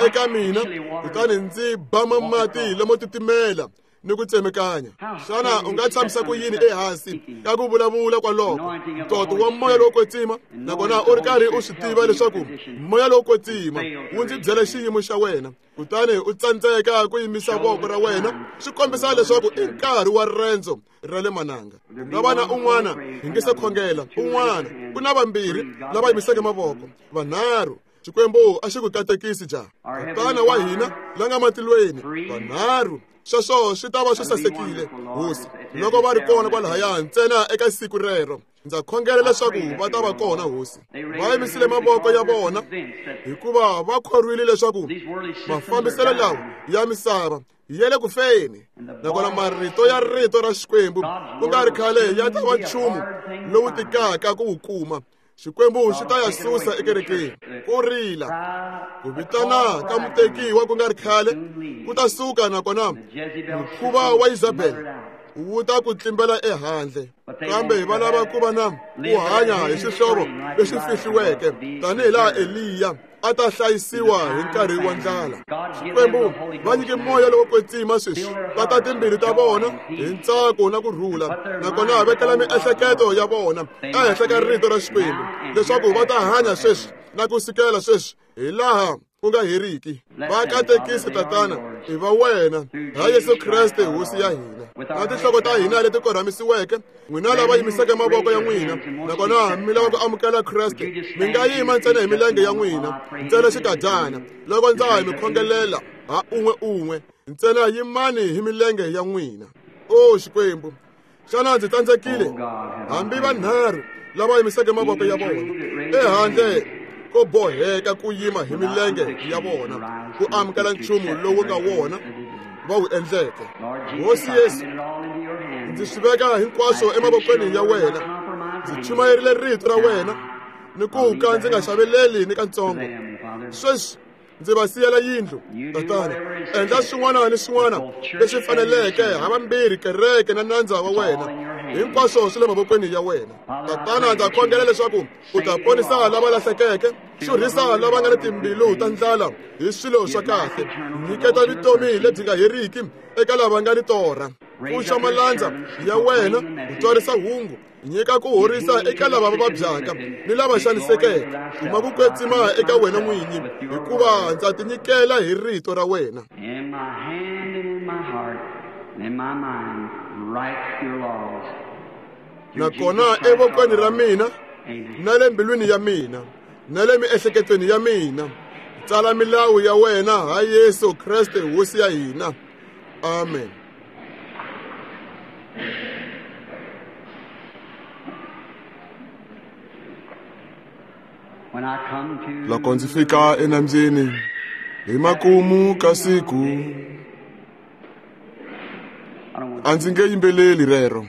eka mina, kutani ndzi bama mati lamo titimela ni ku tsemekanya. Xana u nga tshamisa ku yini ehansi ka ku vulavula kwaloko ntoto wa moya lowo kwetsima, nakona u ri karhi u swi tiva leswaku moya lowo kwetsima wu ndzi byela xiyimo xa wena, kutani u tsandzeka ku yimisa voko ra wena? Swi kombisa leswaku i nkarhi wa rendzo ra le mananga. Nga va na un'wana hi nge se khongela, un'wana ku na vambirhi lava yimiseke mavoko, vanharhu. Xikwembu a xi ku katekisi jaha. Tatana wa hina la nga matilweni, vanharhu. Sweswo swi ta va swi sasekile, Hosi, loko va ri kona kwalahaya ntsena eka siku rero. Ndza khongela leswaku va ta va kona, Hosi. Va yimisile mavoko ya vona hikuva va khorwile leswaku mafambiselo lawa ya misava ya le ku feni, nakona marito ya rito ra Xikwembu ku nga ri khale ya ta va nchumu lowu tikaka ku wu kuma. Xikwembu xi ta ya susa ekerekeni. Ku rila, ku vitana ka mutekiwa ku nga ri khale ku ta suka, nakona mukhuva wa Isabel wu ta ku tlimbela ehandle. Kambe va lava ku va na ku hanya hi xihlovo lexi fihliweke, tanihi laha Eliya a ta hlayisiwa hi nkarhi wa ndlala. Xikwembu va nyike moya lowo kwetsima sweswi, va ta timbilu ta vona hi ntsako na ku rhula, nakona vekela miehleketo ya vona ehenhla ka rito ra Xikwembu, leswaku va ta hanya sweswi na ku sukela sweswi hi laha ku nga heriki. Va katekisi, Tatana, i va wena, ha Yesu Kreste Hosi ya hina. Na tinhloko ta hina leti korhamisiweke, n'wina lava yimiseke mavoko ya n'wina nakona mi lava ku amukela Kreste, mi nga yima ntsena hi milenge ya n'wina ntsena xikadyana loko ndza ha mi khongelela ha un'we un'we. Ntsena yimani hi milenge ya n'wina. O Xikwembu, xana ndzi tsandzekile? Hambi vanharhu lava yimiseke mavoko ya vona ehandle ko boheka ku yima hi milenge ya vona ku amukela nchumu lowu nga wona va wu endleke. Hosi Yesu, ndzi swi veka hinkwaswo emavokweni ya wena. Ndzi chumayerile rito ra wena ni ku ka ndzi nga xaveleli ni katsongo. Sweswi ndzi va siyela yindlu, Tatana. Endla swin'wana ni swin'wana leswi faneleke ha vambirhi kereke na nandza wa wena. Hinkwaswo swi le mavokweni ya wena. Tatana, ndza khongela leswaku u ta ponisa lava lahlekeke, xurhisa lava nga ni timbilu ta ndlala hi swilo swa kahle, nyiketa vutomi lebyi nga heriki eka lava nga ni torha. Pfuxa malandza ya wena u twarisa hungu, nyika ku horisa eka lava va vabyaka ni lava xanisekeke. Kuma ku kwetsima eka wena n'winyi, hikuva ndza tinyikela hi rito ra wena. In my hand and in my heart and in my mind, write your laws. Nakona evokweni ra mina na le mbilwini ya mina na le miehleketweni ya mina, tsala milawu ya wena ha Yesu Kreste Hosi ya hina. Amen. Loko ndzi fika enambyeni hi makumu ka siku, a ndzi nge yimbeleli rero.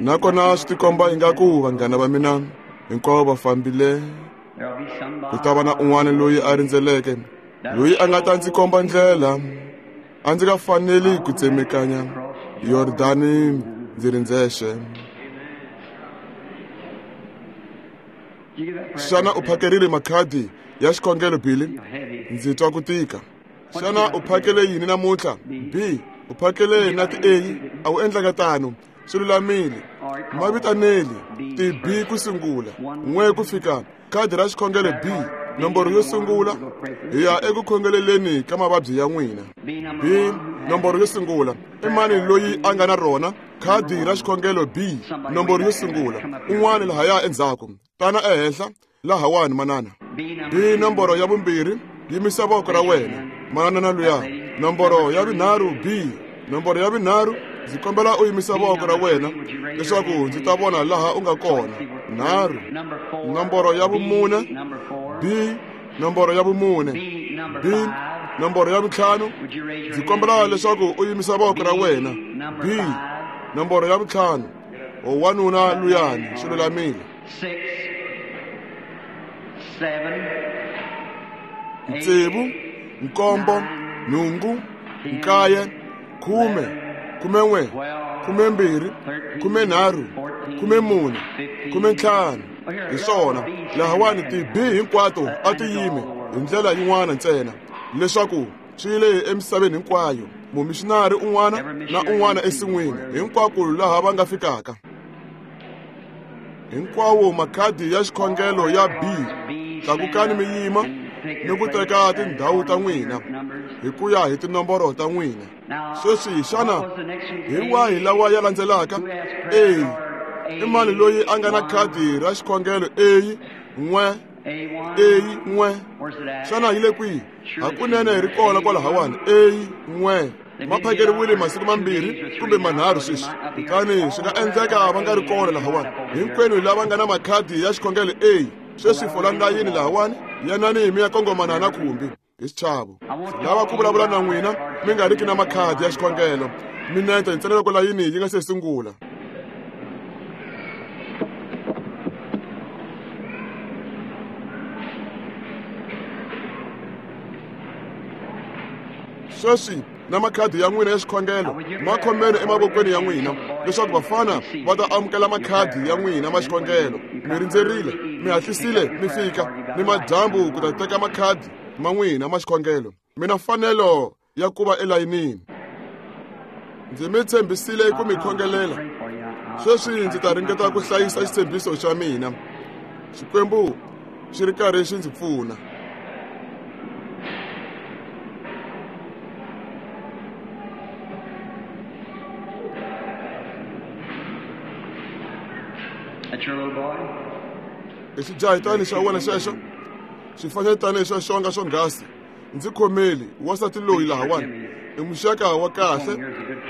Nakona swi tikomba ingaku vanghana va mina hinkwavo va fambile. Ku ta va na un'wana loyi a rindzeleke, loyi a nga ta ndzi komba ndlela. A ndzi nga faneli ku tsemekanya Yordani ndzi ri ndzexe. Xana u phakerile makhadi ya xikhongelo, Billy? Ndzi twa ku tika. Xana u phakele yini namuntlha? B, u phakele na ti-A? A wu endlanga tano. Swi lulamile. Ma vitaneli ti-B ku sungula, n'we ku fika khadi ra xikhongelo B, nomboro yo sungula, hi ya eku khongeleleni ka mavabyi ya n'wina. B, nomboro yo sungula. I mani loyi a nga na rona khadi ra xikhongelo B, nomboro yo sungula? Un'wana lahaya endzhaku. Tana ehenhla lahawani, manana. B, nomboro ya vumbirhi, yimisa voko ra wena, manana na luya. Nomboro ya vunharhu, B, nomboro ya vunharhu, ndzi kombela u yimisa voko ra wena leswaku ndzi ta vona laha u nga kona. Nharhu. Nomboro ya vumune, B, nomboro ya vumune. B, nomboro ya vuntlhanu, ndzi kombela leswaku u yimisa voko ra wena. B, nomboro ya vuntlhanu. O wanuna luyani, swi lulamile. Tsevu, nkombo, nhungu, nkaye, khume, khume n'we, khume mbirhi, khume nharhu, khume mune, khume ntlhanu. Hi swona lahawani ti-B hinkwato a ti yime hi ndlela yin'wana ntsena, leswaku swi le emisaveni hinkwayo. Mumixinari un'wana na un'wana ensin'wini, hinkwako laha va nga fikaka. Hinkwawo makhadi ya xikhongelo ya B, tlakukani mi yima ni ku teka tindhawu ta n'wina hi ku ya hi tinomboro ta n'wina. Sweswi xana hi wahi lawa ya landzelaka? A, i mani loyi a nga na khadi ra xikhongelo A n'we A n'we? Xana yi le kwihi? Hakunene ri kona kwalahawani. A n'we ma phakeriwile masiku mambirhi kumbe manharhu sweswi, kutani swi nga endleka va nga ri kona lahawani. Hinkwenu lava nga na makhadi ya xikhongelo A, sweswi folani layini lahawani, yanani mi ya kongomana na khumbi hi xichavo. Lava ku vulavula na n'wina mi nga riki na makhadi ya xikhongelo, minete ntsena loko layini yi nga se sungula. Sweswi na makhadi ya n'wina ya xikhongelo ma khomeni emavokweni ya n'wina leswaku vafana va ta amukela makhadi ya n'wina ma xikhongelo. Mi rindzerile, mi hatlisile mi fika ni madyambu ku ta teka makhadi ma n'wina ma xikhongelo. Mi na mfanelo ya ku va elayinini. Ndzi mi tshembisile ku mi khongelela. Sweswi ndzi ta ringeta ku hlayisa xitshembiso xa mina. Xikwembu xi ri karhi xi ndzi pfuna. I xijahitani xa wena xexo, xifanyetana xa xonga xonghasi. Ndzi khomeli wansati loyi lahawani i muxaka wa kahle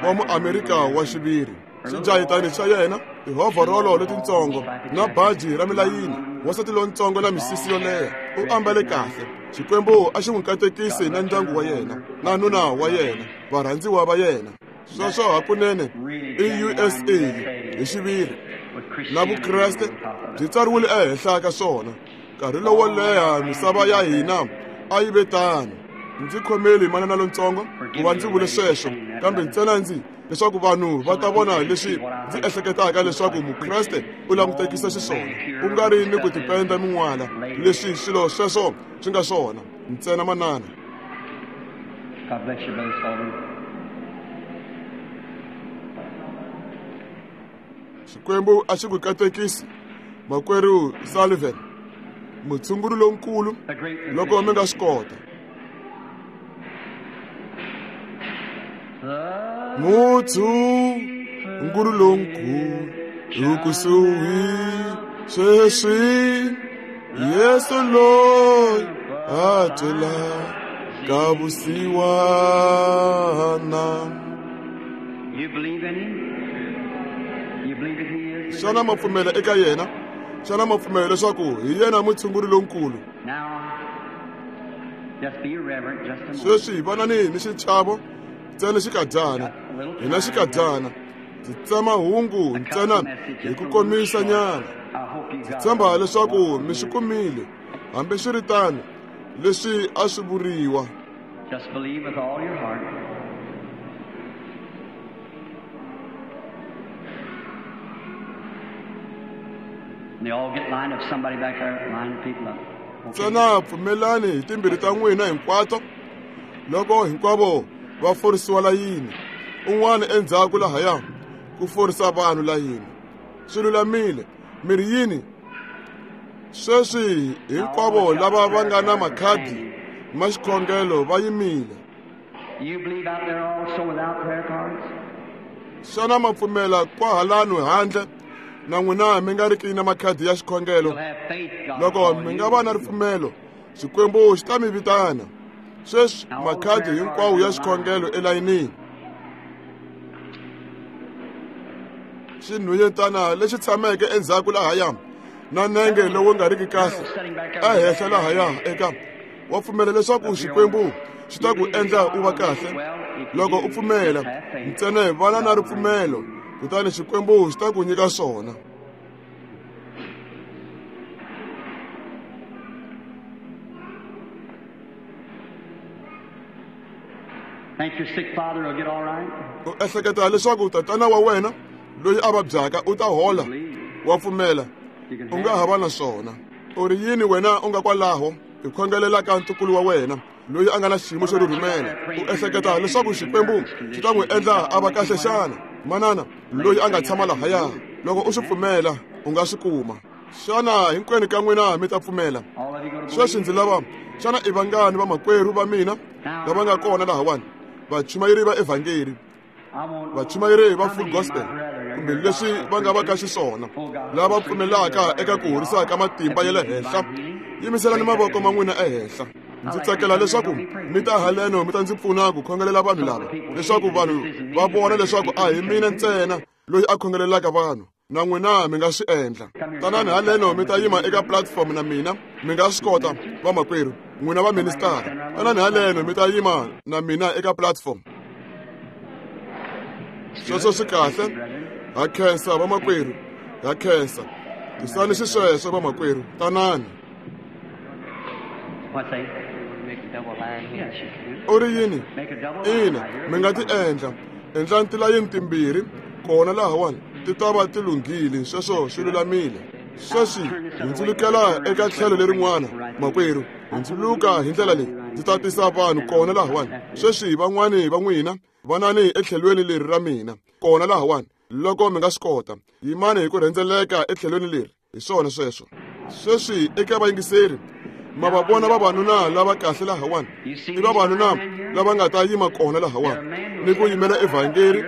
wa muamerika wa xiviri. Xijahitani xa yena tihovhorolo letitsongo na baji ra milayini. Wansati lontsongo na misisi yo leha u ambale kahle. Xikwembu a xi n'wi katekisi na ndyangu wa yena na nuna wa yena, varhandziwa va yena. Sweswo hakunene i U S A hi xiviri na Vukreste byi tsariwile ehenhla ka swona. Nkarhi lowo leha misava ya hina a yi ve tano. Ndzi khomeli manana lontsongo ku va ndzi vule sweswo, kambe ntsena ndzi leswaku vanhu va ta vona leswi ndzi ehleketaka leswaku Mukreste u langutekisa xiswona, ku nga ri ni ku tipenda min'wala leswi swilo sweswo swi nga swona. Ntsena manana. God bless you, Brother Sullivan. Xikwembu a xi ku katekisi, makwerhu Sullivan, mutshunguri lonkulu, loko mi nga swi kota. Mutshunguri lonkulu u kusuhi sweswi, Yesu loyi a twelaka vusiwana. You believe in him? You believe that he is? Xana ma pfumela eka yena? Xana ma pfumela leswaku hi yena mutshunguri lonkulu? Now, just be reverent just a moment. Sweswi vanani ni xichavo ntsena xikadyana. Hina xikadyana. Ndzi tsema hungu ntsena hi ku komisa nyana. Ndzi tshemba leswaku mi swi kumile. Hambi swi ri tano, leswi a swi vuriwa. Just believe with all your heart. They all get lined up. Somebody back there, line the people up. Ntsena pfumelani hi timbirhi ta n'wina hinkwato loko hinkwavo va forisiwa layini. Un'wana endzhaku lahaya ku forisa vanhu layini. Swi lulamile. Mi ri yini? Sweswi hinkwavo lava va nga na makhadi ma xikhongelo va yimile. You believe out there also without prayer cards? Xana ma pfumela kwahalano handle na n'wina mi nga riki na makhadi ya xikhongelo? Loko mi nga va na ripfumelo, Xikwembu xi ta mi vitana. Sweswi makhadi hinkwawo ya xikhongelo elayinini. Xinhwanyetana lexi tshameke endzhaku lahaya na nenge lowu nga riki kahle ehenhla lahaya eka wa pfumela leswaku Xikwembu xi ta ku endla u va kahle. Loko u pfumela ntsena vana na ripfumelo, kutani Xikwembu xi ta ku nyika swona. Think your sick father will get all right? U ehleketa leswaku tatana wa wena loyi a vabyaka u ta hola? Wa pfumela? U nga ha va na swona. U ri yini wena u nga kwalaho hi khongelelaka ntukulu wa wena loyi a nga na xiyimo xo rhurhumela u ehleketa leswaku Xikwembu xi ta n'wi endla a va kahle xana? Manana loyi a nga tshama lahaya, loko u swi pfumela u nga swi kuma. Xana hinkwenu ka n'wina mi ta pfumela? Sweswi ndzi lava, xana i vangani vamakwerhu va mina lava nga kona lahawani, vachumayeri va evhangeli, vachumayeri va full gospel, kumbe leswi va nga va ka xiswona, lava pfumelaka eka ku horisa ka matimba ya le henhla? Yimiselani mavoko ma n'wina ehenhla. Ndzi tsakela leswaku mi ta haleno mi ta ndzi pfuna ku khongelela vanhu lava, leswaku vanhu va vona leswaku a hi mina ntsena loyi a khongelelaka vanhu, na n'wina mi nga swi endla. Tanani haleno mi ta yima eka platform na mina, mi nga swi kota vamakwerhu, n'wina va ministara. Tanani haleno mi ta yima na mina eka platform. Sweswo swi kahle. Ha khensa vamakwerhu, ha khensa. Tisani xisweswo vamakwerhu, tanani. U ri yini? Ina, mi nga ti endla. Endlani tilayini timbirhi kona lahawani, ti ta va ti lunghile. Sweswo swi lulamile. Sweswi hundzulukela eka tlhelo lerin'wana, makwerhu. Hundzuluka hi ndlela leyi, ndzi ta tisa vanhu kona lahawani. Sweswi van'wani va n'wina vanani etlhelweni leri ra mina kona lahawani, loko mi nga swi kota. Yimani hi ku rhendzeleka etlhelweni leri. Hi swona sweswo. Sweswi eka vayingiseri, ma va vona vavanuna lava kahle lahawani? I vavanuna lava nga ta yima kona lahawani ni ku yimela evhangeli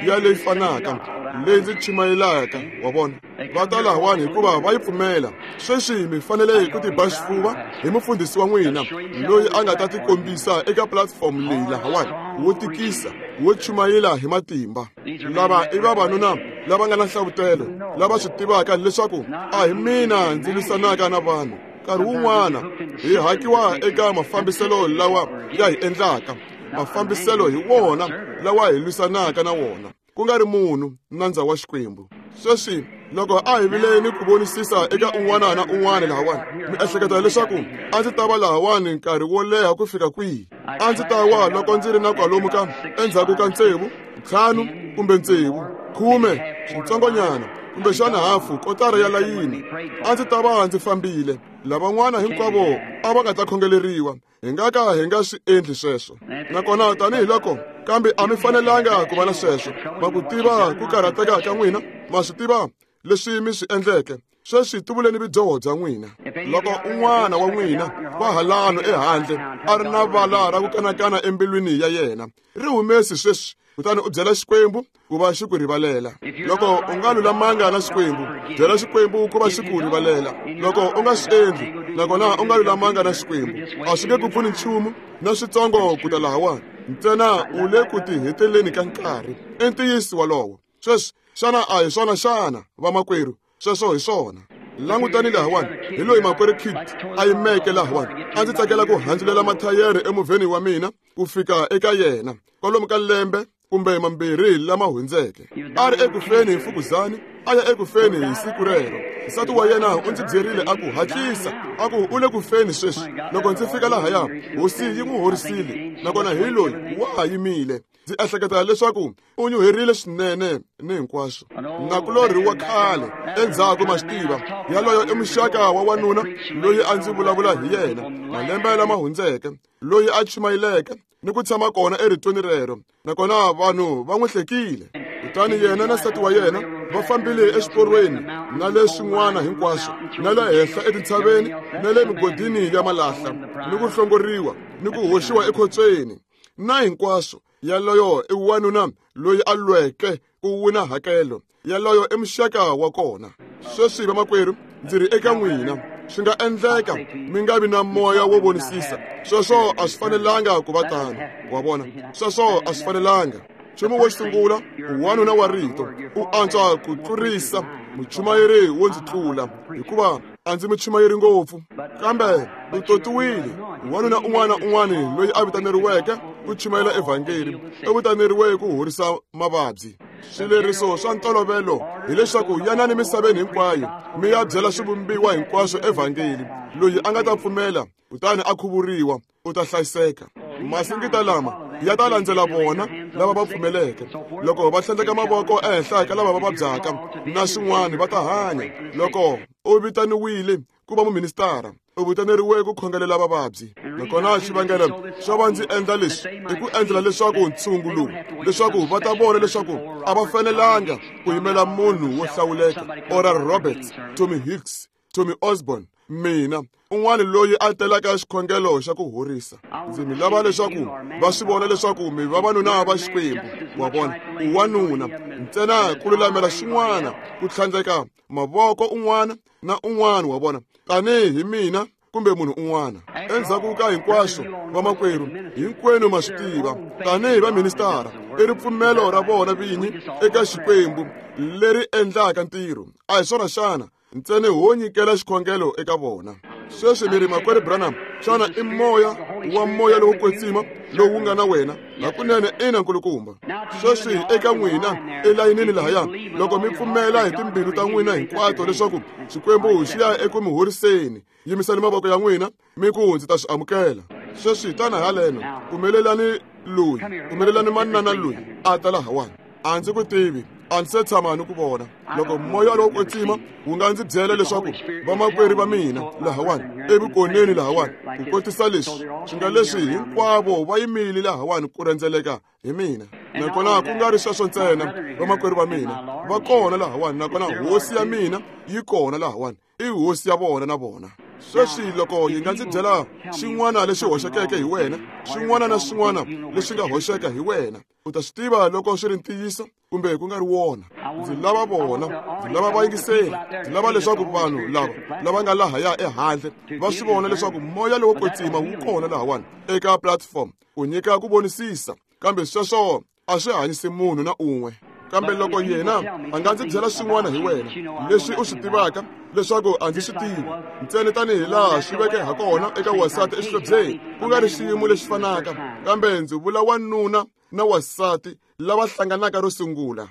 ya leyi fanaka leyi ndzi chumayelaka, wa vona. Va ta lahawani hikuva va yi pfumela. Sweswi mi fanele ku tiba xifuva hi mufundhisi wa n'wina loyi a nga ta tikombisa eka platform leyi lahawani, wo tikisa, wo chumayela hi matimba. Lava i vavanuna lava nga na nhlavutelo, lava swi tivaka leswaku a hi mina ndzi lwisanaka na vanhu. Nkarhi wun'wana hi hakiwa eka mafambiselo lawa ya hi endlaka. Mafambiselo hi wona lawa hi lwisanaka na wona, ku nga ri munhu, nandza wa Xikwembu. Sweswi loko a hi vile ni ku vonisisa eka un'wana na un'wana lahawani, mi ehleketa leswaku a ndzi ta va lahawani nkarhi wo leha ku fika kwihi? A ndzi ta wa loko ndzi ri na kwalomu ka endzhaku ka tsevu, ntlhanu kumbe tsevu, khume, switsongonyana, kumbexana hafu kotara ya layini. A ndzi ta va ndzi fambile. Lavan'wana hinkwavo a va nga ta khongeleriwa. Hi nga ka hi nga swi endli sweswo. Nakona tanihiloko, kambe a mi fanelanga ku va na sweswo. Ma ku tiva ku karhateka ka n'wina, ma swi tiva leswi mi swi endleke. Sweswi tivuleni vudyoho bya n'wina. Loko un'wana wa n'wina wa halano ehandle a ri na vala ra ku kanakana embilwini ya yena, ri humesi sweswi, kutani u byela Xikwembu ku va xi ku rivalela. Loko u nga lulamanga na Xikwembu, byela Xikwembu ku va xi ku rivalela. Loko u nga swi endli, nakona u nga lulamanga na Xikwembu, a swi nge ku pfuni nchumu na switsongo ku ta lahawani. Ntsena u le ku tiheteleni ka nkarhi. I ntiyiso wolowo. Sweswi, xana a hi swona xana, vamakwerhu? Sweswo hi swona. Langutani lahawani, hi loyi makwerhu Kit a yimeke lahawani. A ndzi tsakela ku handzulela mathayere emovheni wa mina ku fika eka yena kwalomu ka lembe kumbe mambirhi lama hundzeke. A ri ekufeni hi mfukuzani, a ya ekufeni hi siku rero. Nsati wa yena u ndzi byerile a ku hatlisa, a ku u le ku feni sweswi. Loko ndzi fika lahaya, hosi yi n'wi horisile, nakona hi loyi wa ha yimile. Ndzi ehleketa leswaku u nyuherile swinene ni hinkwaswo. Nakulorhi wa khale endzhaku, ma swi tiva, yaloyo i muxaka wa wanuna loyi a ndzi vulavula hi yena malembe lama hundzeke, loyi a chumayeleke ni ku tshama kona eritweni rero, nakona vanhu va n'wi hlekile. Kutani yena na nsati wa yena va fambile exiporweni na le swin'wana hinkwaswo, na le henhla etintshaveni na le migodini ya malahla, ni ku hlongoriwa ni ku hoxiwa ekhotsweni na hinkwaswo. Yaloyo i wanuna loyi a lweke ku wina hakelo. Yaloyo i muxaka wa kona. Sweswi vamakwerhu, ndzi ri eka n'wina, swi nga endleka mi nga vi na moya wo vonisisa. Sweswo a swi fanelanga ku va tano, wa vona. Sweswo a swi fanelanga. Nchumu wo sungula, wanuna wa rito u antswa ku tlurisa muchumayeri wo ndzi tlula, hikuva a ndzi muchumayeri ngopfu, kambe u totiwile. Wanuna un'wana na un'wana loyi a vitaneriweke ku chumayela evhangeli u vitaneriwe ku horisa mavabyi. Swileriso swa ntolovelo hileswaku yanani misaveni hinkwayo mi ya byela swivumbiwa hinkwaswo evhangeli. Loyi a nga ta pfumela kutani a khuvuriwa u ta hlayiseka. Masingita lama ya ta landzela vona lava va pfumeleke. Loko va tlhandleka mavoko ehenhla ka lava va vabyaka na swin'wana, va ta hanya. Loko u vitaniwile ku va muministara, U vitaneriwe ku khongelela vavabyi. Nakona xivangelo xo va ndzi endla leswi i ku endlela leswaku ntshungu lowu, leswaku va ta vona leswaku a va fanelanga ku yimela munhu wo hlawuleka, Oral Roberts, Tommy Hicks, Tommy Osborne, mina, un'wana loyi a telaka xikhongelo xa ku horisa. Ndzi mi lava leswaku va swi vona leswaku mi vavanuna va Xikwembu. Wa vona, u wanuna ntsena ku lulamela xin'wana, ku tlhandleka mavoko un'wana na un'wana, wa vona, tanihi mina kumbe munhu un'wana. Endzhaku ka hinkwaswo, vamakwerhu, hinkwenu ma swi tiva, tanihi vaministara, i ripfumelo ra vona vinyi eka Xikwembu leri endlaka ntirho. A hi swona xana? Ntsena ho nyikela xikhongelo eka vona. Sweswi mi ri, makwerhu Branham, xana i moya wa moya lowo kwetsima lowu nga na wena? Hakunene ina, nkulukumba. Sweswi eka n'wina elayinini lahaya, loko mi pfumela hi timbilu ta n'wina hinkwato leswaku Xikwembu xi ya eku mi horiseni, yimisani mavoko ya n'wina mi ku ndzi ta swi amukela. Sweswi tana haleno, pfumelelani loyi, pfumelelani manana loyi a ta lahawani. A ndzi ku tivi, a ndzi se tshama ni ku vona. Loko moya lowo kwetsima wu nga ndzi byela leswaku vamakwerhu va mina lahawani evukoneni lahawani, ku kotisa leswi swi nga leswi hinkwavo va yimile lahawani ku rhendzeleka hi mina. Nakona ku nga ri sweswo ntsena, vamakwerhu va mina va kona lahawani, nakona hosi ya mina yi kona lahawani, i hosi ya vona na vona. Sweswi loko yi nga ndzi byela xin'wana lexi hoxekeke hi wena, xin'wana na xin'wana lexi nga hoxeka hi wena, u ta swi tiva loko swi ri ntiyiso kumbe ku nga ri wona. Ndzi lava vona, ndzi lava vayingiseri, ndzi lava leswaku vanhu lava lava nga lahaya ehandle va swi vona leswaku moya lowo kwetsima wu kona lahawani eka platform ku nyika ku vonisisa. Kambe sweswo a swi hanyisi munhu na un'we. Kambe loko yena a nga ndzi byela swin'wana hi wena leswi u swi tivaka leswaku a ndzi swi tivi, ntsena tanihi laha swi veke ha kona eka wasati exihlobyeni, ku nga ri xiyimo lexi fanaka, kambe ndzi vula wanuna na wasati lava hlanganaka ro sungula.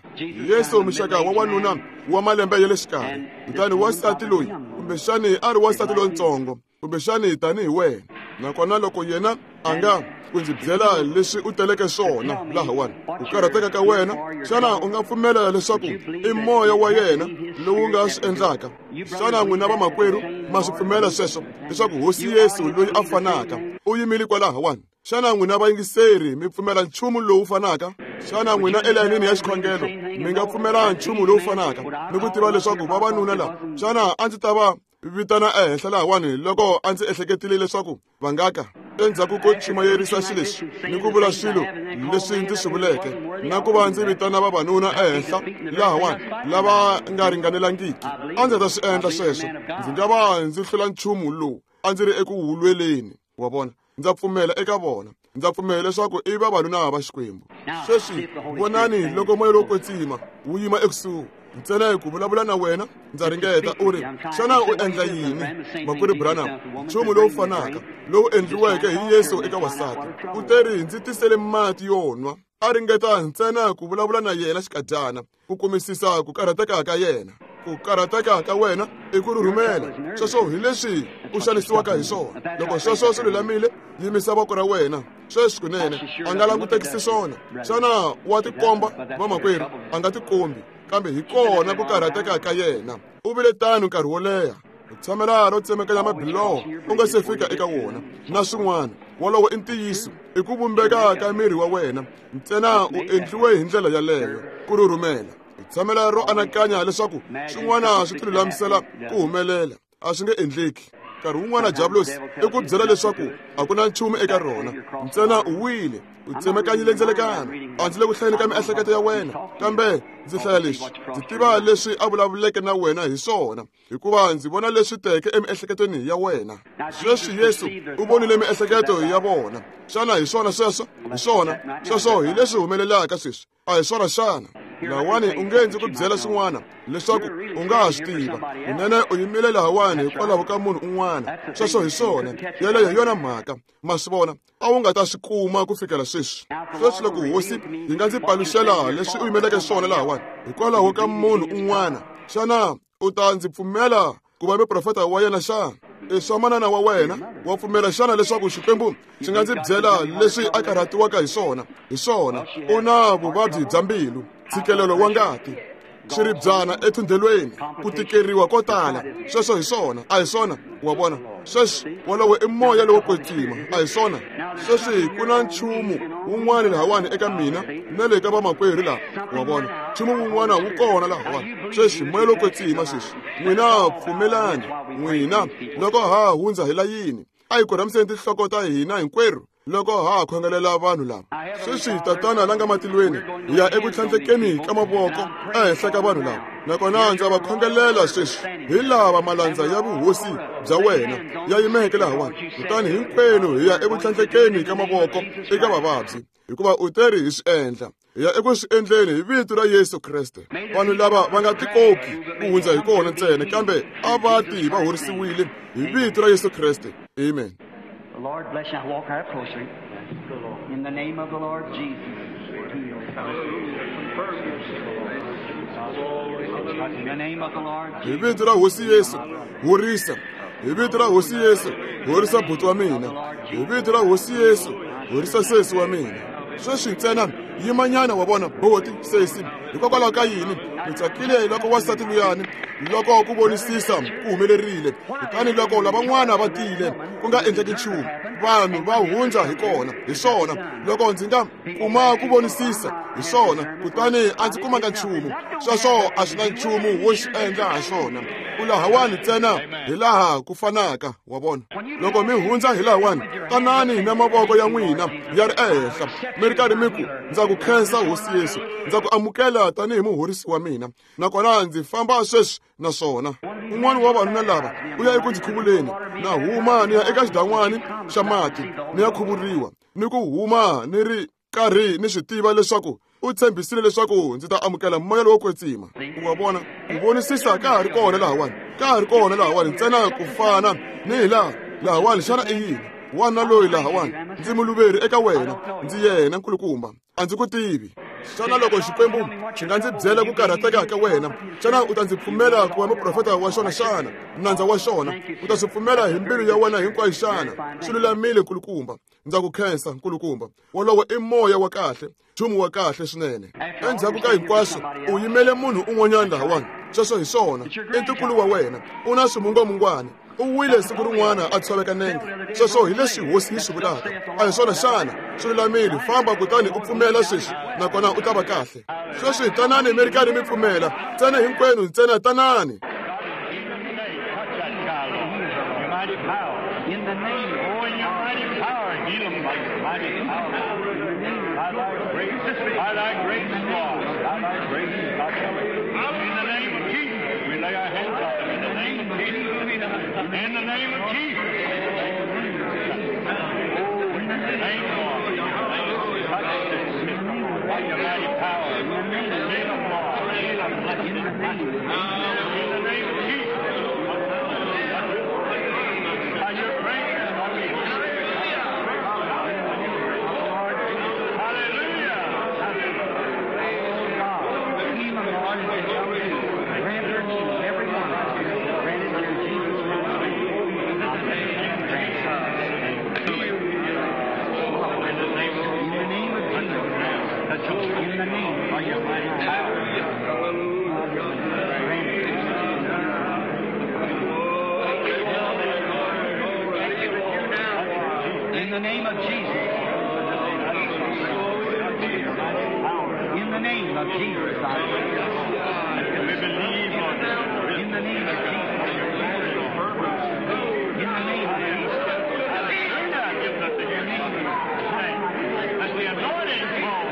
Yesu muxaka wa wanuna wa malembe ya le xikarhi, kutani wasati loyi kumbexani a ri wasati lontsongo, kumbexani tanihi wena. Nakona loko yena a nga ku ndzi byela leswi u teleke swona lahawani, ku karhateka ka wena, xana u nga pfumela leswaku i moya wa yena lowu nga swi endlaka? Xana n'wina vamakwerhu ma swi pfumela sweswo, leswaku hosi Yesu loyi a fanaka u yimile kwalahawani? Xana n'wina vayingiseri mi pfumela nchumu lowu fanaka? Xana n'wina elayinini ya xikhongelo mi nga pfumela nchumu lowu fanaka ni ku tiva leswaku vavanuna lava, xana a ndzi ta va vitana ehenhla lahawani loko a ndzi ehleketile leswaku va nga ka endzhaku ko chumayerisa xilexi ni ku vula swilo leswi ndzi swi vuleke, na ku va ndzi vitana vavanuna ehenhla lahawani lava nga ringanelangiki? A ndzi ta swi endla sweswo, ndzi nga va ndzi hlula nchumu lowu a ndzi ri eku wulweleni. Wa vona, ndza pfumela eka vona, ndza pfumela leswaku i vavanuna va Xikwembu. Sweswi vonani loko moya lowo kwetsima wu yima ekusuhi ntsena ku vulavula na wena, ndza ringeta. U ri, xana u endla yini, makwerhu Branham? Nchumu lowu fanaka lowu endliweke hi Yesu eka wasati. U teri, ndzi tisele mati yo nwa. A ringeta ntsena ku vulavula na yena xikadyana, ku kumisisa ku karhateka ka yena. Ku karhateka ka wena i ku rhurhumela. Sweswo hi leswi u xanisiwaka hi swona. Loko sweswo swi lulamile, yimisa voko ra wena. Sweswi kunene a nga langutekisi swona. Xana wa tikomba, vamakwerhu? A nga tikombi, kambe hi kona ku karhateka ka yena. U vile tano nkarhi wo leha. U tshamela ro tsemekanya mabiloho u nga se fika eka wona na swin'wana. Wolowo i ntiyiso, i ku vumbeka ka miri wa wena ntsena u endliwe hi ndlela yaleyo, ku rhurhumela. U tshamela ro anakanya leswaku swin'wana swi tilulamisela ku humelela, a swi nge endleki. Nkarhi wun'wana diabulosi i ku byela leswaku a ku na nchumu eka rona, ntsena u wile, u tsemekanyile ndzelekano. A ndzi le ku hlayeni ka miehleketo ya wena, kambe ndzi hlaya leswi, ndzi tiva leswi a vulavuleke na wena hi swona, hikuva ndzi vona leswi teke emiehleketweni ya wena. Sweswi Yesu u vonile miehleketo ya vona. Xana hi swona sweswo? Hi swona sweswo, hi leswi humelelaka sweswi, a hi swona xana? Lahawani u nge ndzi ku byela swin'wana leswaku u nga ha swi tiva. Kunene u yimile lahawani hikwalaho ka munhu un'wana. Sweswo hi swona, yeleyo hi yona mhaka. Ma swi vona, a wu nga ta swi kuma ku fikela sweswi. Sweswi loko hosi yi nga ndzi paluxela leswi u yimeleke swona lahawani hikwalaho ka munhu un'wana, xana u ta ndzi pfumela ku va muprofeta wa yena xana? I swa manana wa wena, wa pfumela xana leswaku Xikwembu xi nga ndzi byela leswi a karhatiwaka hi swona? Hi swona, u na vuvabyi bya mbilu, ntshikelelo wa ngati. Xiribyana ethundelweni, ku tikeriwa ko tala. Sweswo hi swona, a hi swona, wa vona. Sweswi wolowo i moya lowo kwetsima, a hi swona. Sweswi ku na nchumu wun'wana lahawani eka mina na le ka vamakwerhu laha, wa vona. Nchumu wun'wana wu kona lahawani. Sweswi moya lowo kwetsima sweswi. N'wina pfumelani, n'wina loko ha hundza hi layini, a hi korhamiseni tinhloko ta hina hinkwerhu loko ha khongelela vanhu lava. Sweswi Tatana la nga matilweni, hi ya eku tlhandlekeni ka mavoko ehenhla ka vanhu lava. Nakona ndza va khongelela sweswi hi lava malandza ya vuhosi bya wena ya yimeke lahawani. Kutani hinkwenu hi ya eku tlhandlekeni ka mavoko eka vavabyi, hikuva u teri hi swi endla. Hi ya eku swi endleni hi vito ra Yesu Kreste. Vanhu lava va nga tikoki ku hundza hi kona ntsena, kambe a va ti va horisiwile hi vito ra Yesu Kreste. Amen. The Lord bless you. Walk out closer. In the name of the Lord Jesus. In the name of the Lord Hi vito ra Hosi Yesu, horisa. Hi vito ra Hosi Yesu, horisa buti wa mina. Hi vito ra Hosi Yesu, horisa sesi wa mina. Sweswi ntsena yimanyana wa vona boti sesi. Hikokwalaho ka yini mi tsakile loko wansati luyani loko ku vonisisa ku humelerile, kutani loko lavan'wana va tile ku nga endleki nchumu, vanhu va hundza hi kona. Hi swona, loko ndzi nga kuma ku vonisisa hi swona, kutani a ndzi kumanga nchumu. Sweswo a swi na nchumu wo xi endla ha swona. U lahawani ntsena hi laha ku fanaka, wa vona. Loko mi hundza hi lahawani, tanani na mavoko ya n'wina ya ri ehenhla, mi ri karhi mi ku, ndza ku khensa Hosi Yesu, ndza ku amukela tanihi muhorisi wa mina, nakona ndzi famba sweswi na swona. Un'wana wa vanhu lava u ya eku ndzi khuvuleni, na huma ni ya eka xidan'wani xa mati ni ya khuvuriwa, ni ku huma ni ri karhi ni swi tiva leswaku u tshembisile leswaku ndzi ta amukela moya lowo kwetsima. U wa vona, ku vonisisa ka ha ri kona lahawani, ka ha ri kona lahawani ntsena ku fana ni hi laha lahawani. Xana i yini? Wana loyi lahawani, ndzi muluveri eka wena, ndzi yena nkulukumba, a ndzi ku tivi. Xana loko Xikwembu xi nga ndzi byela ku karhateka ka wena, xana u ta ndzi pfumela ku va muprofeta wa xona xana? Nandza wa xona, u ta swi pfumela hi mbilu ya wena hinkwayo xana? Swi lulamile nkulukumba, ndza ku khensa nkulukumba. Wolowo i moya wa kahle, nchumu wa kahle swinene. Endzhaku ka hinkwaswo, u yimele munhu un'wanyana lahawani. Sweswo hi swona, i ntukulu wa wena, u na swimungwamungwana. U wile siku rin'wana a tshoveka nenge. Sweswo hi leswi Hosi yi swi vulaka. A hi swona xana? Swi lulamile, famba kutani u pfumela sweswi, nakona u ta va kahle. Sweswi tanani mi ri karhi mi pfumela, ntsena hinkwenu ntsena tanani. In the name, oh, in your mighty power, heal them by your mighty power. By thy grace, by thy grace, Lord, by thy grace, in the name of Jesus, we lay our hands on them. In the name of Jesus, in the name of Jesus, oh, in the name, Lord, touch this sick by your mighty power. Heal them, Lord, heal them, in the name of Jesus. In the name of Jesus. In the name of Jesus. We believe on you. In the name of Jesus. In the name of Jesus. As the anointing falls.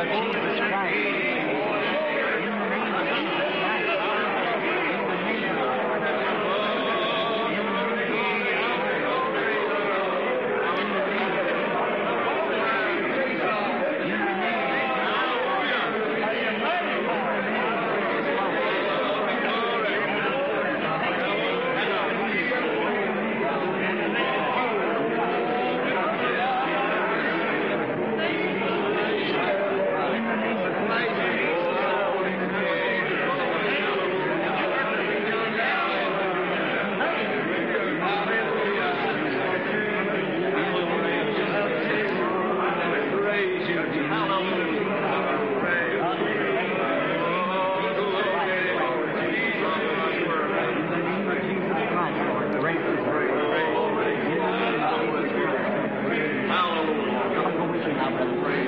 of Jesus Christ. In the name of Jesus Christ. In the name of In the name In the name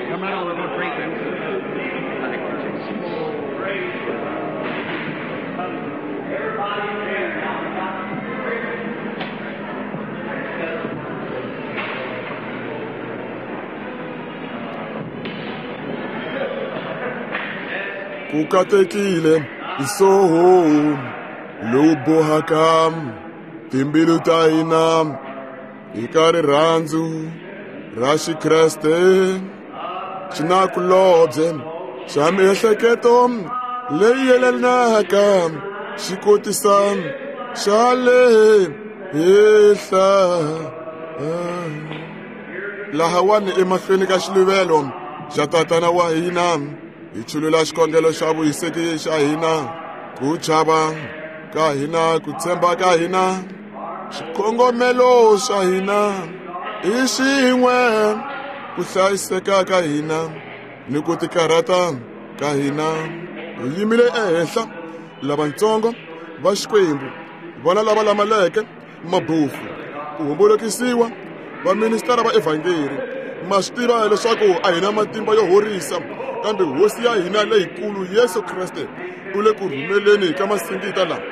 Come on, we're going to pray. Kukatekile isoho lobohaka timbilu ta hina eka rirhandzu ra Xikreste xinakulobye xa miehleketo leyi yelanaka xi kotisa xa le henhla. Lahawani emahlweni ka xiluvelo xa tatana wa hina hi chulula xikhongelo xa vuhiseki xa hina, ku chava ka hina, ku tshemba ka hina, xikongomelo xa hina i xin'we, ku hlayiseka ka hina ni ku tikarhata ka hina. Hi yimile ehenhla lavatsongo va Xikwembu, vona lava lamaleke mabofu, ku hombolokisiwa vaministara va evhangeri. Ma swi tiva leswaku a hi na matimba yo horisa, kambe hosi ya hina leyikulu Yesu Kreste u le ku rhumeleni ka masingita lawa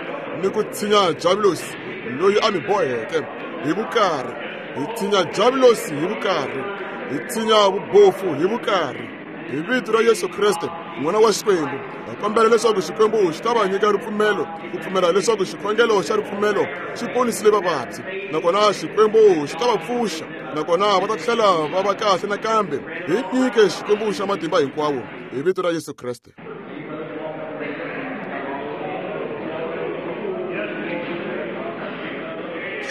ni ku tshinya Diabulosi loyi a mi boheke hi vukarhi. Hi tshinya Diabulosi hi vukarhi, hi tshinya vubofu hi vukarhi. Hi vito ra Yesu Kreste n'wana wa Xikwembu, hi kombela leswaku Xikwembu xi ta va nyika ripfumelo, ku pfumela leswaku xikhongelo xa ripfumelo xi ponisile vavabyi, nakona Xikwembu xi ta va pfuxa, nakona va ta tlhela va va kahle nakambe. Hi nyike Xikwembu xa matimba hinkwawo hi vito ra Yesu Kreste.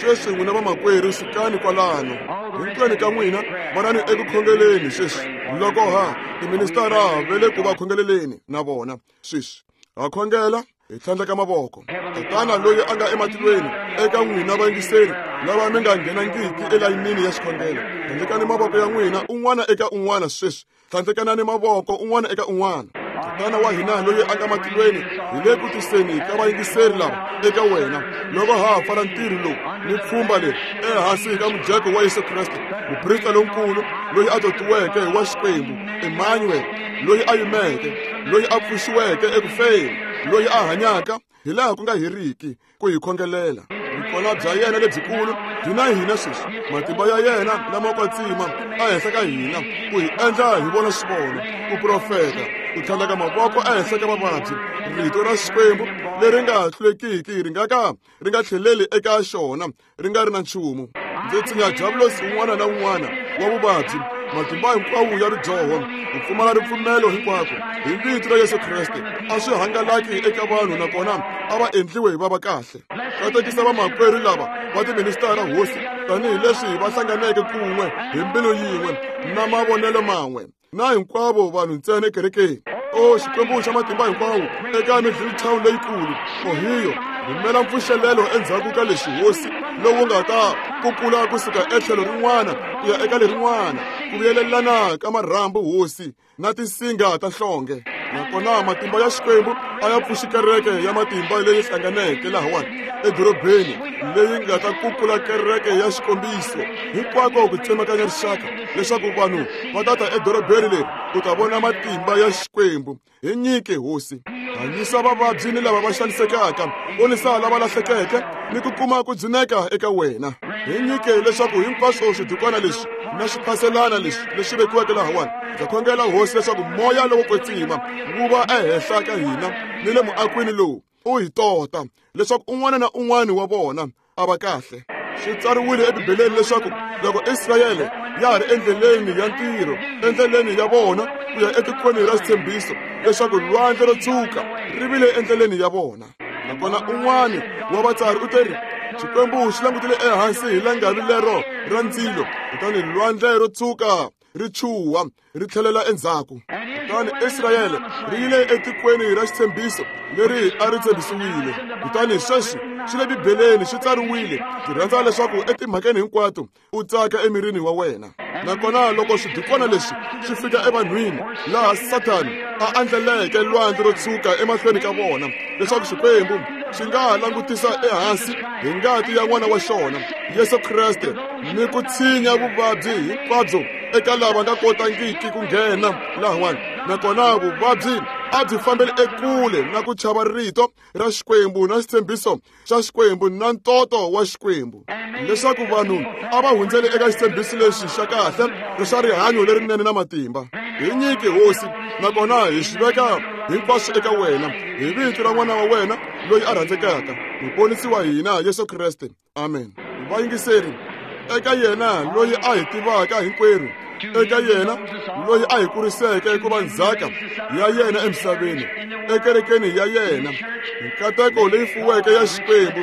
Sweswi n'wina vamakwerhu sukani kwalano hinkwenu ka n'wina, vonani eku khongeleni sweswi. Loko ha tiministara va le ku va khongeleleni na vona sweswi, ha khongela hi tlhandleka mavoko. Tatana loyi a nga ematilweni, eka n'wina vayingiseri lava mi nga nghenangiki elayinini ya xikhongelo, tlhandlekani mavoko ya n'wina un'wana eka un'wana sweswi. Tlhandlekanani mavoko un'wana eka un'wana. Tatana wa hina loyi a nga matilweni, hi le ku tiseni ka vayingiseri lava eka wena loko ha ha pfala ntirho lowu ni pfhumba leri ehansi ka mujeko wa Yesu Kreste, muprista lonkulu loyi a totiweke wa Xikwembu, Emmanuel, loyi a yimeke, loyi a pfuxiweke eku feni, loyi a hanyaka hi laha ku nga heriki ku hi khongelela. Vukona bya yena lebyikulu byi na hina sweswi, matimba ya yena lama kwetsima ehenhla ka hina ku hi endla hi vona swivono, ku profeta, ku tlhandleka mavoko ehenhla ka vavabyi. Rito ra Xikwembu leri nga hlulekiki ri nga ka ri nga tlheleli eka xona ri nga ri na nchumu. Ndzi tshinya Diabulosi un'wana na un'wana wa vuvabyi, matimba hinkwawo ya ridyoho, ku pfumala ripfumelo hinkwako hi vito ra Yesu Kreste a swi hangalaki eka vanhu, nakona a va endliwe va va kahle. Katekisa vamakwerhu lava va tiministara hosi, tanihileswi va hlanganeke kun'we hi mbilu yin'we na mavonelo man'we na hinkwavo vanhu ntsena ekerekeni. O Xikwembu xa matimba hinkwawo, eka Middletown leyikulu, Ohio, rhumela mpfuxelelo endzhaku ka leswi hosi lowu nga ta kukula kusuka etlhelo rin'wana ku ya eka lerin'wana, ku vuyelelana ka marhambu hosi na tinsinga ta nhlonge. Nakona matimba ya Xikwembu a ya pfuxi kereke ya matimba leyi hlanganeke lahawani edorobeni, leyi nga ta kukula kereke ya xikombiso hinkwako ku tsemakanya rixaka, leswaku vanhu va ta ta edorobeni leri ku ta vona matimba ya Xikwembu. Hi nyike hosi. Hanyisa vavabyi ni lava va xanisekaka, ponisa lava lahlekeke ni ku kuma ku dzuneka eka wena. Hi nyike leswaku hinkwaswo swidukwana leswi na swiphaselana leswi leswi vekiweke lahawani, ndza khongela hosi leswaku moya lowo kwetsima wu va ehenhla ka hina ni le muakwini lowu u hi tota leswaku un'wana na un'wana wa vona a va kahle. Swi tsariwile ebibeleni leswaku loko Israyele ya ha ri endleleni ya ntirho, endleleni ya vona ku ya etikweni ra xitshembiso, leswaku lwandle ro tshuka ri vile endleleni ya vona. Nakona un'wana wa vatsari u teri Xikwembu xi langutile ehansi hi langavi lero ra ndzilo, kutani lwandle ro tshuka ri chuha ri tlhelela endzhaku. Kutani Israyele ri yile etikweni ra xitshembiso leri a ri tshembisiwile. Kutani sweswi swi le bibeleni swi tsariwile. Ndzi rhandza leswaku etimhakeni hinkwato u tsaka emirini wa wena. Nakona loko swidukwana leswi swi fika evanhwini laha Sathani a andlaleke lwandle ro tshuka emahlweni ka vona, leswaku Xikwembu xi nga ha langutisa ehansi hi ngati ya n'wana wa xona Yesu Kreste ni ku tshinya vuvabyi hinkwabyo eka lava nga kotangiki ku nghena lahawani. Nakona vuvabyi a byi fambeli ekule na ku chava rito ra Xikwembu na xitshembiso xa Xikwembu na ntoto wa Xikwembu, leswaku vanhu a va hundzeli eka xitshembiso lexi xa kahle xa rihanyo lerinene na matimba. Hi nyike hosi, nakona hi swi veka hinkwaswo eka wena hi vito ra n'wana wa wena loyi a rhandzekaka, muponisi wa hina Yesu Kreste. Amen. Vayingiseri, eka yena loyi a hi tivaka hinkwerhu, eka yena loyi a hi kuriseke ku va ndzhaka ya yena emisaveni, ekerekeni ya yena, nkateko leyi fuweke ya Xikwembu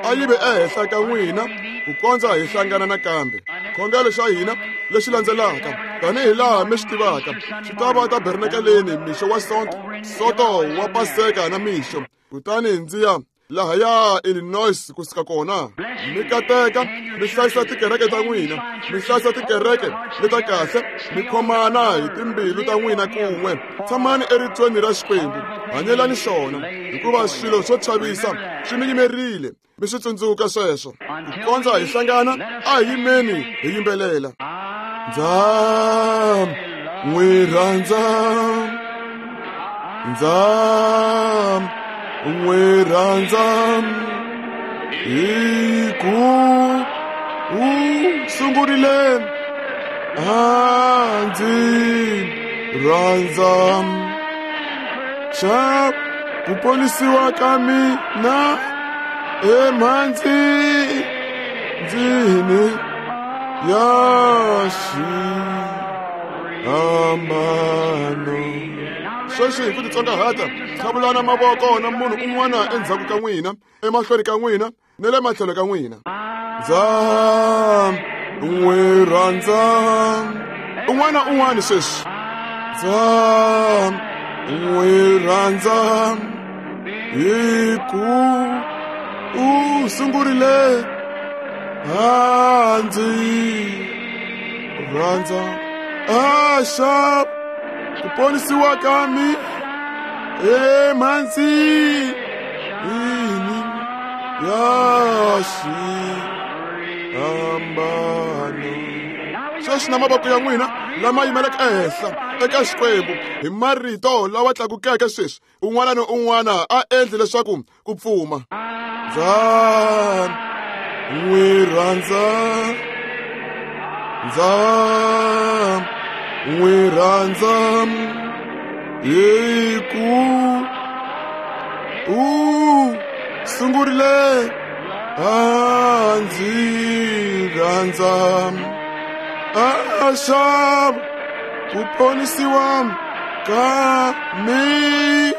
a yi ve ehenhla ka n'wina ku kondza hi hlangana nakambe. Khongelo xa hina lexi landzelaka, tanihi laha mi swi tivaka, xi ta va tabernakeleni mixo wa Sonto, Sonto wa Paseka na mixo. Kutani ndzi ya lahaya Illinois kusuka kona. Mi kateka mi hlayisa tikereke ta n'wina, mi hlayisa tikereke leta kahle, mi khomana hi timbilu ta n'wina kun'we. Tshamani eritweni ra Xikwembu, hanyelani xona, hikuva swilo swo chavisa swi mi yimerile. Mi swi tsundzuka sweswo. Ku kondza hi hlangana, a hi yimeni hi yimbelela. Ndza n'wi rhandza, ndza n'wi rhandza, hi ku u sungurile a ndzi rhandza. Xa ku ponisiwa ka mina emhandzini ya xihambano. Sweswi hi ku titsongahata, tlhavulana mavoko na munhu un'wana endzhaku ka n'wina, emahlweni ka n'wina ni le matlhelo ka n'wina. Ndza n'wi rhandza. Un'wana un'wana sweswi. Ndza n'wi rhandza hi ku u sungurile a ndzi rhandza. A xa ku ponisiwa ka mi emhandzini ya xihambano. Sweswi na mavoko ya n'wina lama yimeleke ehenhla eka Xikwembu hi marito lawa tlakukeke sweswi, un'wana na un'wana a endle leswaku ku pfuma. Ndza n'wi rhandza, ndza n'wi rhandza, hi ku u sungurile a ndzi rhandza. A xa ku ponisiwa ka mina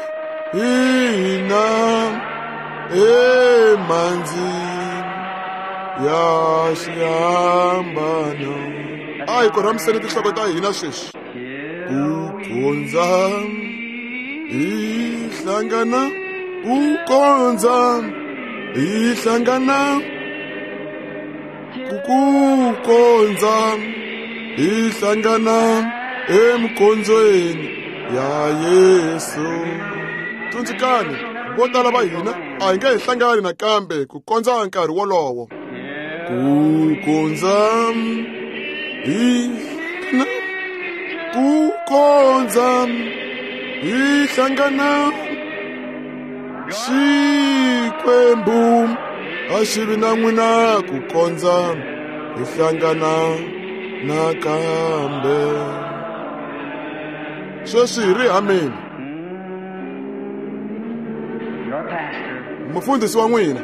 emhandzini ya xihambano. A hi korhamiseni tinhloko ta hina sweswi. Ku kondza hi hlangana, ku kondza hi hlangana, ku kondza hi hlangana emikondzweni ya Yesu. Tsundzukani, vo tala va hina a hi nge hi hlangani nakambe ku kondza nkarhi wolowo. Ku kondza hi hlangana, ku kondza hi hlangana, Xikwembu a xi vi na n'wina ku kondza hi hlangana nakambe. Sweswi hi ri amen. Your pastor, Mufundhisi wa n'wina.